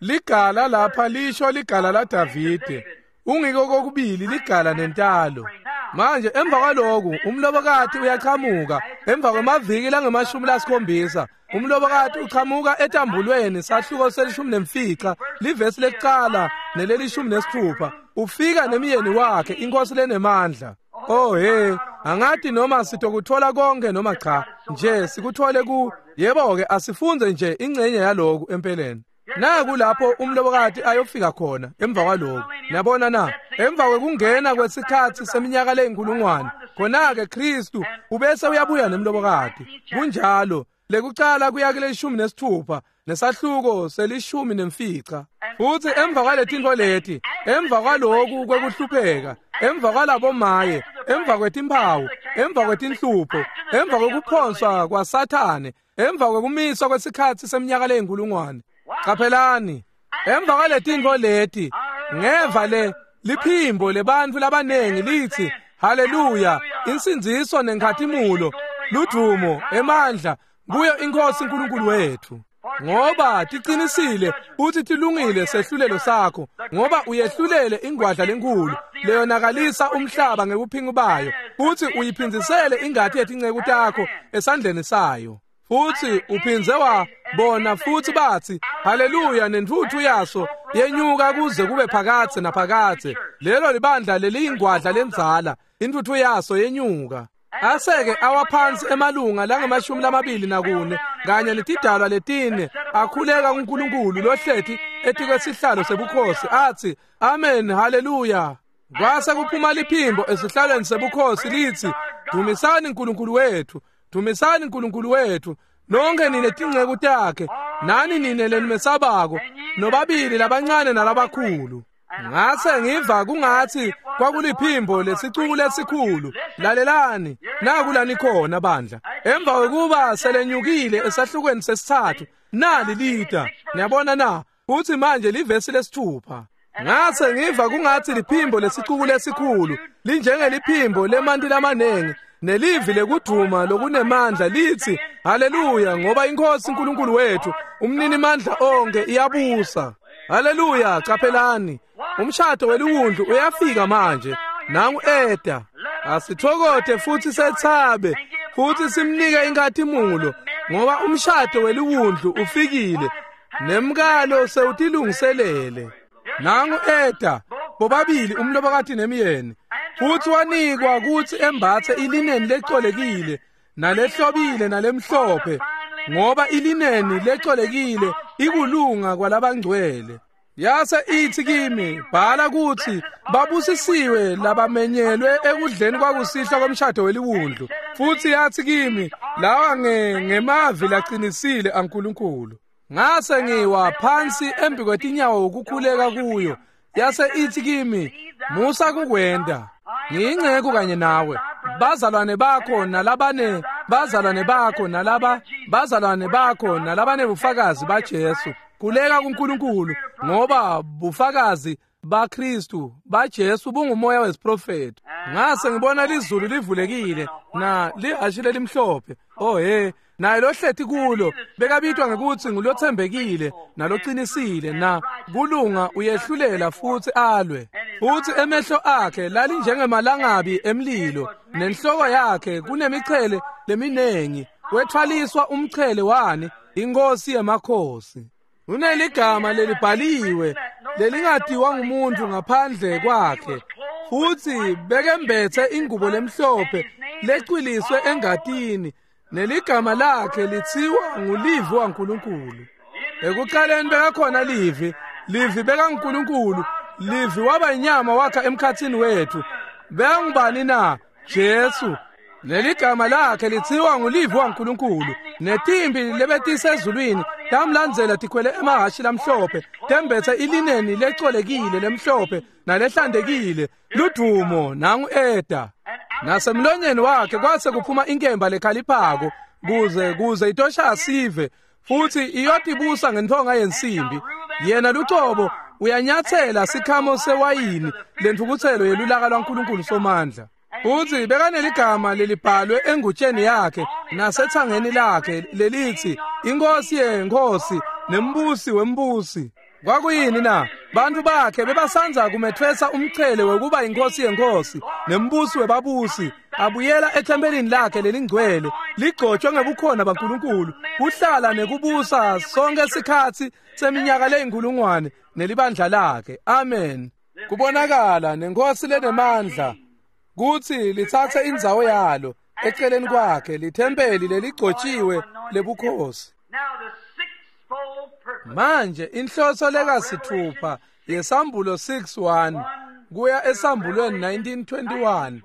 Ligala lapha lisho ligala laDavide, ungiko kokubili ligala nentalo. Manje emva kwaloku umlobokati uyachamuka emva kwemaviki langemashumi lasikhombisa. Umlobokati uchamuka etambulweni sahluko selishumi nemfica, livesi lekucala nelelishumi nesitfupha. Ufika nemyeni wakhe, inkosi lenemandla. Oh he, angati noma sitokuthola konke noma cha, nje sikuthole ku yebo-ke asifunze nje ingcenye yaloku empeleni. Naku lapho umlobokati ayofika khona emva kwaloku. Niyabona na? Emva kwekungena kwesikhatsi seminyaka leyinkulungwane, khona-ke Kristu ubese uyabuya nemlobokati. Kunjalo, lekucala kuya kuleshumi nesitfupha nesahluko selishumi nemfica. Futsi emva kwaletintfo leti, emva kwaloku kwekuhlupheka, emva kwalabomaye, emva kwetimphawu, emva kwetinhlupho, emva kwekuphonswa kwaSathane, emva kwekumiswa kwesikhatsi seminyaka leyinkulungwane. Qaphelani, emva kwaletintfo leti, ngeva le liphimbo lebantfu labanengi litsi, haleluya, insindziso nenkhatimulo, ludumo, emandla kuyo iNkhosi uNkulunkulu wethu. Ngoba tiqinisile futhi tilungile sehlulelo sakho, ngoba uyehlulele ingwadla lenkulu leyonakalisa umhlaba ngekuphinga bayo, futhi uyiphindzisele ingati yetinceku takho esandleni sayo. Futhi uphindze wabona futhi bathi haleluya, nentfutfu yaso yenyuka kuze kube phakadze naphakadze. Lelo libandla leliyingwadla lendzala, intfutfu yaso yenyuka. Aseke awaphansi emalunga langemashumi lamabili nakune kanye netidalwa letine akhuleka kuNkulunkulu lohleti etikwesihlalo sebukhosi athi amen, haleluya. Kwase kuphuma liphimbo esihlalweni sebukhosi litsi, dumisani uNkulunkulu wethu, dumisani uNkulunkulu wethu, nonke nine tinceku takhe, nani nine lenimesabako, nobabili labancane nalabakhulu. Ngase ngiva kungathi kwakuliphimbo lesicuku lesikhulu. Lalelani, naku lanikhona bandla. Emva kwekuba selenyukile esahlukweni sesithathu, nali lita. Niyabona na? Futhi manje livesi lesithupha. Ngase ngiva kungathi liphimbo lesicuku lesikhulu linjengeliphimbo lemanti lamanengi, nelivi lekuduma lokunemandla lithi haleluya, ngoba iNkhosi uNkulunkulu wethu umninimandla onke iyabusa. Haleluya. Qaphelani, umshado weliwundlu uyafika manje. Nangu eta. Asithokote futhi sethabe futhi simnike inkhatimulo, ngoba umshado weliwundlu ufikile nemkalo sewutilungiselele. Nangu eta, bobabili umlobokati nemyeni, futhi wanikwa kutsi embatse ilineni lecolekile nalehlobile nalemhlophe, ngoba ilineni lecolekile ikulunga kwalabangcwele. Yase ithi kimi, bhala kutsi babusisiwe labamenyelwe ekudleni kwakusihlwa komshado weliwundlu. Futhi yathi kimi, lawa ngemavi laqinisile aNkulunkulu. Ngase ngiwa phansi embi kwetinyawo ukukhuleka kuyo. Yase ithi kimi, musa kukwenda, ngiyinceku kanye nawe, bazalwane bakho nalabane bazalwane bakho nalaba bazalwane bakho nalabane bufakazi baJesu. Khuleka kuNkulunkulu, ngoba bufakazi baKristu baJesu bungumoya wesiprofethi. Ngase ngibona lizulu livulekile na lihhashi lelimhlophe. Oh he, naye lohleti kulo bekabitwa ngekuthi ngulothembekile nalocinisile na kulunga uyehlulela futhi alwe. Futhi emehlo akhe lalinjengemalangabi emlilo nenhloko yakhe kunemichele leminengi. Wethwaliswa umchele wani inkosi yemakhosi. Uneligama lelibhaliwe lelingatiwa ngumuntu ngaphandle kwakhe. Futhi bekembethe ingubo lemhlophe lecwiliswe engatini neligama lakhe lithiwa nguLivi waNkulunkulu. Ekuqaleni bekakhona Livi, Livi bekaNkulunkulu, Livi waba inyama wakha emkhathini wethu. Bekangubani na? Jesu. Leligama lakhe lithiwa nguLivi waNkulunkulu. Netimbi lebetisezulwini tamlandzela tikhwele emahhashi lamhlophe, tembethe ilineni lecolekile lemhlophe nalehlantekile. Ludumo nangu eda. Nasemlonyeni wakhe kwase kuphuma inkemba lekhaliphako kuze kuze itosha sive futhi iyotibusa ngentonga yensimbi. Yena lucobo uyanyathela sikhamo sewayini lentfukutselo yelulaka lwaNkulunkulu Somandla. Futhi bekaneligama lelibhalwe engutsheni yakhe nasethangeni lakhe lelithi inkosi yenkosi nembusi wembusi. Kwakuyini na? Bantu bakhe bebasanza kumethwesa umchele wekuba inkosi yenkosi nembusi webabusi. Abuyela ethempelini lakhe lelingcwele ligcotshwe ngebukhona baNkulunkulu kuhlala nekubusa sonke sikhatsi seminyaka leyinkulungwane nelibandla lakhe. Amen. Kubonakala nenkosi lenemandla kuthi lithathe indzawo yalo eceleni kwakhe lithempeli leligcotshiwe lebukhosi. Manje inhloso lekasithupha yesambulo six one kuya esambulweni nineteen twenty-one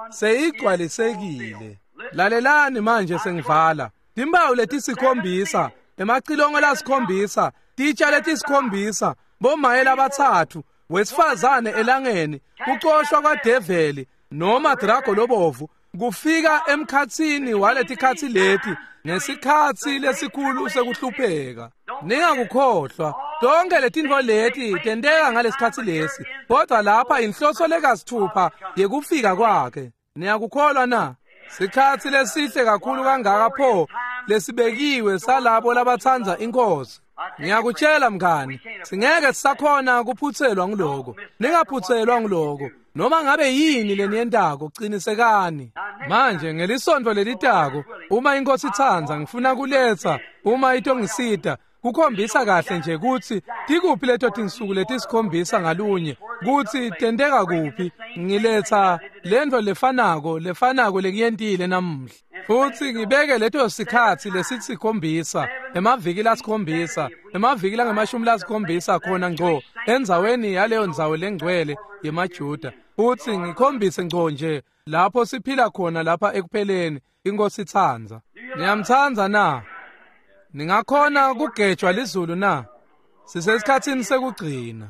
seyigcwalisekile. Lalelani manje sengivala. Timpawu letisikhombisa, emacilongo lasikhombisa, titsha letisikhombisa, bomaye labatsatfu, wesifazane elangeni, kucoshwa kwadeveli noma drago lobovu kufika emkhatsini waletikhatsi leti ngesikhatsi lesikhulu sekuhlupheka. Ningakukhohlwa tonke letintfo leti tenteka ngalesikhatsi lesi, kodwa lapha inhloso lekasithupha yekufika kwakhe. Niyakukholwa na? Sikhatsi lesihle kakhulu kangaka pho lesibekiwe salabo labatsandza inkosi. Ngiyakutshela mngani, singeke sisakhona kuphutselwa nguloko. Ningaphutselwa nguloko. Noma ngabe yini leniyentako, qinisekani. Manje ngelisonto lelitako, uma inkosi itsandza, ngifuna kuletsa uma itongisita kukhombisa kahle nje kutsi tikuphi leto tinsuku letisikhombisa ngalunye, kutsi tenteka kuphi. Ngiletsa lento lefanako lefanako lekuyentile namuhla, futhi ngibeke leto sikhatsi lesisikhombisa, emaviki lasikhombisa, emaviki langemashumi lasikhombisa khona ngco endzaweni yaleyo ndzawo lengcwele yemaJuda, futhi ngikhombise ngco nje lapho siphila khona lapha ekupheleni. Inkosi itsandza. Niyamtsandza na? Ningakhona kugejwa lizulu na? Sisesikhatsini sekugcina.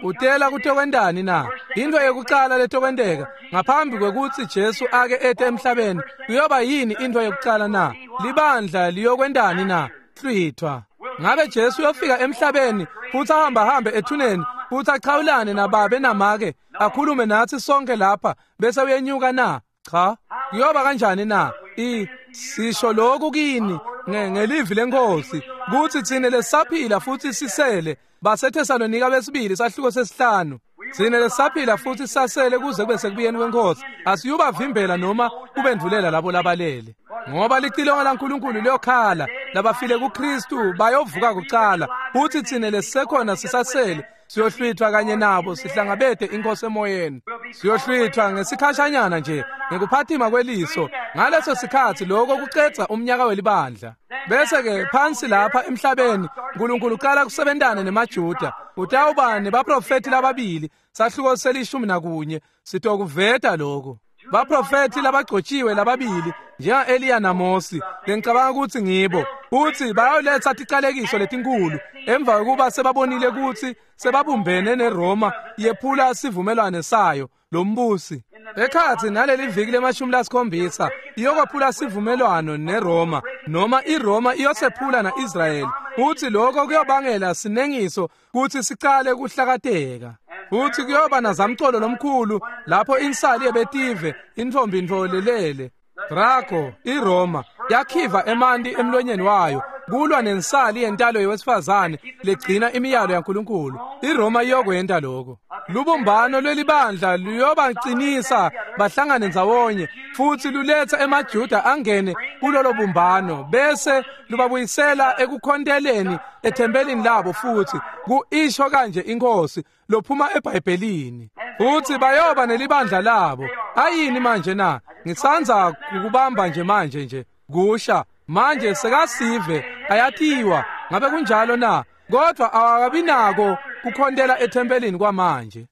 Utela kutokwentani na? Into yekucala letokwenteka ngaphambi kwekutsi Jesu ake ete emhlabeni kuyoba yini into yekucala na? Libandla liyokwentani na? Hlwithwa. Ngabe Jesu uyofika emhlabeni futhi ahamba hambe ethuneni futhi achawulane nababe namake akhulume nathi sonke lapha bese uyenyuka na? Cha. Kuyoba kanjani na? I sisho lokhu kini ngelivi lenkosi kuthi thine lesaphila futhi sisele. BaseThesalonika besibili sahluko sesihlanu. Thine lesaphila futhi sasele kuze kube sekubuyeni kwenkosi asiyubavimbela noma kubendvulela labo labalele, ngoba licilongo laNkulunkulu liyokhala, labafile kuKristu bayovuka kucala, futhi thine lesisekhona sisasele siyohlwithwa kanye nabo sihlangabete inkosi emoyeni. Siyohlwithwa ngesikhashanyana nje ngekuphatima kweliso. Ngaleso sikhatsi lokho kucedza umnyaka welibandla. Bese ke phansi lapha emhlabeni uNkulunkulu uqala kusebentana nemaJuda. Utawuba nebaprofeti lababili sahluko selishumi nakunye sitokuveta lokho. Baprofeti labagcotshiwe lababili njenga-Eliya naMosi, lengicabanga ukuthi ngibo, futhi bayoletha ticalekiso letinkulu emva kokuba sebabonile ukuthi sebabumbene neRoma yephula sivumelwane sayo lombusi. Ekhathi naleli viki lemashumi lasikhombisa iyokwephula sivumelwano neRoma, noma iRoma iyosephula na-Israyeli, futhi lokho kuyobangela sinengiso kuthi sicale kuhlakateka. Futhi kuyoba nazamcolo lomkhulu lapho insali yebetive intfombi ntfolelele. Drago iRoma yakhiva emanti emlonyeni wayo kulwa nensali yentalo yewesifazane legcina imiyalo yaNkulunkulu. iRoma iyokwenta lokho. Lubumbano lwelibandla luyobacinisa bahlangane ndzawonye futhi luletha emaJuda angene kulolo bumbano bese lubabuyisela ekukhonteleni ethempelini labo futhi kuisho kanje inkosi lophuma eBhayibhelini. Futhi bayoba nelibandla labo. Ayini manje na? Ngisanza ukubamba nje manje nje kusha manje sekasive ayathiwa ngabe kunjalo na? Kodwa awakabinako kukhontela ethempelini kwamanje.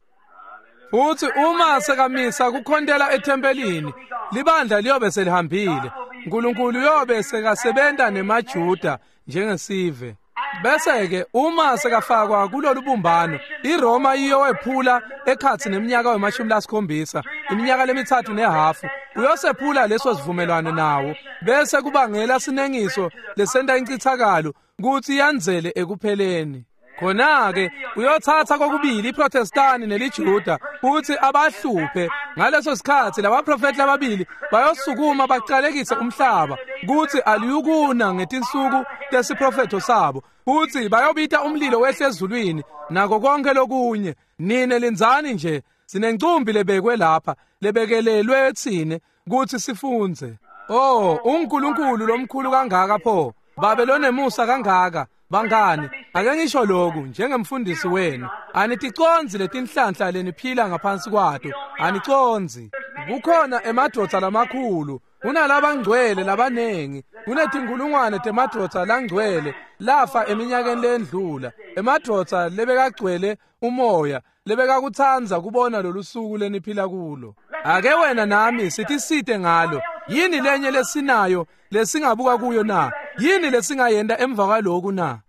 Futhi uma sekamisa kukhontela ethempelini libandla liyobe selihambile. uNkulunkulu uyobe sekasebenta nemaJuda njengesive. Bese ke uma sekafakwa kulolu bumbano iRoma iyowephula ekhatsi neminyaka wemashumi lasikhombisa iminyaka lemithathu nehafu uyosephula leso sivumelwano nawo bese kubangela sinengiso lesenta incithakalo kuthi yandzele ekupheleni. Khona-ke uyothatha kokubili iProtestani neliJuda futhi abahluphe. Ngaleso sikhathi labaprofethi lababili bayosukuma baqalekise umhlaba kuthi aliyukuna ngetinsuku tesiprofetho sabo futhi bayobita umlilo wehle ezulwini nako konke lokunye. Nine lindzani nje, sinencumbi lebekwe lapha lebekelelwe tsine kuthi sifundze. Oh, uNkulunkulu lomkhulu kangaka pho, babe lonemusa kangaka. Bangani, ake ngisho lokhu njengemfundisi wenu, aniticondzi letinhlanhla leniphila ngaphansi kwato, anicondzi. Kukhona emadvodza lamakhulu, kunalabangcwele labanengi, kunetinkulungwane temadvodza langcwele lafa eminyakeni lendlula, emadvodza lebekagcwele umoya, lebekakutsandza kubona lolu suku leniphila kulo. Ake wena nami sitisite ngalo. Yini lenye lesinayo lesingabuka kuyo na? Yini lesingayenta emva kwaloku na?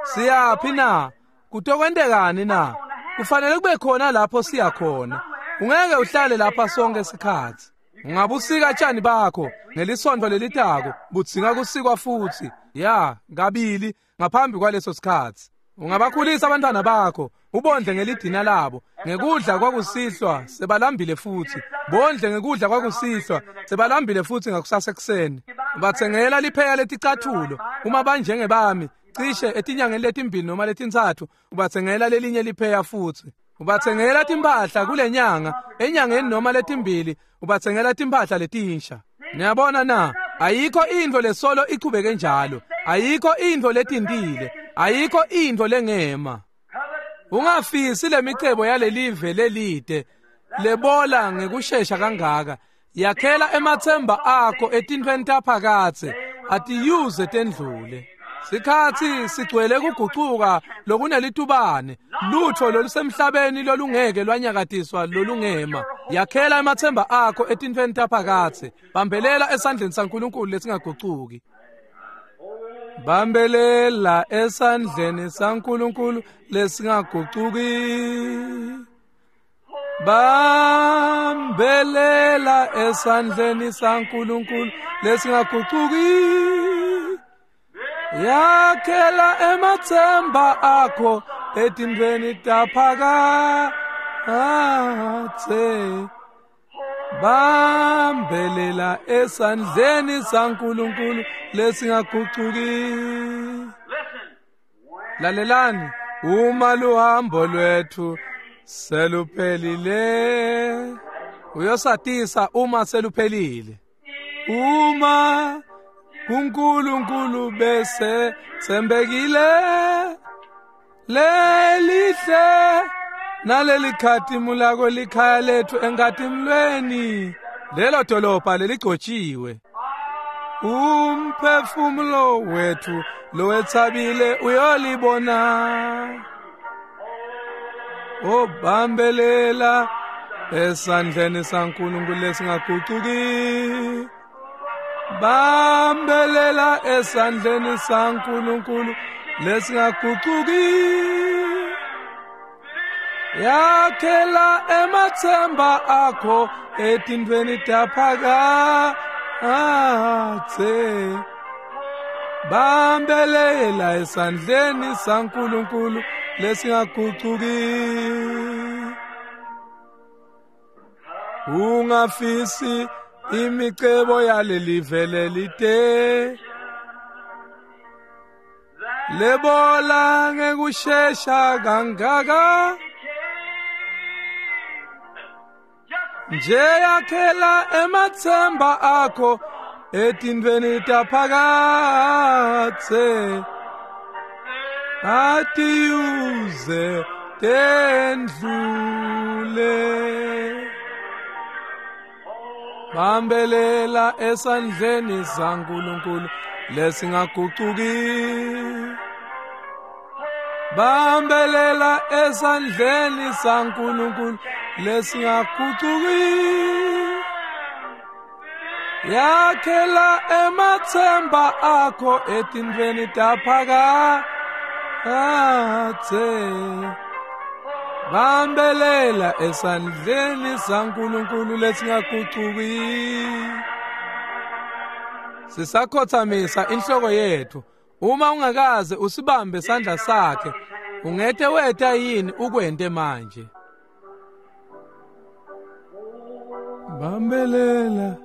Siyaphi na? Kutokwentekani na? Kufanele kube khona lapho siya khona. Ungeke uhlale lapha sonke isikhathi. Ungabusika tshani bakho ngelisonto lelitako budzinga kusikwa futhi ya kabili ngaphambi kwaleso sikhathi. Ungabakhulisa abantwana bakho ubondle ngelidina labo ngekudla kwakusihlwa sebalambile futhi bondle ngekudla kwakusihlwa sebalambile futhi ngakusasa ekuseni. Bathengela lipheya leticathulo uma banjengebami cishe etinyangeni letimbili noma letintsatfu ubathengela lelinye lipheya futhi. Ubathengela timphahla kulenyanga enyangeni noma letimbili ubathengela timphahla letinsha. Niyabona na? Ayikho intfo lesolo ichubeke njalo, ayikho intfo letintile, ayikho intfo lengema. Ungafisi lemicebo yalelive lelide lebola ngekushesha kangaka. Yakhela emathemba akho etintfweni taphakatse atiyuze tendlule. Sikhathi sigcwele kugucuka lokunelitubane, lutho lolusemhlabeni lolungeke lwanyakatiswa lolungema. Yakhela emathemba akho etintfweni taphakatse, bambelela esandleni saNkulunkulu lesingagucuki. Bambelela esandleni saNkulunkulu lesingagucuki. Bambelela esandleni saNkulunkulu lesingagucuki. Yakhela emathemba akho etintfweni taphakatse. Bambelela esandleni saNkulunkulu lesingagucuki. Lalelani, uma luhambo lwethu seluphelile, uyosatisa uma seluphelile. Uma kuNkulunkulu bese sembekile lelihle naleli khatimulako likhaya lethu enkatimulweni, lelo dolobha leligcotshiwe. Umphefumulo wethu lowetsabile uyolibona. Obambelela esandleni saNkulunkulu lesingagucuki. Bambelela esandleni saNkulunkulu lesingagucuki. Yakhela emathemba akho etintfweni taphakatse. Bambelela esandleni saNkulunkulu lesingagucuki. Ungafisi imicebo yaleli lelite lebola ngekushesha kangaka nje yakhela ematsemba akho etintfweni taphakadze atiyuze tendlule. Bambelela esandleni saNkulunkulu lesingagucuki. Bambelela esandleni saNkulunkulu lesingagucuki. Yakhela ematsemba akho etintfweni taphakadze. Bambelela esandleni saNkulunkulu lesingagucuki. Sisakhothamisa inhloko yethu. Uma ungakaze usibambe sandla sakhe, ungete weta yini ukwente manje? Bambelela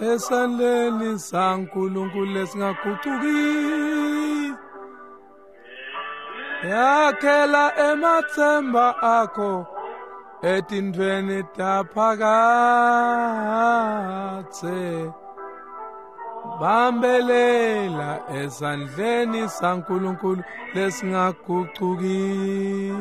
esandleni saNkulunkulu lesingagucuki. Yakhela ematsemba akho etintfweni taphakadze. Bambelela esandleni saNkulunkulu lesingagucuki.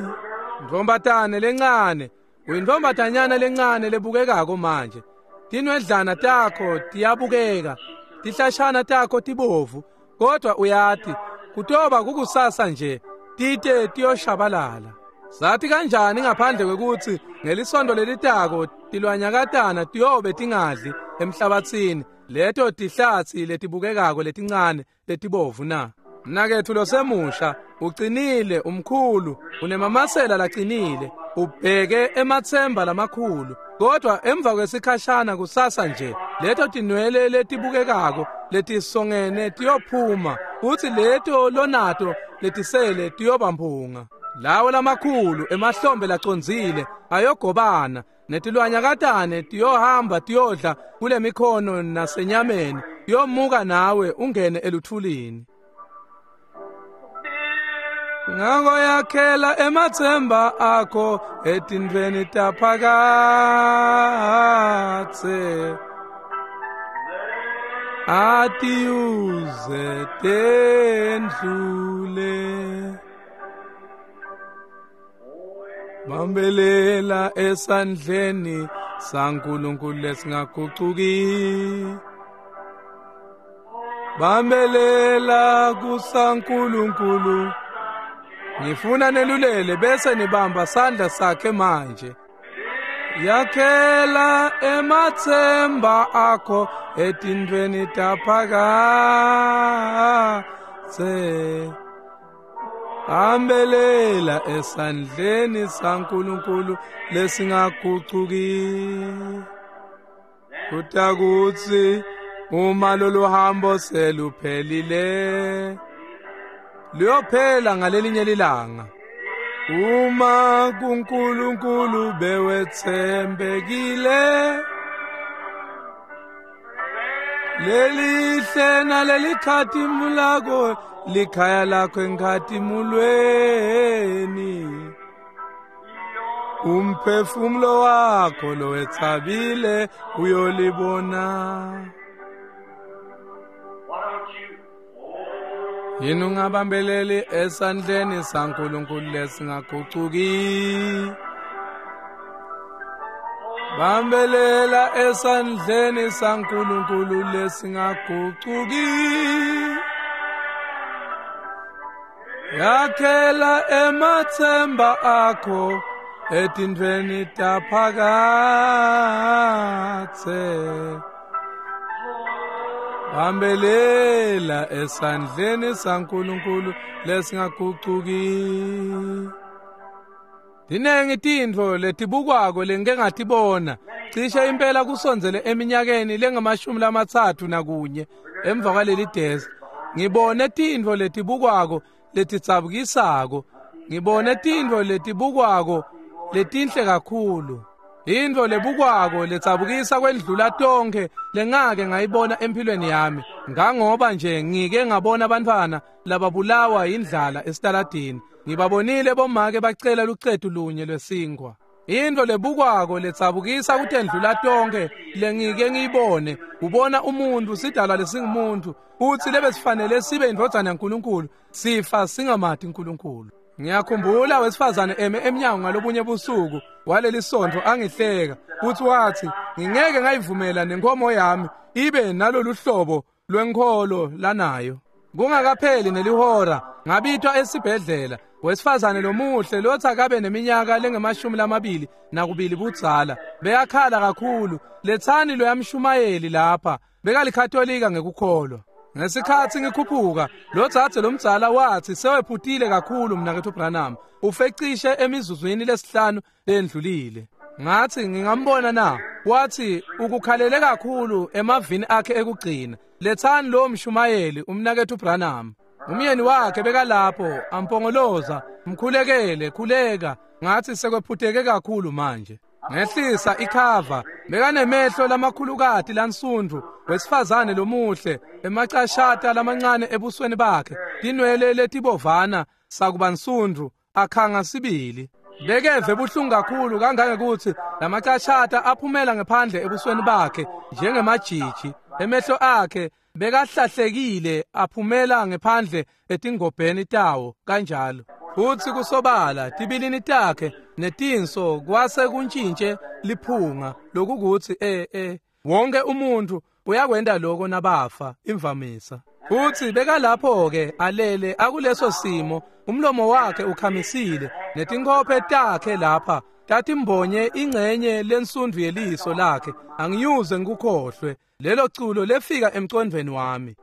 Ntombatane lencane, uyintombatanyana lencane lebukekako manje. Tinwedlana takho tiyabukeka, tihlashana takho tibovu, kodwa uyati kutoba kukusasa nje tite tiyoshabalala. Sathi kanjani ngaphandle kwekuthi ngelisondo lelitako tilwanyakatana tiyobe tingadli emhlabathini leto tihlatsi letibukekako letincane letibovu na? Mnaketfu losemusha ucinile, umkhulu, unemamasela lacinile, ubheke ematsemba lamakhulu, kodwa emva kwesikhashana kusasa nje leto tinwele letibukekako letisongene tiyophuma, kuthi leto lonato letisele tiyobamphunga. Lawo lamakhulu emahlombe lacondzile ayogobana, netilwanyakatane tiyohamba tiyodla kule mikhono nasenyameni, yomuka nawe ungene eluthulini. Ngako yakhela ematsemba akho etintfweni taphakadze. Atiyuze tendlule. Bambelela esandleni saNkulunkulu lesingagucuki. Bambelela kusaNkulunkulu. Ngifuna nelulele bese nibamba sandla sakhe manje. Yakhela ematsemba akho etintfweni taphakadze. Bambelela esandleni saNkulunkulu lesingagucuki. Kutakuthi uma lolu hambo seluphelile, luyophela ngalelinye lilanga. Uma kuNkulunkulu bewethembekile, lelihle nalelikhazimulako likhaya lakho enkhatimulweni. Umphefumulo wakho lowetsabile uyolibona. Yini ungabambeleli esandleni saNkulunkulu lesingagucuki? Bambelela esandleni saNkulunkulu lesingagucuki. Yakhela ematsemba akho etintfweni taphakadze. Bambelela esandleni saNkulunkulu lesingagucuki. Tinengi tintfo letibukwako lengike ngatibona cishe impela kusondzele eminyakeni lengamashumi lamatsatfu nakunye emva kwaleli desk. Ngibone tintfo letibukwako letidzabukisako, ngibone tintfo letibukwako letinhle kakhulu. Intfo lebukwako letsabukisa kwendlula tonkhe lengake ngayibona empilweni yami, ngangoba nje ngike ngabona abantwana lababulawa indlala esitaladini. Ngibabonile bomake bacela lucetu lunye lwesinkwa. Intfo lebukwako letsabukisa kutendlula tonkhe lengike ngiyibone, ubona umuntu sidalwa lesingumuntu futsi lebesifanele sibe indvodzana yaNkulunkulu, sifa singamati uNkulunkulu. Ngiyakhumbula wesifazane eme emnyango ngalobunye busuku waleli sontfo angihleka, futhi wathi ngingeke ngayivumela nenkomo yami ibe nalolu hlobo lwenkholo lanayo. Kungakapheli nelihora ngabitwa esibhedlela wesifazane lomuhle lotsi akabe neminyaka lengemashumi lamabili nakubili budzala, beyakhala kakhulu. Letsani loyamshumayeli lapha, bekalikatolika ngekukholwa. Ngesikhatsi ngikhuphuka, lo dzadze lomdzala wathi sewephutile kakhulu mnaketfu Branham, ufecishe emizuzwini lesihlanu lendlulile. Ngathi ngingambona na? Wathi ukukhalele kakhulu emavini akhe ekugcina. Letsani lo mshumayeli umnaketfu Branham. Umyeni wakhe bekalapho ampongoloza, mkhulekele, khuleka. Ngathi sekwephuteke kakhulu manje. Ngehlisa ikhava, bekanemehlo lamakhulukati lansundvu, wesifazane lomuhle, emacashata lamancane ebusweni bakhe, tinwele letibovana sakuba nsundvu, akhanga sibili. Bekeve buhlungu kakhulu kangangekuthi lamacashata aphumela ngephandle ebusweni bakhe njengemajiji. Emehlo akhe bekahlahlekile aphumela ngephandle etingobheni tawo kanjalo. Futsi kusobala tibilini takhe netinso kwase kuntshintshe liphunga lokukuthi eh eh wonke umuntu uyakwenda lokho nabafa imvamisa. Futsi bekalapho ke alele akuleso simo, umlomo wakhe ukhamisile netinkophe takhe lapha tatimbonye ingcenye lensundvu yeliso lakhe. Angiyuze ngikukhohlwe lelo culo lefika emcondvweni wami.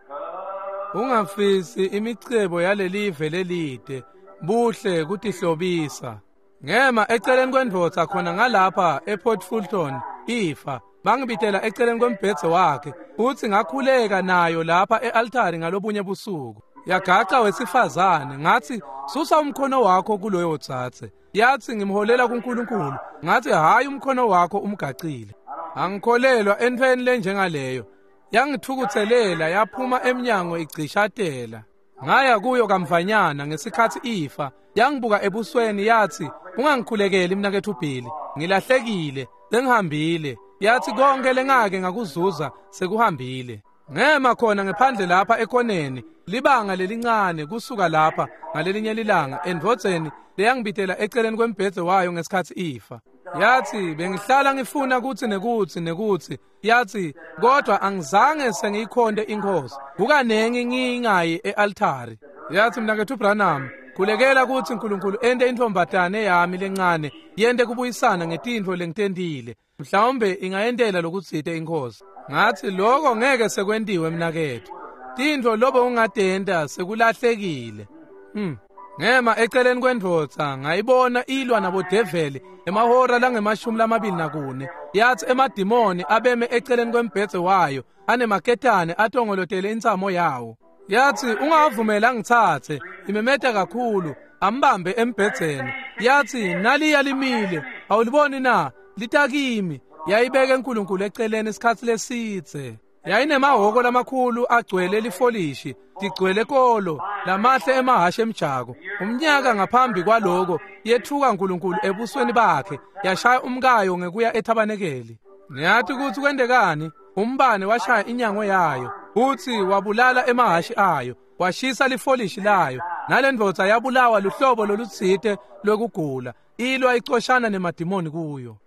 Ungafisi imicebo yalelive lelide, buhle kutihlobisa. Ngema eceleni kwendvodza khona ngalapha ePort Fulton ifa, bangibitela eceleni kwembhedze wakhe, futsi ngakhuleka nayo lapha e-altari ngalobunye busuku. Yagaca wesifazane, ngathi susa umkhono wakho kuloyo dzadze. Yathi ngimholela kuNkulunkulu. Ngathi hayi, umkhono wakho umgacile. Angikholelwa entfweni lenjengaleyo. Yangithukutselela yaphuma emnyango igcishatela. Ngaya kuyo kamvanyana ngesikhatsi ifa, yangibuka ebusweni yathi ungangikhulekeli mnaketfu Billy, ngilahlekile, sengihambile. Yathi konke lengake ngakuzuza sekuhambile. Ngema khona ngephandle lapha ekoneni, libanga lelincane kusuka lapha ngalelinye lilanga endvodzeni leyangibitela eceleni kwembhedze wayo ngesikhatsi ifa. Yathi bengihlala ngifuna kutsi nekutsi nekutsi, yathi kodwa angizange sengiyikhonde inkosi, kukanengi ngingayi e-altari. Yathi mnaketfu Branham, khulekela kutsi uNkulunkulu ente intfombatane yami lencane yente kubuyisana ngetintfo lengitentile, mhlawumbe ingayentela lokutsite inkosi. Ngathi lokho ngeke sekwentiwe mnaketfu, tintfo lobo ungatenta sekulahlekile. Hmm. Ngema eceleni kwendvodza ngayibona ilwa nabodeveli emahora langemashumi lamabili nakune. Yathi emadimoni abeme eceleni kwembhedze wayo anemaketane atongolotele intsamo yawo. Yathi ungavumela ngitsatse, imemeta kakhulu, ambambe embhedzeni. Yathi naliya limile, awuliboni na? Litakimi. Yayibeke uNkulunkulu eceleni isikhatsi lesidze. Yayinemahhoko lamakhulu agcwele lifolishi, tigcwele kolo, lamahle emahhashi emjako. Umnyaka ngaphambi kwaloko yethuka uNkulunkulu ebusweni bakhe, yashaya umkayo ngekuya ethabanekeli. Niyathi kutsi kwentekani? Umbane washaya inyango yayo, futsi wabulala emahhashi ayo, washisa lifolishi layo. Nalendvodza yabulawa luhlobo lolutsite lwekugula, ilwa icoshana nemadimoni kuyo.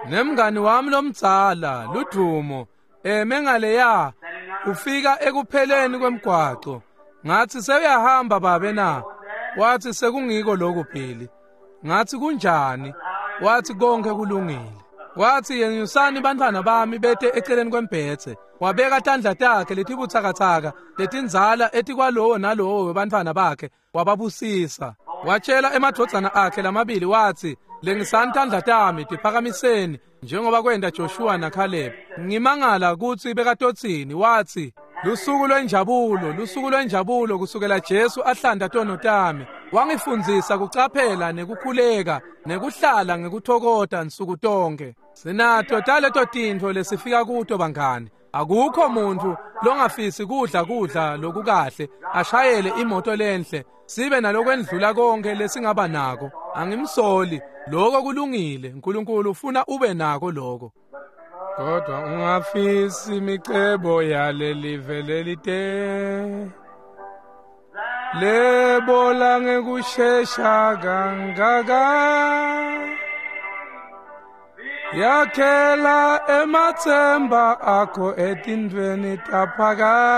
Nemngani wami lomdzala Ludumo eme ngaleya, ufika ekupheleni kwemgwaco. Ngathi sewuyahamba babe na? Wathi sekungiko lokho Billy. Ngathi kunjani? Wathi konke kulungile. Wathi yenyusani bantfwana bami bete eceleni kwembhedze. Wabeka tandla takhe letibutsakatsaka letindzala etikwalowo nalowo webantfwana bakhe, wababusisa. Watshela emadvodzana akhe lamabili wathi lengisani tandla tami tiphakamiseni njengoba kwenta Joshua naCaleb. Ngimangala kutsi bekatotsini. Wathi lusuku lwenjabulo, lusuku lwenjabulo kusukela Jesu ahlanda tono tami. Wangifundzisa kucaphela nekukhuleka nekuhlala ngekuthokota nsuku tonke. Sinato taleto tintfo lesifika kuto bangani. Akukho muntu longafisi kudla kudla lokukahle, ashayele imoto lenhle, sibe nalokwendlula konke lesingaba nako. Angimsoli, lokho kulungile. uNkulunkulu ufuna ube nako lokho. Kodwa ungafisi imicebo yalelive lelite, lebola ngekushesha kangaka. Yakhela ematsemba akho etintfweni taphakadze,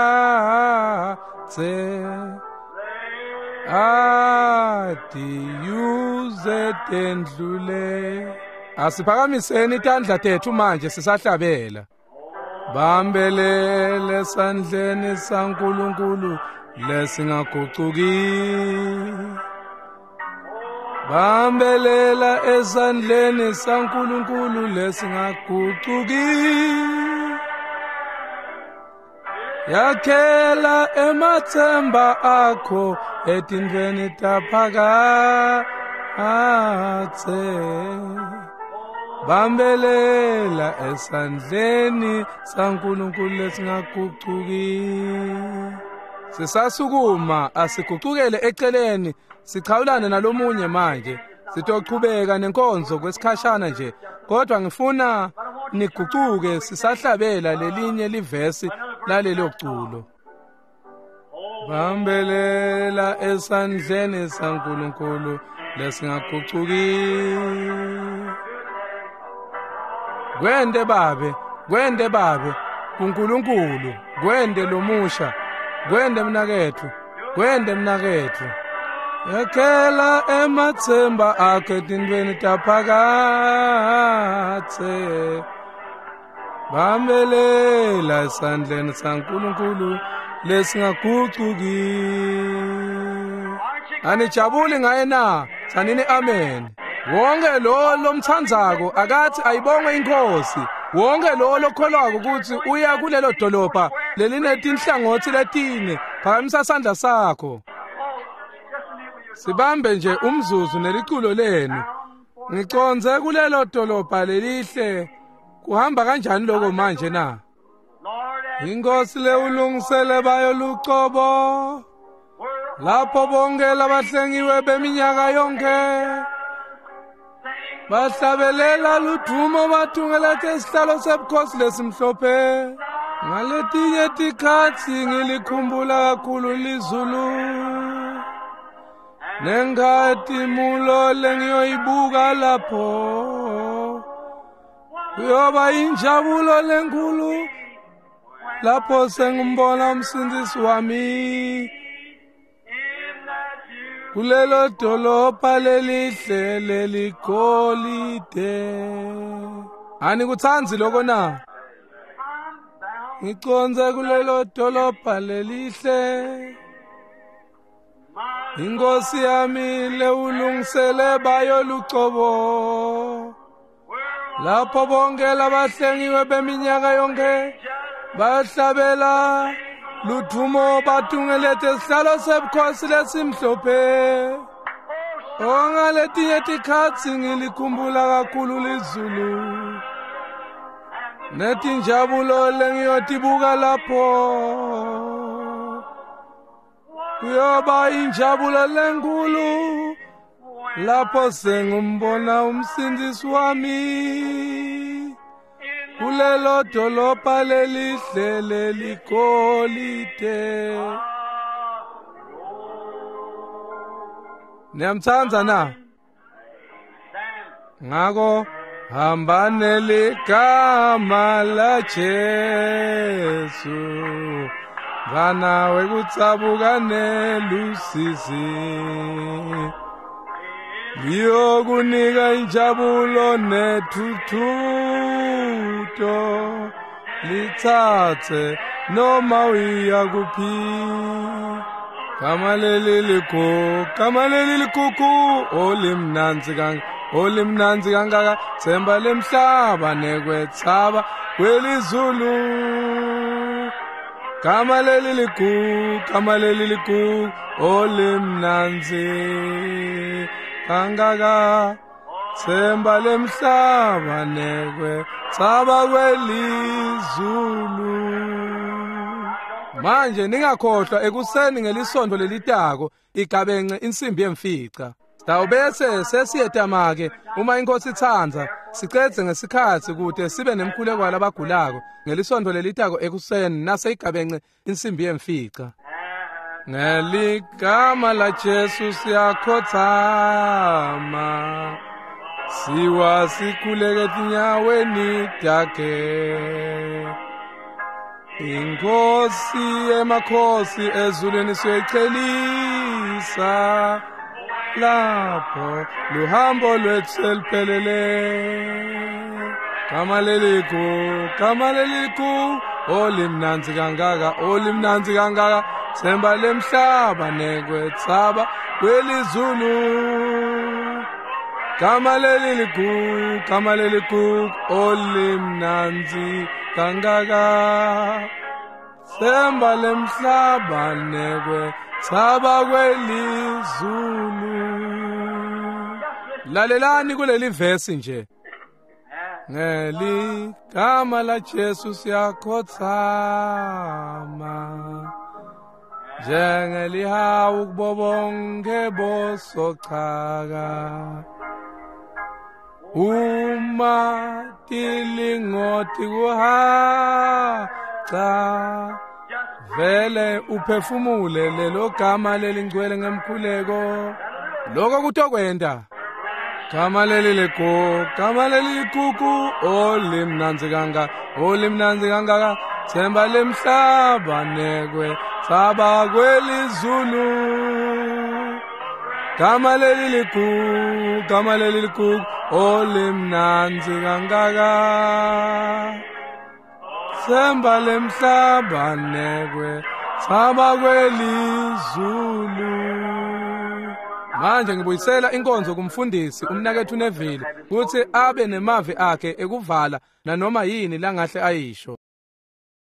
adiyuze tendlule. Asiphakamiseni tandla tethu manje sisahlabela. Bambelele esandleni saNkulunkulu lesingagucuki. Bambelela esandleni saNkulunkulu lesingagucuki. Yakhela ematsemba akho etintfweni taphakadze. Bambelela esandleni saNkulunkulu lesingagucuki. Sisasukuma asigucukele eceleni, sichawulane nalomunye manje. Sitochubeka nenkonzo kwesikhashana nje, kodwa ngifuna nigucuke sisahlabela lelinye livesi lalelo culo. Bambelela esandleni saNkulunkulu lesingagucuki. Kwende babe, kwende babe, kuNkulunkulu, kwende lomusha, kwende mnaketfu, kwende mnaketfu. Yakhela ematsemba akhe etintfweni taphakadze. Bambelela esandleni saNkulunkulu lesingagucuki. Anijabuli ngaye na? Tsanini amen. Wonke lo lomtsandzako akathi ayibongwe inkosi. Wonke lo lokholwako kutsi uya kulelo dolobha lelinetinhlangotsi letine, phakamisa sandla sakho. Sibambe nje umzuzu neliculo lenu. Ngicondze kulelo dolobha lelihle. Kuhamba kanjani lokho manje na? Inkosi lewulungisele bayo lucobo, lapho bonke labahlengiwe beminyaka yonke bahlabelela ludvumo bathungelete isihlalo sebukhosi lesimhlophe. Ngaletinye tikhatsi ngilikhumbula kakhulu lizulu, nenkhatimulo lengiyoyibuka lapho. Kuyoba injabulo lenkulu lapho sengimbona umsindisi wami kulelo dolobha lelihle leligolide. Anikutsandzi lokho na? Ngicondze kulelo dolobha lelihle, inkosi yami lewulungisele bayo lucobo, lapho bonke labahlengiwe beminyaka yonke bahlabela ludvumo bathungelete isihlalo sebukhosi lesimhlophe. Ongaletinye tikhatsi ngilikhumbula kakhulu lizulu, netinjabulo lengiyotibuka lapho. Kuyoba injabulo lenkulu lapho sengimbona umsindisi wami kulelo dolobha lelihle leligolide. Niyamtsandza na? Ngako hamba neligama la Jesu, mntfwana wekutsabuka nelusizi, liyokunika injabulo nethuthuto, litsatse noma uya kuphi. Gama leli likhu, gama leli likuku, olimnandzi kangaka, olimnandzi kangaka, tsemba lemhlaba nekwetsaba kwelizulu. Gama leli ligugu, gama leli ligugu, olimnandzi kangaka. Themba lemhlaba nekwe tsaba kwelizulu. Manje ningakhohlwa ekuseni ngelisonto lelitako igabence insimbi yemfica. Sitawubese sesiyetama-ke uma inkosi itsandza sicedze ngesikhatsi kute sibe nemkhuleko walabagulako ngelisonto lelitako ekuseni nase igabence insimbi yemfica. Ngeligama la Jesu siyakhotsama, siwa sikhuleke etinyaweni takhe. Inkosi emakhosi ezulwini siyoyicelisa, lapho luhambo lwethu seluphelele. Gama leligu, gama leligu, olimnandzi kangaka, olimnandzi kangaka, themba lemhlaba nekwetsaba kwelizulu. Gama leligu, gama leligu, olimnandzi kangaka, themba lemhlaba nekwetsaba kwelizulu. Lalelani kuleli vesi nje. Ngeligama la Jesu siyakhotsama, njengelihawu kubo bonke bosochaka. Uma tilingoti kuhaca, vele uphefumule lelo gama lelingcwele ngemkhuleko. Lokho kutokwenta. Gama leli lego, gama leli ligugu, olimnandzi kangaka, olimnandzi kangaka, themba lemhlaba nekwe tsaba kwelizulu. Gama leli ligugu, gama leli ligugu, olimnandzi kangaka, themba lemhlaba nekwe tsaba kwelizulu. Manje ngibuyisela inkonzo kumfundisi umnakethu Neville kutsi abe nemavi akhe ekuvala nanoma yini langahle ayisho.